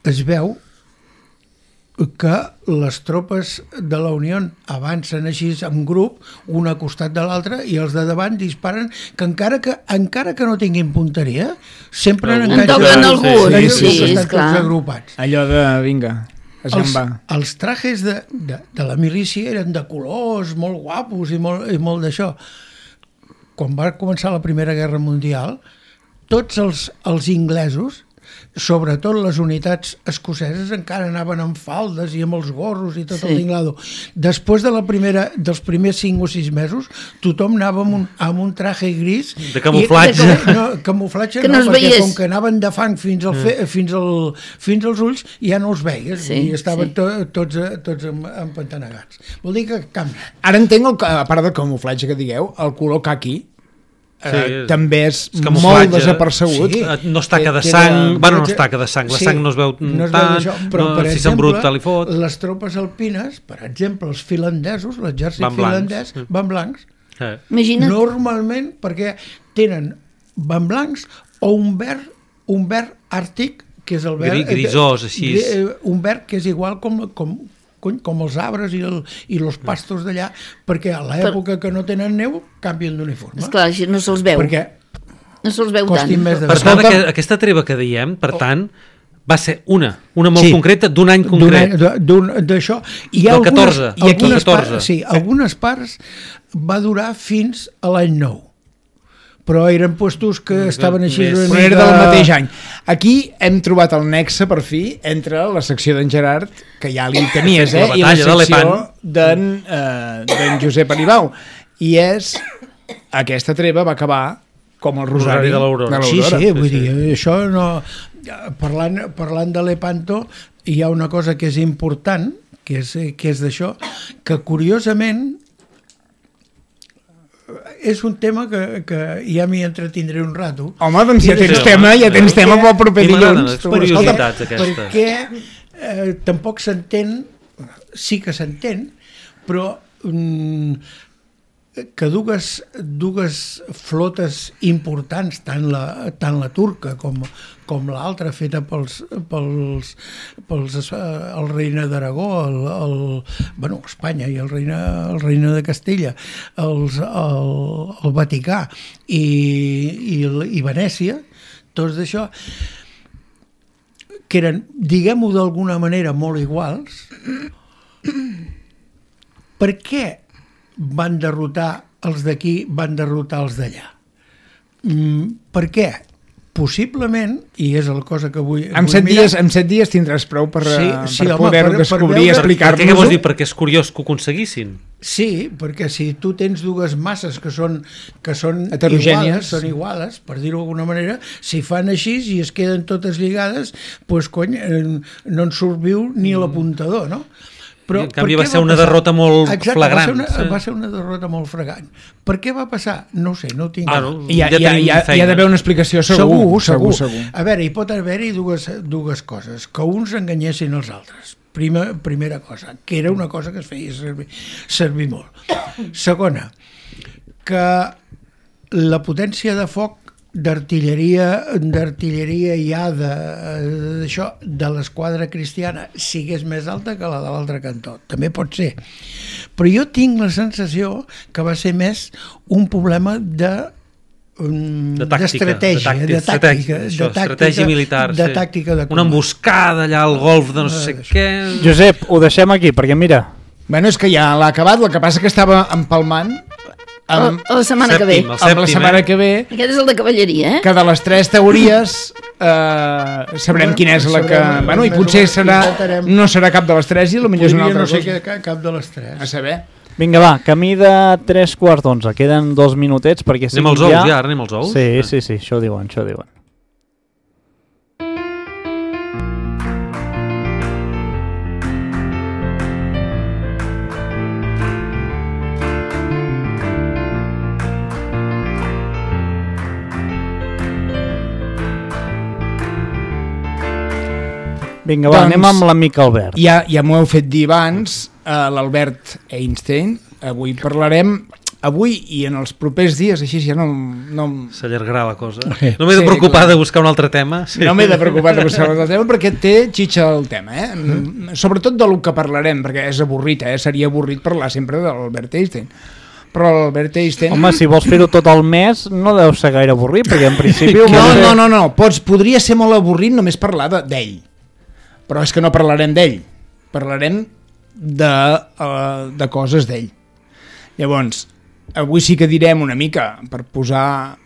[SPEAKER 4] es veu que les tropes de la Unió avancen així en grup, un a costat de l'altre, i els de davant disparen, que encara que encara que no tinguin punteria, sempre
[SPEAKER 5] En
[SPEAKER 4] n'enganxen
[SPEAKER 2] toquen
[SPEAKER 4] sí,
[SPEAKER 2] algú,
[SPEAKER 4] sí,
[SPEAKER 2] sí,
[SPEAKER 4] sí, estan
[SPEAKER 2] esclar.
[SPEAKER 4] tots agrupats.
[SPEAKER 3] Allò de, vinga, es
[SPEAKER 4] Els,
[SPEAKER 3] va.
[SPEAKER 4] els trajes de, de, de la milícia eren de colors molt guapos i molt, i molt d'això. Quan va començar la Primera Guerra Mundial, tots els, els inglesos, sobretot les unitats escoceses, encara anaven amb faldes i amb els gorros i tot
[SPEAKER 2] Sí.
[SPEAKER 4] el tinglado. Després de la primera, dels primers cinc o sis mesos, tothom anava amb un, amb un traje gris.
[SPEAKER 5] De camuflatge.
[SPEAKER 4] I, de, no, camuflatge
[SPEAKER 2] Que no
[SPEAKER 4] no,
[SPEAKER 2] es
[SPEAKER 4] perquè
[SPEAKER 2] veiés.
[SPEAKER 4] com que anaven de fang fins, al fe, fins, al, fins als ulls, ja no els veies.
[SPEAKER 2] Sí,
[SPEAKER 4] I estaven
[SPEAKER 2] sí.
[SPEAKER 4] to, tots, tots em- empantanegats. Vol dir que canvia.
[SPEAKER 3] Ara entenc, el, a part del camuflatge que digueu, el color caqui eh,
[SPEAKER 5] Sí,
[SPEAKER 3] també és
[SPEAKER 5] és camuflatge.
[SPEAKER 3] molt desapercebut.
[SPEAKER 4] Sí.
[SPEAKER 5] Eh, No es taca de
[SPEAKER 3] Que-
[SPEAKER 5] sang,
[SPEAKER 3] queda-
[SPEAKER 5] bueno, no es taca de sang, la
[SPEAKER 4] Sí,
[SPEAKER 5] sang no es veu
[SPEAKER 4] no es veu
[SPEAKER 5] tant,
[SPEAKER 4] d'això, però,
[SPEAKER 5] no,
[SPEAKER 4] per
[SPEAKER 5] si
[SPEAKER 4] exemple,
[SPEAKER 5] s'embruta li fot.
[SPEAKER 4] les tropes alpines, per exemple, els finlandesos, l'exèrcit
[SPEAKER 5] Van blancs.
[SPEAKER 4] finlandès,
[SPEAKER 5] Mm.
[SPEAKER 4] van blancs,
[SPEAKER 5] Eh.
[SPEAKER 2] Imagina't.
[SPEAKER 4] normalment perquè tenen van blancs o un verd, un verd àrtic, que és el verd...
[SPEAKER 5] Gri- grisós, així.
[SPEAKER 4] gri- eh, Un verd que és igual com, com, cony, com els arbres i, el, i els pastos d'allà, perquè a l'època que no tenen neu canvien d'uniforme.
[SPEAKER 2] Esclar, així no se'ls veu.
[SPEAKER 4] Perquè
[SPEAKER 2] No se'ls veu tant.
[SPEAKER 4] costin més de
[SPEAKER 5] Per
[SPEAKER 4] veure.
[SPEAKER 5] tant,
[SPEAKER 3] Escolta-
[SPEAKER 5] aqu aquesta treva que diem, per tant, Va ser una, una molt
[SPEAKER 4] Sí.
[SPEAKER 5] concreta d'un any concret.
[SPEAKER 4] D'això. Hi ha
[SPEAKER 5] Del
[SPEAKER 4] algunes,
[SPEAKER 5] catorze,
[SPEAKER 4] i aquí
[SPEAKER 5] del catorze.
[SPEAKER 4] Parts, sí, algunes parts va durar fins a l'any nou. Però eren puestos que estaven així...
[SPEAKER 5] Més.
[SPEAKER 4] una
[SPEAKER 3] Però era
[SPEAKER 4] mica-
[SPEAKER 3] del mateix any. Aquí hem trobat el nexe, per fi, entre la secció d'en Gerard, que ja li tenies, eh,
[SPEAKER 5] La
[SPEAKER 3] i la
[SPEAKER 5] batalla de
[SPEAKER 3] secció
[SPEAKER 5] l'Epant.
[SPEAKER 3] d'en eh, d'en Josep Aribau. I és... Aquesta treva va acabar com el Rosari,
[SPEAKER 5] Rosari de l'Aurora.
[SPEAKER 4] Sí, sí,
[SPEAKER 5] Sí,
[SPEAKER 4] vull
[SPEAKER 5] sí.
[SPEAKER 4] dir, això no... Parlant, parlant de l'Epanto, hi ha una cosa que és important, que és, que és d'això, que curiosament és un tema que, que ja m'hi entretindré un rato.
[SPEAKER 3] Home, doncs ja
[SPEAKER 4] Sí,
[SPEAKER 3] tens
[SPEAKER 5] sí,
[SPEAKER 3] tema,
[SPEAKER 5] home.
[SPEAKER 3] ja tens tema pel proper
[SPEAKER 5] I m'agraden
[SPEAKER 3] dilluns.
[SPEAKER 5] les
[SPEAKER 3] Tu,
[SPEAKER 5] curiositats
[SPEAKER 3] escolta,
[SPEAKER 5] aquestes.
[SPEAKER 4] Perquè eh, tampoc s'entén, sí que s'entén, però mm, que dues, dues flotes importants, tant la, tant la turca com, com l'altra, feta pels, pels, pels eh, el reina d'Aragó, el, el, bueno, Espanya i el reina, el reina de Castella, els, el, el Vaticà i, i, i Venècia, tots d'això, que eren, diguem-ho d'alguna manera, molt iguals. Per què van derrotar els d'aquí, van derrotar els d'allà? Mm, per què? Possiblement, i és la cosa que vull,
[SPEAKER 3] En
[SPEAKER 4] vull
[SPEAKER 3] set,
[SPEAKER 4] mirar,
[SPEAKER 3] dies, en set dies tindràs prou per,
[SPEAKER 4] Sí,
[SPEAKER 3] eh,
[SPEAKER 4] sí,
[SPEAKER 3] per
[SPEAKER 4] home,
[SPEAKER 3] poder-ho
[SPEAKER 4] per- per
[SPEAKER 3] descobrir
[SPEAKER 4] veure-
[SPEAKER 3] i
[SPEAKER 5] Per, per què, què vols
[SPEAKER 3] explicar-nos-ho.
[SPEAKER 5] dir? Perquè és curiós que ho aconseguissin.
[SPEAKER 4] Sí, perquè si tu tens dues masses que són, que són
[SPEAKER 3] Heterogènies.
[SPEAKER 4] iguales, són iguales, per dir-ho d'alguna manera, si fan així i es queden totes lligades, doncs cony, eh, no en surt viu ni l'apuntador, no? Però
[SPEAKER 5] I en canvi
[SPEAKER 4] per
[SPEAKER 5] va
[SPEAKER 4] què
[SPEAKER 5] ser una
[SPEAKER 4] passar?
[SPEAKER 5] derrota molt
[SPEAKER 4] Exacte,
[SPEAKER 5] flagrant,
[SPEAKER 4] Va ser, una,
[SPEAKER 5] sí.
[SPEAKER 4] va ser una derrota molt flagrant. Per què va passar? No ho sé, no ho tinc.
[SPEAKER 5] Ah, no?
[SPEAKER 3] Hi ha,
[SPEAKER 5] Ja
[SPEAKER 3] hi ha,
[SPEAKER 5] tenim
[SPEAKER 3] hi ha, hi
[SPEAKER 5] feina.
[SPEAKER 3] ha d'haver una explicació segur.
[SPEAKER 4] Segur, segur.
[SPEAKER 3] segur.
[SPEAKER 4] A veure, hi pot haver-hi dues, dues coses. Que uns enganyessin els altres. Prima, primera cosa, que era una cosa que es feia servir, servir molt. Segona, que la potència de foc d'artilleria d'artilleria ja de, d'això, de l'esquadra cristiana sigués més alta que la de l'altre cantó. També pot ser. Però jo tinc la sensació que va ser més un problema de
[SPEAKER 5] De tàctica,
[SPEAKER 4] d'estratègia,
[SPEAKER 5] de,
[SPEAKER 4] de
[SPEAKER 5] tàctica,
[SPEAKER 4] tàctica,
[SPEAKER 5] això,
[SPEAKER 4] de tàctica,
[SPEAKER 5] estratègia militar,
[SPEAKER 4] de
[SPEAKER 5] sí.
[SPEAKER 4] tàctica de
[SPEAKER 5] Una
[SPEAKER 4] combat.
[SPEAKER 5] emboscada allà al golf de no sé
[SPEAKER 4] Eh,
[SPEAKER 5] què.
[SPEAKER 1] Josep, ho deixem aquí, perquè mira,
[SPEAKER 3] Bueno, és que ja l'ha acabat, el que passa que estava empalmant amb,
[SPEAKER 2] A la setmana que ve.
[SPEAKER 5] Sèptim, el
[SPEAKER 3] amb la
[SPEAKER 5] sèptim,
[SPEAKER 3] setmana
[SPEAKER 5] eh?
[SPEAKER 3] que ve,
[SPEAKER 2] Aquest és el de cavalleria, eh?
[SPEAKER 3] que de les tres teories eh, sabrem quina és la que...
[SPEAKER 4] Sabrem,
[SPEAKER 3] Bueno, i
[SPEAKER 4] més o
[SPEAKER 3] potser
[SPEAKER 4] menys,
[SPEAKER 3] serà,
[SPEAKER 4] i faltarem.
[SPEAKER 3] no serà cap de les tres i potser és una
[SPEAKER 4] Podria
[SPEAKER 3] altra
[SPEAKER 4] no ser
[SPEAKER 3] cosa.
[SPEAKER 4] que cap de les tres.
[SPEAKER 3] A saber.
[SPEAKER 1] vinga va, camí de tres quarts d'onze, queden dos minutets perquè
[SPEAKER 5] Anem als
[SPEAKER 1] siguin
[SPEAKER 5] ous, ja, ara anem als ous?
[SPEAKER 1] Sí,
[SPEAKER 5] Ah.
[SPEAKER 1] sí, sí, això diuen, això diuen. Vinga, va,
[SPEAKER 3] Doncs-
[SPEAKER 1] anem amb l'amic Albert.
[SPEAKER 3] Ja, ja m'ho heu fet dir abans, eh, l'Albert Einstein. Avui parlarem, avui i en els propers dies, així ja no, no,
[SPEAKER 5] S'allargarà la cosa.
[SPEAKER 4] Sí.
[SPEAKER 5] No m'he de
[SPEAKER 3] Sí,
[SPEAKER 5] preocupar
[SPEAKER 3] clar.
[SPEAKER 5] de buscar un altre tema. Sí.
[SPEAKER 3] no m'he de preocupar de buscar el tema perquè té xitxa el tema, eh? Mm. Sobretot de lo que parlarem, perquè és avorrit, eh? Seria avorrit parlar sempre de l'Albert Einstein. Però l'Albert Einstein...
[SPEAKER 1] Home, si vols fer-ho tot el mes, no deu ser gaire avorrit, perquè en principi... ho
[SPEAKER 3] No,
[SPEAKER 1] vols fer-
[SPEAKER 3] no, no, no. Pots, podria ser molt avorrit només parlar de- d'ell. Però és que no parlarem d'ell. Parlarem de, uh, de coses d'ell. Llavors, avui sí que direm una mica, per posar...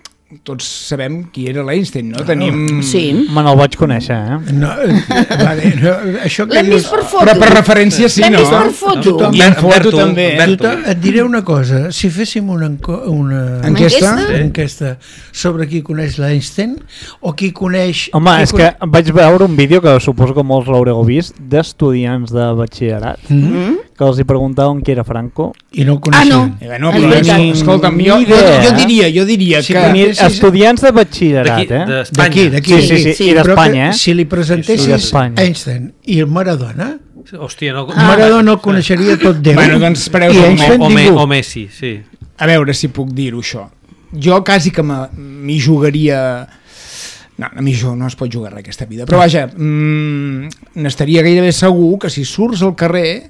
[SPEAKER 3] Tots sabem qui era l'Einstein, no? Tenim...
[SPEAKER 2] Sí.
[SPEAKER 1] Me no el vaig conèixer, eh?
[SPEAKER 4] No, eh, vale, no, això que
[SPEAKER 2] L'hem
[SPEAKER 4] dius...
[SPEAKER 2] vist per foto.
[SPEAKER 3] Però per referència sí,
[SPEAKER 2] L'hem
[SPEAKER 3] no?
[SPEAKER 2] vist per foto.
[SPEAKER 4] Tothom-
[SPEAKER 3] I en foto
[SPEAKER 5] Berto,
[SPEAKER 3] també, eh?
[SPEAKER 5] Berto.
[SPEAKER 4] Tothom, et diré una cosa, si féssim una, enco- una,
[SPEAKER 3] Enquesta?
[SPEAKER 2] Enquesta?
[SPEAKER 4] una enquesta sobre qui coneix l'Einstein o qui coneix...
[SPEAKER 1] Home,
[SPEAKER 4] qui
[SPEAKER 1] és que vaig veure un vídeo que suposo que molts l'haureu vist d'estudiants de batxillerat
[SPEAKER 4] Mm?
[SPEAKER 1] que els hi preguntaven qui era Franco.
[SPEAKER 4] I no el
[SPEAKER 2] Ah, no.
[SPEAKER 4] coneixien.
[SPEAKER 3] Eh, bueno,
[SPEAKER 2] És
[SPEAKER 3] però,
[SPEAKER 2] veritat.
[SPEAKER 3] ni, escolta'm,
[SPEAKER 1] Ni
[SPEAKER 3] jo, jo,
[SPEAKER 1] idea,
[SPEAKER 3] jo
[SPEAKER 1] eh?
[SPEAKER 3] diria, jo diria
[SPEAKER 4] Sí,
[SPEAKER 3] que...
[SPEAKER 4] que
[SPEAKER 1] Ni,
[SPEAKER 4] sí, sí.
[SPEAKER 1] estudiants de batxillerat,
[SPEAKER 5] D'aquí,
[SPEAKER 1] eh?
[SPEAKER 5] d'Espanya.
[SPEAKER 4] D'aquí, d'aquí.
[SPEAKER 1] Sí, sí, sí,
[SPEAKER 2] sí.
[SPEAKER 1] i
[SPEAKER 4] Però
[SPEAKER 1] d'Espanya,
[SPEAKER 4] que
[SPEAKER 1] eh?
[SPEAKER 4] si li
[SPEAKER 1] Sí,
[SPEAKER 4] presentessis
[SPEAKER 1] d'Espanya.
[SPEAKER 4] Einstein i el Maradona,
[SPEAKER 5] Hòstia, no...
[SPEAKER 4] ah. Maradona el coneixeria tot Déu.
[SPEAKER 3] Bueno, doncs espereu
[SPEAKER 4] I
[SPEAKER 3] un
[SPEAKER 4] Einstein
[SPEAKER 5] o, Me,
[SPEAKER 4] ningú.
[SPEAKER 5] o Messi, sí.
[SPEAKER 3] A veure si puc dir-ho, això. Jo quasi que me- m'hi jugaria... No, a mi jo no es pot jugar res aquesta vida. Però vaja, mmm, n'estaria gairebé segur que si surts al carrer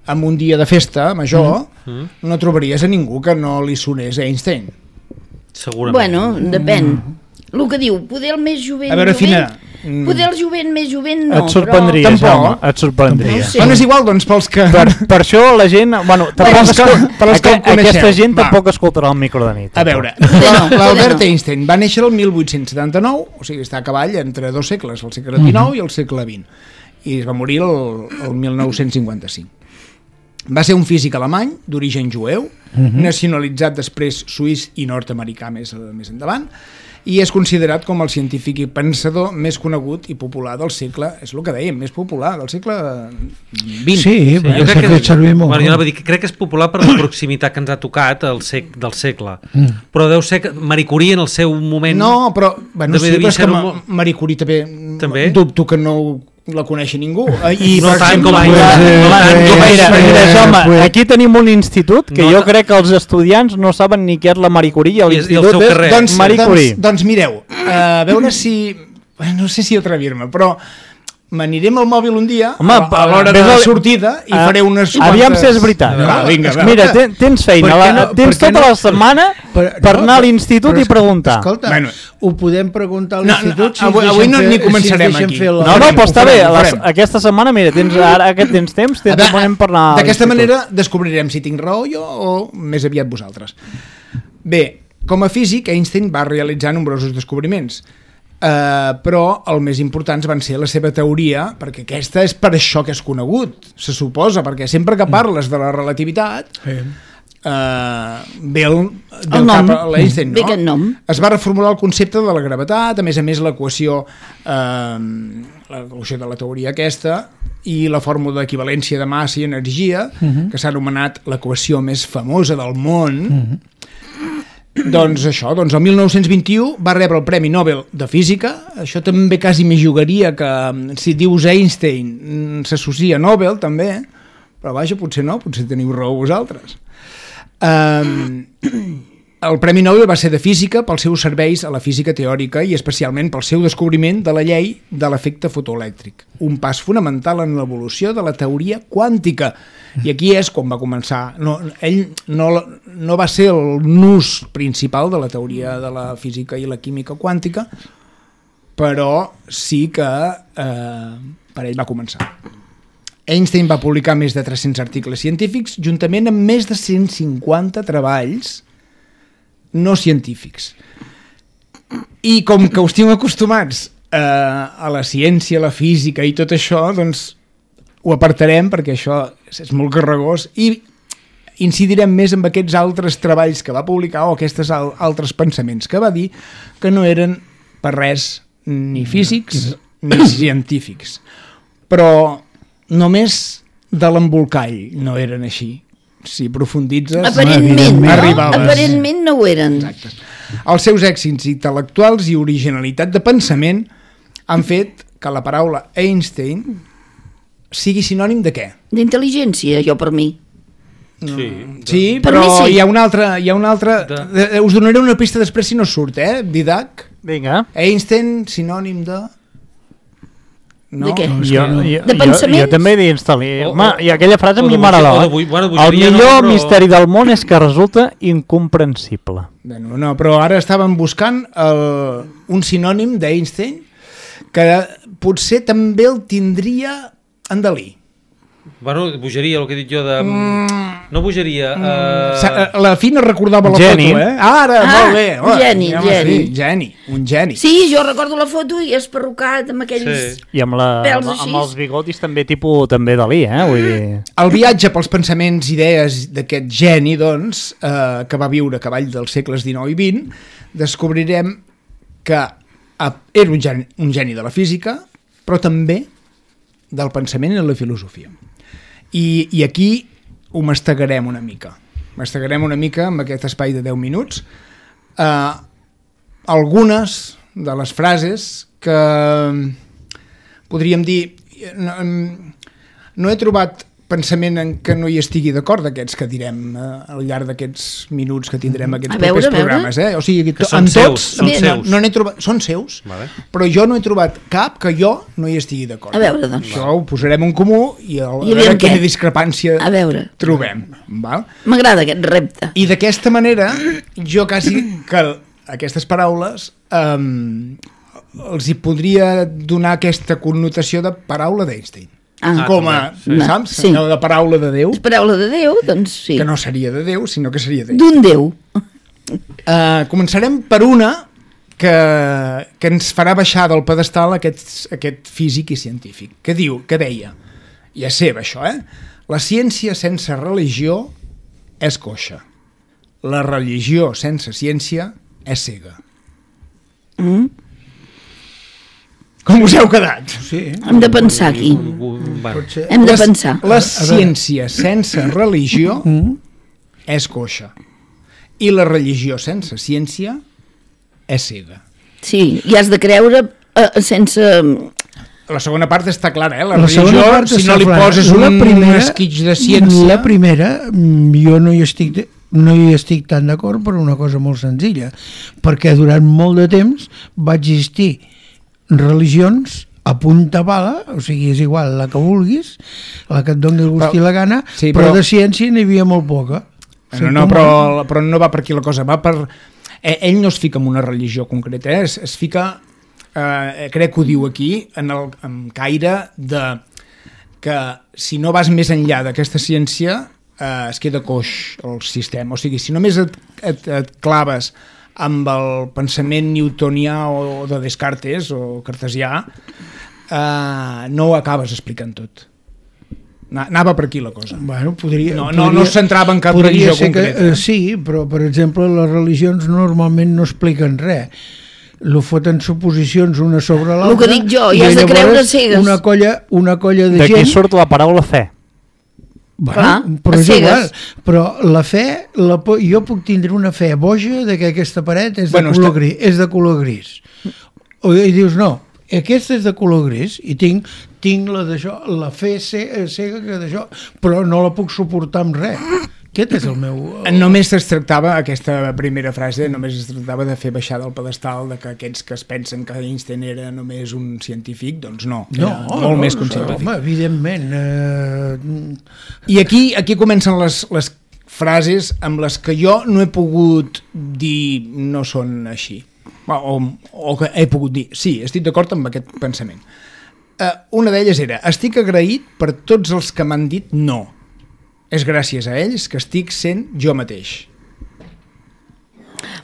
[SPEAKER 3] en un dia de festa major,
[SPEAKER 5] Mm.
[SPEAKER 3] no trobaries a ningú que no li sonés Einstein.
[SPEAKER 5] Segurament.
[SPEAKER 2] Bueno, depèn. El que diu, poder el més jovent...
[SPEAKER 3] A veure,
[SPEAKER 2] jovent,
[SPEAKER 3] Fina,
[SPEAKER 2] Mm. Poder el jovent més jovent no,
[SPEAKER 1] et sorprendria,
[SPEAKER 3] però...
[SPEAKER 1] Jaume, et sorprendria.
[SPEAKER 2] No sé.
[SPEAKER 3] Bueno, és igual, doncs, pels que...
[SPEAKER 1] Per, per això la gent... Bueno, tampoc
[SPEAKER 3] els que-
[SPEAKER 1] escol...
[SPEAKER 3] per als que el coneixeu.
[SPEAKER 1] Aquesta gent
[SPEAKER 3] Va.
[SPEAKER 1] tampoc escoltarà el micro de nit.
[SPEAKER 3] A veure,
[SPEAKER 2] Poder no,
[SPEAKER 3] l'Albert
[SPEAKER 2] poder no.
[SPEAKER 3] Einstein va néixer el mil vuit-cents setanta-nou, o sigui, està a cavall entre dos segles, el segle dinou i el segle vint, i es va morir el, el mil nou-cents cinquanta-cinc. Va ser un físic alemany d'origen jueu, nacionalitzat després suís i nord-americà més, més endavant, i és considerat com el científic i pensador més conegut i popular del segle, és el que dèiem, més popular del segle vint.
[SPEAKER 4] Sí,
[SPEAKER 5] Sí,
[SPEAKER 4] bueno,
[SPEAKER 5] jo
[SPEAKER 4] s'ha
[SPEAKER 5] crec que,
[SPEAKER 4] fet servir molt.
[SPEAKER 5] bueno, jo anava a dir que crec que és popular per la proximitat que ens ha tocat el sec, del segle, mm. però deu ser que Marie Curie en el seu moment...
[SPEAKER 3] No, però, bueno,
[SPEAKER 5] També
[SPEAKER 3] sí,
[SPEAKER 5] devia
[SPEAKER 3] però és que
[SPEAKER 5] ser un
[SPEAKER 3] Ma-
[SPEAKER 5] mo-
[SPEAKER 3] Marie Curie també,
[SPEAKER 5] També?
[SPEAKER 3] dubto que no la coneixi ningú. I,
[SPEAKER 5] No
[SPEAKER 3] per
[SPEAKER 5] tant
[SPEAKER 3] exemple,
[SPEAKER 5] com a-
[SPEAKER 3] la-
[SPEAKER 5] no
[SPEAKER 3] la-
[SPEAKER 5] tant com a-
[SPEAKER 1] Mira,
[SPEAKER 4] Eh,
[SPEAKER 1] mira, Jaume,
[SPEAKER 4] pues-
[SPEAKER 1] aquí tenim un institut que
[SPEAKER 5] No,
[SPEAKER 1] jo
[SPEAKER 5] no.
[SPEAKER 1] crec que els estudiants no saben ni què és la Marie Curie i
[SPEAKER 5] I és- i el
[SPEAKER 1] l'institut
[SPEAKER 5] seu
[SPEAKER 1] és
[SPEAKER 5] carrer.
[SPEAKER 3] doncs,
[SPEAKER 1] Marie Curie.
[SPEAKER 3] doncs, doncs mireu, uh, a veure si... No sé si atrevir-me, però m'anirem al mòbil un dia,
[SPEAKER 1] Home,
[SPEAKER 3] a, a l'hora de
[SPEAKER 1] ves
[SPEAKER 3] la
[SPEAKER 1] al-
[SPEAKER 3] sortida, i
[SPEAKER 1] Ah,
[SPEAKER 3] faré unes
[SPEAKER 1] aviam
[SPEAKER 3] quantes...
[SPEAKER 1] si és veritat.
[SPEAKER 3] Va, vinga, va.
[SPEAKER 1] Mira, ten, tens feina,
[SPEAKER 4] Per què
[SPEAKER 1] la,
[SPEAKER 4] no-
[SPEAKER 1] tens
[SPEAKER 4] per què
[SPEAKER 1] tota
[SPEAKER 4] no-
[SPEAKER 1] la setmana per,
[SPEAKER 4] Però-
[SPEAKER 1] anar a l'institut
[SPEAKER 4] però
[SPEAKER 1] i
[SPEAKER 4] és-
[SPEAKER 1] preguntar.
[SPEAKER 4] Escolta,
[SPEAKER 3] Bueno.
[SPEAKER 4] ho podem preguntar a
[SPEAKER 3] No,
[SPEAKER 4] l'institut
[SPEAKER 3] no,
[SPEAKER 4] si ens
[SPEAKER 3] avui-
[SPEAKER 4] deixen
[SPEAKER 3] avui no-
[SPEAKER 4] fer-
[SPEAKER 3] ni
[SPEAKER 4] si ens
[SPEAKER 3] començarem
[SPEAKER 4] deixen
[SPEAKER 3] aquí.
[SPEAKER 4] fer la-
[SPEAKER 1] No, no,
[SPEAKER 3] farem,
[SPEAKER 1] però
[SPEAKER 3] ho
[SPEAKER 1] està
[SPEAKER 3] farem,
[SPEAKER 1] bé,
[SPEAKER 3] ho
[SPEAKER 1] la,
[SPEAKER 3] farem.
[SPEAKER 1] aquesta setmana, mira, tens, ara que tens temps, tens
[SPEAKER 3] A
[SPEAKER 1] moment per anar a
[SPEAKER 3] D'aquesta
[SPEAKER 1] l'institut.
[SPEAKER 3] manera descobrirem si tinc raó jo o més aviat vosaltres. Bé, com a físic, Einstein va realitzar nombrosos descobriments, uh, però els més importants van ser la seva teoria, perquè aquesta és per això que és conegut, se suposa, perquè sempre que parles de la relativitat...
[SPEAKER 4] Sí.
[SPEAKER 3] Uh, ve el, ve
[SPEAKER 2] El nom.
[SPEAKER 3] cap a l'Einstein,
[SPEAKER 2] Ve
[SPEAKER 3] no?
[SPEAKER 2] aquest nom.
[SPEAKER 3] Es va reformular el concepte de la gravetat, a més a més l'equació uh, l'equació de la teoria aquesta i la fórmula d'equivalència de massa i energia, uh -huh. que s'ha anomenat l'equació més famosa del món. Uh -huh. Doncs això, doncs el mil nou-cents vint-i-u va rebre el Premi Nobel de Física. Això també quasi m'hi jugaria, que si dius Einstein s'associa a Nobel també, però vaja, potser no, potser teniu raó vosaltres. Um, el Premi Nobel va ser de Física pels seus serveis a la física teòrica i especialment pel seu descobriment de la llei de l'efecte fotoelèctric, un pas fonamental en l'evolució de la teoria quàntica. I aquí és quan va començar. No, ell no, no va ser el nus principal de la teoria de la física i la química quàntica, però sí que eh, per ell va començar. Einstein va publicar més de tres-cents articles científics, juntament amb més de cent cinquanta treballs no científics. I com que us tinc acostumats eh, a la ciència, a la física i tot això, doncs ho apartarem perquè això és, és molt carregós i incidirem més en aquests altres treballs que va publicar o aquests al, altres pensaments que va dir que no eren per res ni físics ni científics. Però només de l'embolcall no eren així. Si profunditzes...
[SPEAKER 2] Aparentment, no?
[SPEAKER 3] arribaves.
[SPEAKER 2] Aparentment no ho eren.
[SPEAKER 3] Exacte. Els seus èxits intel·lectuals i originalitat de pensament han fet que la paraula Einstein sigui sinònim de què?
[SPEAKER 2] D'intel·ligència, jo per mi.
[SPEAKER 5] Sí.
[SPEAKER 3] Sí,
[SPEAKER 2] Per
[SPEAKER 3] però
[SPEAKER 2] mi sí.
[SPEAKER 3] hi ha una altra... Hi ha una altra
[SPEAKER 5] De-
[SPEAKER 3] eh, us donaré una pista després si no surt, eh? Didac.
[SPEAKER 1] Vinga.
[SPEAKER 3] Einstein, sinònim de... No?
[SPEAKER 2] De què?
[SPEAKER 4] No, és
[SPEAKER 1] Jo,
[SPEAKER 4] que no.
[SPEAKER 1] jo,
[SPEAKER 2] De
[SPEAKER 1] jo,
[SPEAKER 2] pensaments?
[SPEAKER 1] jo també he d'instal·lar.
[SPEAKER 5] O-
[SPEAKER 1] Home, I aquella frase a
[SPEAKER 5] o
[SPEAKER 1] mi
[SPEAKER 5] de
[SPEAKER 1] m'agradava.
[SPEAKER 5] boja- o de bo- bueno,
[SPEAKER 1] El
[SPEAKER 5] bogeria no,
[SPEAKER 1] millor
[SPEAKER 5] però-
[SPEAKER 1] misteri del món és que resulta incomprensible.
[SPEAKER 3] Bueno, no, però ara estàvem buscant el, un sinònim d'Einstein que potser també el tindria en Dalí.
[SPEAKER 5] Bueno, bogeria, el que he dit jo de... No bogeria...
[SPEAKER 3] Sa-
[SPEAKER 5] Uh...
[SPEAKER 3] La Fina recordava la
[SPEAKER 1] Geni.
[SPEAKER 3] foto, eh? Ara,
[SPEAKER 2] Ah,
[SPEAKER 3] molt bé.
[SPEAKER 2] un geni,
[SPEAKER 3] home,
[SPEAKER 2] geni.
[SPEAKER 3] Sí, geni, un geni.
[SPEAKER 2] Sí, jo recordo la foto i és perrucat amb aquells...
[SPEAKER 5] Sí.
[SPEAKER 1] I amb, la,
[SPEAKER 2] Pèls
[SPEAKER 1] amb,
[SPEAKER 2] així.
[SPEAKER 1] amb els bigotis també tipus també Dalí, eh? Vull dir...
[SPEAKER 3] El viatge pels pensaments i idees d'aquest geni, doncs, eh, que va viure a cavall dels segles dinou i vint, descobrirem que eh, era un geni, un geni de la física, però també del pensament i la filosofia. I, i aquí ho mastegarem una mica. Mastegarem una mica amb aquest espai de deu minuts eh, algunes de les frases que podríem dir no, no he trobat pensament en què no hi estigui d'acord d'aquests que direm eh, al llarg d'aquests minuts que tindrem aquests
[SPEAKER 2] A veure,
[SPEAKER 3] propers
[SPEAKER 2] a veure.
[SPEAKER 3] programes, eh? O sigui,
[SPEAKER 5] Que
[SPEAKER 3] to,
[SPEAKER 5] són
[SPEAKER 3] en tots
[SPEAKER 5] seus, són
[SPEAKER 3] no,
[SPEAKER 5] seus.
[SPEAKER 3] no n'he trobat, són seus,
[SPEAKER 5] Vale.
[SPEAKER 3] però jo no he trobat cap que jo no hi estigui d'acord.
[SPEAKER 2] A veure, doncs.
[SPEAKER 3] Això ho posarem en comú i a,
[SPEAKER 2] I
[SPEAKER 3] a
[SPEAKER 2] aviam
[SPEAKER 3] veure
[SPEAKER 2] què?
[SPEAKER 3] quina discrepància
[SPEAKER 2] A veure.
[SPEAKER 3] trobem. Val?
[SPEAKER 2] M'agrada aquest repte.
[SPEAKER 3] I d'aquesta manera, jo quasi que aquestes paraules um, els hi podria donar aquesta connotació de paraula d'Einstein.
[SPEAKER 2] Ah,
[SPEAKER 3] Com a,
[SPEAKER 5] sí.
[SPEAKER 3] saps?
[SPEAKER 2] Sí.
[SPEAKER 3] Allò de paraula de Déu,
[SPEAKER 2] És paraula de Déu, doncs sí.
[SPEAKER 3] que no seria de Déu, sinó que seria d'ell.
[SPEAKER 2] D'un Déu.
[SPEAKER 3] Uh, començarem per una que, que ens farà baixar del pedestal aquest, aquest físic i científic, que diu, que deia, i és seva això, eh? La ciència sense religió és coixa. La religió sense ciència és cega.
[SPEAKER 2] Mm?
[SPEAKER 3] Com us heu quedat?
[SPEAKER 4] Sí,
[SPEAKER 2] Hem de pensar aquí.
[SPEAKER 5] Bueno,
[SPEAKER 4] pot ser.
[SPEAKER 2] Hem de
[SPEAKER 3] La-
[SPEAKER 2] pensar.
[SPEAKER 3] La ciència sense religió és coixa. I la religió sense ciència és cega.
[SPEAKER 2] Sí, i has de creure eh, sense...
[SPEAKER 3] La segona part està clara, eh? La,
[SPEAKER 4] La segona
[SPEAKER 3] religió,
[SPEAKER 4] part
[SPEAKER 3] si
[SPEAKER 4] està
[SPEAKER 3] no li
[SPEAKER 4] clara.
[SPEAKER 3] poses
[SPEAKER 4] La
[SPEAKER 3] un
[SPEAKER 4] primera-
[SPEAKER 3] esquitx de ciència...
[SPEAKER 4] La primera, mm, jo no hi estic, de- no hi estic tan d'acord per una cosa molt senzilla, perquè durant molt de temps va existir religions a punta pala, o sigui, és igual la que vulguis, la que et doni el gust
[SPEAKER 3] Però-
[SPEAKER 4] i la gana,
[SPEAKER 3] sí,
[SPEAKER 4] però,
[SPEAKER 3] però-
[SPEAKER 4] de ciència n'hi havia molt poca.
[SPEAKER 3] No, no, però, però no va per aquí la cosa, va per... Eh, ell no es fica en una religió concreta, eh? es, es fica, eh, crec que ho diu aquí, en el en caire de que si no vas més enllà d'aquesta ciència eh, es queda coix el sistema, o sigui, si només et, et, et claves amb el pensament newtonià o de Descartes o cartesià, eh, no ho acabes explicant tot. Na- Anava per aquí la cosa.
[SPEAKER 4] Bueno, podria,
[SPEAKER 3] No, no,
[SPEAKER 4] podria,
[SPEAKER 3] no es centrava en cap
[SPEAKER 4] podria
[SPEAKER 3] religió
[SPEAKER 4] ser que,
[SPEAKER 3] concreta.
[SPEAKER 4] eh, sí, però, per exemple, les religions normalment no expliquen res. Lo foten suposicions una sobre l'altra.
[SPEAKER 2] El que dic jo, i
[SPEAKER 4] i
[SPEAKER 2] has de
[SPEAKER 4] llavors
[SPEAKER 2] creure cegues.
[SPEAKER 4] Una colla, una colla de
[SPEAKER 1] D'aquí
[SPEAKER 4] gent...
[SPEAKER 1] surt la paraula fe.
[SPEAKER 4] Bueno,
[SPEAKER 2] Clar,
[SPEAKER 4] però
[SPEAKER 2] a
[SPEAKER 4] és igual.
[SPEAKER 2] cegues.
[SPEAKER 4] Però la fe, la, po- jo puc tindre una fe boja de que aquesta paret és de,
[SPEAKER 3] Bueno,
[SPEAKER 4] color,
[SPEAKER 3] està-
[SPEAKER 4] gris, és de color gris. O, I dius, no, aquesta és de color gris i tinc, tinc la d'això, la fe ce- cega que d'això, però no la puc suportar amb res. Aquest és el meu... El...
[SPEAKER 3] Només es tractava, aquesta primera frase, només es tractava de fer baixar del pedestal de que aquests que es pensen que Einstein era només un científic, doncs no,
[SPEAKER 4] No,
[SPEAKER 3] era molt
[SPEAKER 4] no,
[SPEAKER 3] més que un
[SPEAKER 4] no,
[SPEAKER 3] científic.
[SPEAKER 4] home, evidentment. Eh,
[SPEAKER 3] I aquí, aquí comencen les, les frases amb les que jo no he pogut dir no són així. O, o que he pogut dir, sí, estic d'acord amb aquest pensament. Uh, una d'elles era, estic agraït per tots els que m'han dit no. És gràcies a ells que estic sent jo mateix.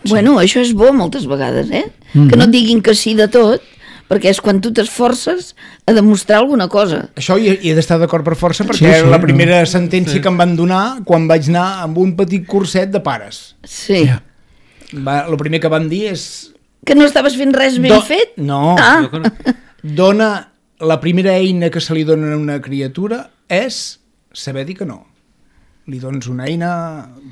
[SPEAKER 2] Bueno, això és bo moltes vegades, eh? Mm-hmm. Que no et diguin que sí de tot, perquè és quan tu t'esforces a demostrar alguna cosa.
[SPEAKER 3] Això hi, hi he d'estar d'acord per força perquè
[SPEAKER 4] Sí,
[SPEAKER 3] sí,
[SPEAKER 4] sí,
[SPEAKER 3] la
[SPEAKER 4] no.
[SPEAKER 3] primera sentència sí. que em van donar quan vaig anar amb un petit curset de pares.
[SPEAKER 2] Sí.
[SPEAKER 4] Ja.
[SPEAKER 3] Va, el primer que van dir és...
[SPEAKER 2] Que no estaves fent res ben
[SPEAKER 3] Do-
[SPEAKER 2] fet?
[SPEAKER 3] No,
[SPEAKER 2] Ah,
[SPEAKER 3] dona, la primera eina que se li dona a una criatura és saber dir que no. Li dones una eina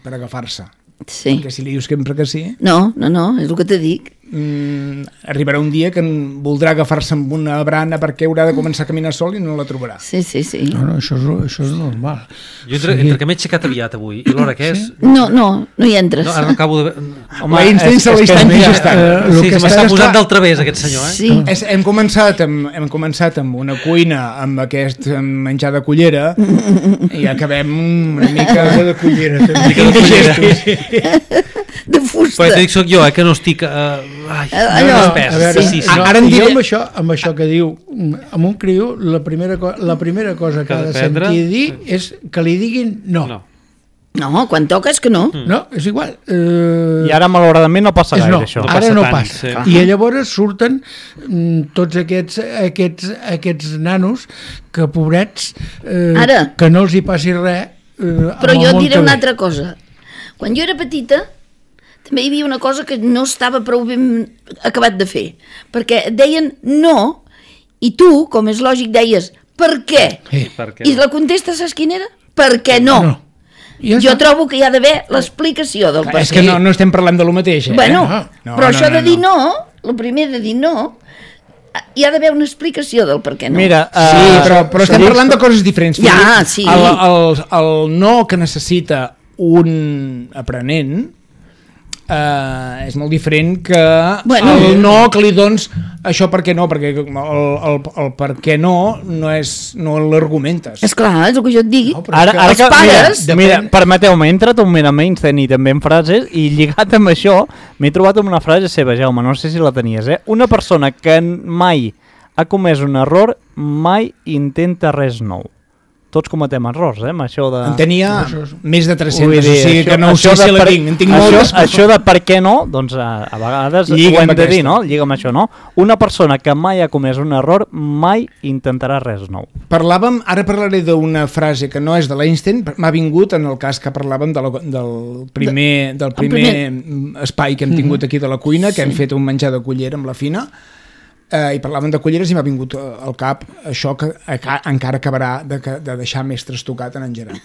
[SPEAKER 3] per agafar-se.
[SPEAKER 2] sí.
[SPEAKER 3] Que si li dius sempre que sí,
[SPEAKER 2] No, no, no, és el que te dic.
[SPEAKER 3] mm, arribarà un dia que en voldrà agafar-se amb una brana perquè haurà de començar a caminar sol i no la trobarà.
[SPEAKER 2] Sí, sí, sí.
[SPEAKER 4] No, no, això és, això és normal.
[SPEAKER 5] jo entre, entre que m'he aixecat aviat avui i l'hora que és...
[SPEAKER 2] No, no, no hi entres.
[SPEAKER 5] No, ara no acabo de...
[SPEAKER 3] Home, Einstein se
[SPEAKER 1] és
[SPEAKER 3] li
[SPEAKER 1] que
[SPEAKER 3] està
[SPEAKER 1] mira,
[SPEAKER 3] indigestant.
[SPEAKER 4] eh,
[SPEAKER 5] Sí,
[SPEAKER 4] lo que
[SPEAKER 5] que
[SPEAKER 4] està-
[SPEAKER 5] m'està posant
[SPEAKER 3] clar-
[SPEAKER 5] del través aquest senyor, eh?
[SPEAKER 2] Sí.
[SPEAKER 3] És, hem, començat amb, hem començat amb una cuina amb aquest menjar de cullera i acabem una mica
[SPEAKER 4] de cullera, també.
[SPEAKER 5] Mica de cullera.
[SPEAKER 2] De fusta.
[SPEAKER 5] Però t'ho dic, soc jo, eh, que no estic... Uh, ai,
[SPEAKER 2] Allò,
[SPEAKER 5] no espès,
[SPEAKER 4] A veure,
[SPEAKER 5] sí, sí, sí.
[SPEAKER 3] no.
[SPEAKER 4] ara
[SPEAKER 3] Ara en
[SPEAKER 4] en
[SPEAKER 3] diré-
[SPEAKER 4] amb això, amb això que diu, amb un criu, la primera, co la primera cosa que,
[SPEAKER 5] Que
[SPEAKER 4] ha de
[SPEAKER 5] dependre-
[SPEAKER 4] sentir dir és que li diguin no.
[SPEAKER 5] No.
[SPEAKER 2] No, quan toques que no.
[SPEAKER 5] Mm.
[SPEAKER 4] No, és igual. Eh,
[SPEAKER 1] I ara, malauradament, no passa
[SPEAKER 4] és
[SPEAKER 1] gaire,
[SPEAKER 4] no,
[SPEAKER 1] això.
[SPEAKER 5] No
[SPEAKER 4] ara
[SPEAKER 5] passa
[SPEAKER 4] no
[SPEAKER 5] tant,
[SPEAKER 4] passa.
[SPEAKER 5] sí.
[SPEAKER 4] I llavors surten mm, tots aquests, aquests, aquests nanos que, pobrets, eh,
[SPEAKER 2] Ara.
[SPEAKER 4] que no els hi passi res. Eh,
[SPEAKER 2] Però
[SPEAKER 4] amb el
[SPEAKER 2] jo et
[SPEAKER 4] món
[SPEAKER 2] diré
[SPEAKER 4] que
[SPEAKER 2] una
[SPEAKER 4] ve.
[SPEAKER 2] altra cosa. Quan jo era petita, també hi havia una cosa que no estava prou ben acabat de fer. Perquè et deien no, i tu, com és lògic, deies per què?
[SPEAKER 4] Sí.
[SPEAKER 5] Per què
[SPEAKER 2] I
[SPEAKER 5] no?
[SPEAKER 2] la contesta, saps quina era? Per què no?
[SPEAKER 4] No. Ja
[SPEAKER 2] Jo
[SPEAKER 4] està.
[SPEAKER 2] trobo que hi ha d'haver l'explicació del per
[SPEAKER 3] És
[SPEAKER 2] què.
[SPEAKER 3] que no, no estem parlant de lo mateix, eh?
[SPEAKER 2] Bueno,
[SPEAKER 4] No,
[SPEAKER 3] no,
[SPEAKER 2] però
[SPEAKER 3] no,
[SPEAKER 2] això
[SPEAKER 3] no,
[SPEAKER 2] de dir
[SPEAKER 3] no.
[SPEAKER 2] no, el primer de dir no, hi ha d'haver una explicació del per què no.
[SPEAKER 1] Mira,
[SPEAKER 3] Sí,
[SPEAKER 1] eh,
[SPEAKER 3] però, però estem
[SPEAKER 1] sí,
[SPEAKER 3] parlant de coses diferents.
[SPEAKER 2] Ja,
[SPEAKER 3] Fili.
[SPEAKER 2] sí.
[SPEAKER 3] El, el, el no que necessita un aprenent Uh, és molt diferent que
[SPEAKER 2] Bueno.
[SPEAKER 3] el no que li dones això per què no, perquè el, el, el per què no no és no l'argumentes.
[SPEAKER 2] És clar, és el que jo et dic.
[SPEAKER 3] No, però
[SPEAKER 1] Ara,
[SPEAKER 3] és que
[SPEAKER 1] ara
[SPEAKER 2] els
[SPEAKER 1] que,
[SPEAKER 2] pares-
[SPEAKER 1] mira, mira, permeteu-me, he entrat un moment a Einstein i també en frases, i lligat amb això m'he trobat amb una frase seva, Jaume, no sé si la tenies, eh? Una persona que mai ha comès un error mai intenta res nou. Tots cometem errors, eh, amb això de...
[SPEAKER 3] En tenia més de
[SPEAKER 1] Vull
[SPEAKER 3] tres-cents,
[SPEAKER 1] dir,
[SPEAKER 3] o sigui que no ho sé
[SPEAKER 1] això de
[SPEAKER 3] si la
[SPEAKER 1] per-
[SPEAKER 3] tinc, en tinc
[SPEAKER 1] això,
[SPEAKER 3] moltes.
[SPEAKER 1] això de per què no, doncs a, a vegades
[SPEAKER 3] Lliga
[SPEAKER 1] ho hem
[SPEAKER 3] amb
[SPEAKER 1] de dir,
[SPEAKER 3] aquesta.
[SPEAKER 1] no? Lliga amb això, no? Una persona que mai ha comès un error mai intentarà res nou.
[SPEAKER 3] Parlàvem, ara parlaré d'una frase que no és de l'Einstein, m'ha vingut en el cas que parlàvem de la, del primer, del primer,
[SPEAKER 2] primer-
[SPEAKER 3] espai que hem tingut aquí de la cuina, que hem fet un menjar de cullera amb la Fina, eh, i parlàvem de culleres i m'ha vingut eh, al cap això que aca encara acabarà de, de deixar més trastocat en en Gerard.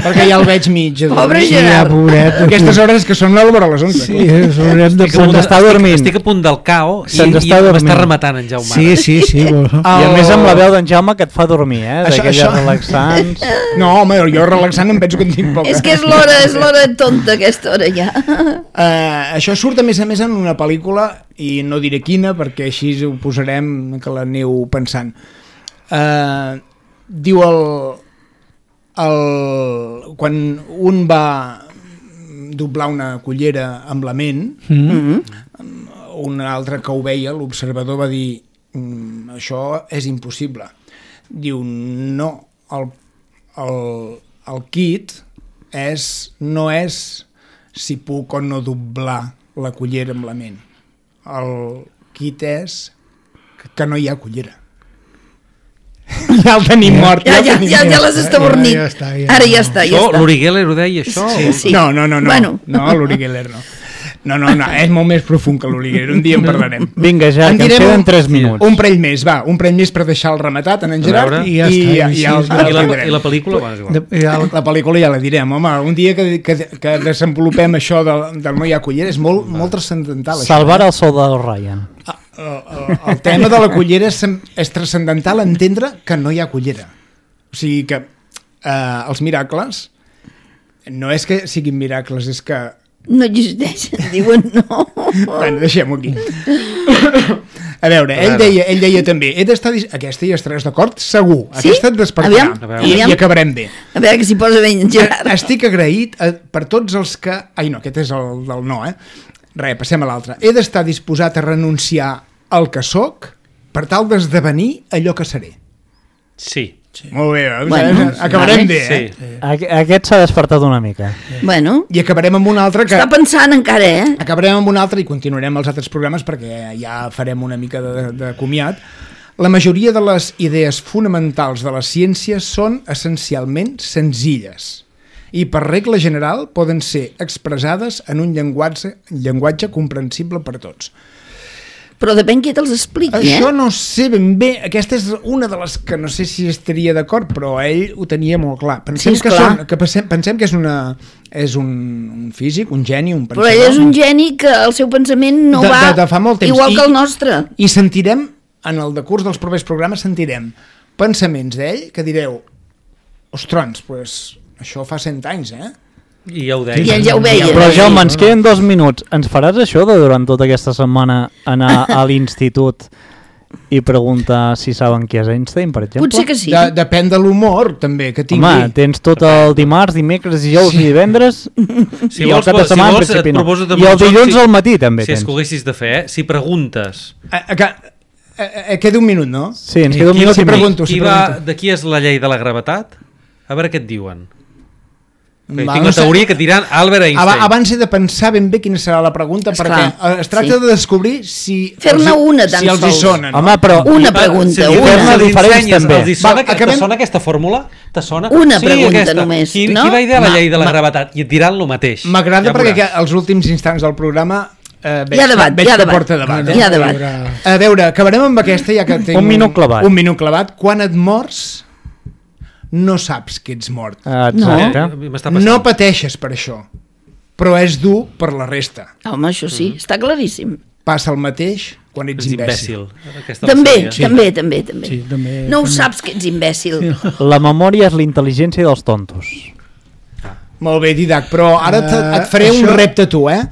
[SPEAKER 3] Perquè ja el veig mig.
[SPEAKER 2] Pobre
[SPEAKER 3] Sí,
[SPEAKER 2] Gerard.
[SPEAKER 4] Ja, pobret.
[SPEAKER 3] aquestes hores que són l'hora a les onze.
[SPEAKER 4] Sí, ens haurem de
[SPEAKER 5] Estic a punt,
[SPEAKER 1] Se'ns està
[SPEAKER 5] estic-
[SPEAKER 1] dormint.
[SPEAKER 5] Estic a punt del cao i,
[SPEAKER 1] Se'ns
[SPEAKER 5] i
[SPEAKER 1] està dormint.
[SPEAKER 5] m'està rematant en Jaume.
[SPEAKER 4] Sí, sí, sí. Bueno.
[SPEAKER 1] I a
[SPEAKER 3] El-
[SPEAKER 1] més amb la veu d'en Jaume que et fa dormir, eh?
[SPEAKER 3] Això-
[SPEAKER 1] D'aquelles
[SPEAKER 3] això-
[SPEAKER 1] relaxants.
[SPEAKER 3] No, home, jo relaxant em penso que en tinc poca.
[SPEAKER 2] És que és l'hora, és l'hora tonta aquesta hora ja.
[SPEAKER 3] Uh, això surt a més a més en una pel·lícula i no diré quina perquè així ho posarem que l'aneu pensant. Uh, diu el, el quan un va doblar una cullera amb la ment,
[SPEAKER 2] Mm-hmm.
[SPEAKER 3] un altre que ho veia, l'observador va dir mm, això és impossible. Diu no, el, el, el kit és, no és si puc o no doblar la cullera amb la ment. El kit és que no hi ha cullera. Ja el tenim mort.
[SPEAKER 2] Ja, ja,
[SPEAKER 3] el tenim
[SPEAKER 2] ja, ja
[SPEAKER 3] mort.
[SPEAKER 2] les està bornit.
[SPEAKER 4] Ja, ja està, ja.
[SPEAKER 2] Ara ja està, ja
[SPEAKER 5] Això,
[SPEAKER 2] està.
[SPEAKER 5] l'Uri Geller ho deia, això?
[SPEAKER 2] Sí, sí.
[SPEAKER 3] No, no, no, no,
[SPEAKER 2] Bueno.
[SPEAKER 3] no l'Uri Geller no. No, no, no, és molt més profund que l'Uri Geller, un dia en parlarem.
[SPEAKER 1] Vinga, ja,
[SPEAKER 3] En
[SPEAKER 1] que ens
[SPEAKER 3] direm
[SPEAKER 1] queden
[SPEAKER 3] un-
[SPEAKER 1] tres minuts.
[SPEAKER 3] Un parell més, va, un parell més per deixar el rematat en en
[SPEAKER 5] A
[SPEAKER 3] Gerard
[SPEAKER 5] veure.
[SPEAKER 3] i,
[SPEAKER 4] I ja
[SPEAKER 3] i,
[SPEAKER 4] està,
[SPEAKER 3] i,
[SPEAKER 4] i
[SPEAKER 3] ja el,
[SPEAKER 4] així,
[SPEAKER 5] I la,
[SPEAKER 3] tindrem.
[SPEAKER 5] I la pel·lícula? Bueno, és igual.
[SPEAKER 4] De, ja,
[SPEAKER 3] La pel·lícula ja la direm, home, un dia que, que, que desenvolupem això del, del no hi ha cullera és molt, molt transcendental. Això,
[SPEAKER 1] Salvar
[SPEAKER 3] eh?
[SPEAKER 1] el sol del Ryan.
[SPEAKER 3] el, el, el tema de la cullera és, és transcendental entendre que no hi ha cullera. O sigui que eh, els miracles no és que siguin miracles, és que...
[SPEAKER 2] No existeixen, diuen no.
[SPEAKER 3] Bueno, deixem-ho aquí. A veure, ell deia, ell deia també, he d'estar... dis- Aquesta hi estaràs d'acord? Segur.
[SPEAKER 2] Sí?
[SPEAKER 3] Aquesta et despertarà.
[SPEAKER 2] Aviam,
[SPEAKER 3] I,
[SPEAKER 2] aviam.
[SPEAKER 3] I acabarem bé.
[SPEAKER 2] A veure que s'hi posa bé en Gerard.
[SPEAKER 3] Estic agraït a, per tots els que... Ai, no, aquest és el del no, eh? Res, passem a l'altre. He d'estar disposat a renunciar al que sóc per tal d'esdevenir allò que seré.
[SPEAKER 5] Sí.
[SPEAKER 3] Sí. Molt bé, eh?
[SPEAKER 2] Bueno,
[SPEAKER 3] acabarem
[SPEAKER 2] vale.
[SPEAKER 3] bé,
[SPEAKER 5] Sí.
[SPEAKER 3] eh?
[SPEAKER 1] Aqu Aquest s'ha despertat una mica.
[SPEAKER 2] Bueno,
[SPEAKER 3] I acabarem amb un altre que...
[SPEAKER 2] està pensant encara, eh?
[SPEAKER 3] Acabarem amb un altre i continuarem els altres programes perquè ja farem una mica de, de comiat. La majoria de les idees fonamentals de la ciència són essencialment senzilles i per regla general poden ser expressades en un llenguatge, llenguatge comprensible per tots.
[SPEAKER 2] Però depèn qui te'ls expliqui,
[SPEAKER 3] Això
[SPEAKER 2] eh?
[SPEAKER 3] no sé ben bé, aquesta és una de les que no sé si estaria d'acord, però ell ho tenia molt clar. Pensem,
[SPEAKER 2] Sí, és
[SPEAKER 3] que,
[SPEAKER 2] clar.
[SPEAKER 3] són, que pensem, pensem que és, una, és un, un físic, un geni, un
[SPEAKER 2] Però
[SPEAKER 3] pensador.
[SPEAKER 2] ell és un geni que el seu pensament no
[SPEAKER 3] De-
[SPEAKER 2] va
[SPEAKER 3] de- de fa molt temps.
[SPEAKER 2] igual
[SPEAKER 3] I-
[SPEAKER 2] que el nostre.
[SPEAKER 3] I sentirem, en el decurs dels propers programes, sentirem pensaments d'ell que direu, ostrons, pues, això fa cent anys, eh?
[SPEAKER 5] I ja ho deia.
[SPEAKER 2] I ell ja ho veia.
[SPEAKER 1] Però Jaume, ens queden dos minuts. Ens faràs això de durant tota aquesta setmana anar a l'institut i preguntar si saben qui és Einstein, per exemple?
[SPEAKER 2] Potser que sí.
[SPEAKER 3] De, depèn de l'humor, també, que tingui.
[SPEAKER 1] Home, tens tot el dimarts, dimecres, dijous i divendres
[SPEAKER 5] Si
[SPEAKER 1] i el
[SPEAKER 5] vols,
[SPEAKER 1] cap de
[SPEAKER 5] si
[SPEAKER 1] setmana en
[SPEAKER 5] vols, et
[SPEAKER 1] principi no.
[SPEAKER 5] proposo de
[SPEAKER 1] I el
[SPEAKER 5] molt joc,
[SPEAKER 1] dilluns
[SPEAKER 5] si-
[SPEAKER 1] al matí també
[SPEAKER 5] Si
[SPEAKER 1] tens.
[SPEAKER 5] escoguessis de fer, eh? si preguntes
[SPEAKER 3] A, a, a, a, a, queda un minut, no?
[SPEAKER 1] Sí, ens queda un
[SPEAKER 5] qui,
[SPEAKER 1] minut
[SPEAKER 3] si
[SPEAKER 1] i mig.
[SPEAKER 3] pregunto,
[SPEAKER 5] qui
[SPEAKER 3] si
[SPEAKER 5] va,
[SPEAKER 3] pregunto.
[SPEAKER 5] de qui és la llei de la gravetat? A veure què et diuen.
[SPEAKER 3] Va,
[SPEAKER 5] Tinc
[SPEAKER 3] no
[SPEAKER 5] la
[SPEAKER 3] sé.
[SPEAKER 5] teoria que et diran Albert Einstein.
[SPEAKER 3] Aba- Abans he de pensar ben bé quina serà la pregunta,
[SPEAKER 2] Esclar,
[SPEAKER 3] perquè eh, es tracta
[SPEAKER 2] sí.
[SPEAKER 3] de descobrir si...
[SPEAKER 2] Fer-ne
[SPEAKER 3] els hi-
[SPEAKER 2] una, tan
[SPEAKER 3] si els hi
[SPEAKER 2] sols.
[SPEAKER 3] sona, no?
[SPEAKER 1] Home, però...
[SPEAKER 2] Una
[SPEAKER 5] Va,
[SPEAKER 2] pregunta,
[SPEAKER 5] si li
[SPEAKER 2] una.
[SPEAKER 5] fem- si li
[SPEAKER 1] Diferents,
[SPEAKER 5] ensenyes,
[SPEAKER 1] també.
[SPEAKER 5] els hi sona,
[SPEAKER 3] Va,
[SPEAKER 5] que,
[SPEAKER 3] acabem-
[SPEAKER 5] te sona aquesta fórmula? Te sona?
[SPEAKER 2] Una pregunta
[SPEAKER 5] aquesta.
[SPEAKER 2] només,
[SPEAKER 5] qui,
[SPEAKER 2] no?
[SPEAKER 5] Qui va idear la
[SPEAKER 2] Ma-
[SPEAKER 5] llei de la
[SPEAKER 3] ma-
[SPEAKER 5] gravetat? I et diran el mateix.
[SPEAKER 3] M'agrada
[SPEAKER 5] Ja
[SPEAKER 3] perquè
[SPEAKER 5] veuràs.
[SPEAKER 3] que als últims instants del programa eh, veig,
[SPEAKER 2] Hi ha debat,
[SPEAKER 3] veig
[SPEAKER 2] hi ha
[SPEAKER 3] que
[SPEAKER 2] debat.
[SPEAKER 3] porta debat. Eh?
[SPEAKER 2] Hi ha debat.
[SPEAKER 3] A veure, acabarem amb aquesta ja que tinc
[SPEAKER 1] Un minut clavat.
[SPEAKER 3] Un minut clavat. Quan et mors, no saps que ets mort.
[SPEAKER 1] Exacte.
[SPEAKER 5] Eh, m'està passant.
[SPEAKER 3] No pateixes per això, però és dur per la resta.
[SPEAKER 2] Home, això sí, està claríssim.
[SPEAKER 3] Passa el mateix quan ets
[SPEAKER 5] Ets
[SPEAKER 3] imbècil.
[SPEAKER 5] imbècil. Aquesta
[SPEAKER 2] També,
[SPEAKER 5] la sabia.
[SPEAKER 2] també, també, també.
[SPEAKER 4] Sí, també.
[SPEAKER 2] No ho saps que ets imbècil.
[SPEAKER 1] La memòria és la intel·ligència dels tontos.
[SPEAKER 3] Molt bé, Didac, però ara te, et faré
[SPEAKER 4] això-
[SPEAKER 3] un repte a tu, eh?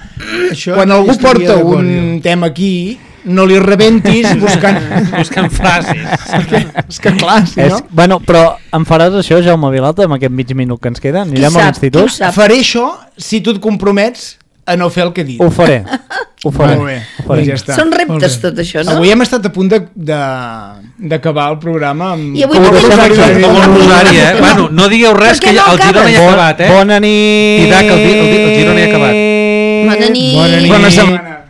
[SPEAKER 4] Això
[SPEAKER 3] Quan algú
[SPEAKER 4] estaria
[SPEAKER 3] porta
[SPEAKER 4] d'acord
[SPEAKER 3] un
[SPEAKER 4] jo.
[SPEAKER 3] tema aquí, no li rebentis buscant...
[SPEAKER 5] Buscant frases.
[SPEAKER 3] Perquè, és que clar, si
[SPEAKER 1] És,
[SPEAKER 3] no...
[SPEAKER 1] bueno, però em faràs això, Jaume Vilalta, amb aquest mig minut que ens queda? Anirem
[SPEAKER 2] Qui
[SPEAKER 1] a
[SPEAKER 2] sap, qui
[SPEAKER 1] l'institut?
[SPEAKER 2] ho sap?
[SPEAKER 3] Faré això si tu et compromets a no fer el que he dit.
[SPEAKER 1] Ho faré, ho faré.
[SPEAKER 3] Molt bé,
[SPEAKER 1] ho faré.
[SPEAKER 3] doncs ja està.
[SPEAKER 2] Són reptes
[SPEAKER 4] Molt bé.
[SPEAKER 2] tot això, no?
[SPEAKER 3] Avui hem estat a punt de- de- d'acabar el programa amb...
[SPEAKER 2] I avui
[SPEAKER 1] Com
[SPEAKER 2] no
[SPEAKER 1] ho
[SPEAKER 2] tens
[SPEAKER 1] deixem
[SPEAKER 2] res.
[SPEAKER 1] aquí?
[SPEAKER 5] Com el Rosari, eh? Bueno, no digueu res,
[SPEAKER 2] Per
[SPEAKER 5] que
[SPEAKER 2] què
[SPEAKER 5] ja,
[SPEAKER 2] no
[SPEAKER 5] el Girona ja ha
[SPEAKER 1] Bon-
[SPEAKER 5] acabat, eh?
[SPEAKER 1] Bona nit!
[SPEAKER 5] Didac, el, Di- el, Di- el Girona ja ha acabat.
[SPEAKER 2] Bona nit.
[SPEAKER 4] Bona nit.
[SPEAKER 3] Bona setmana.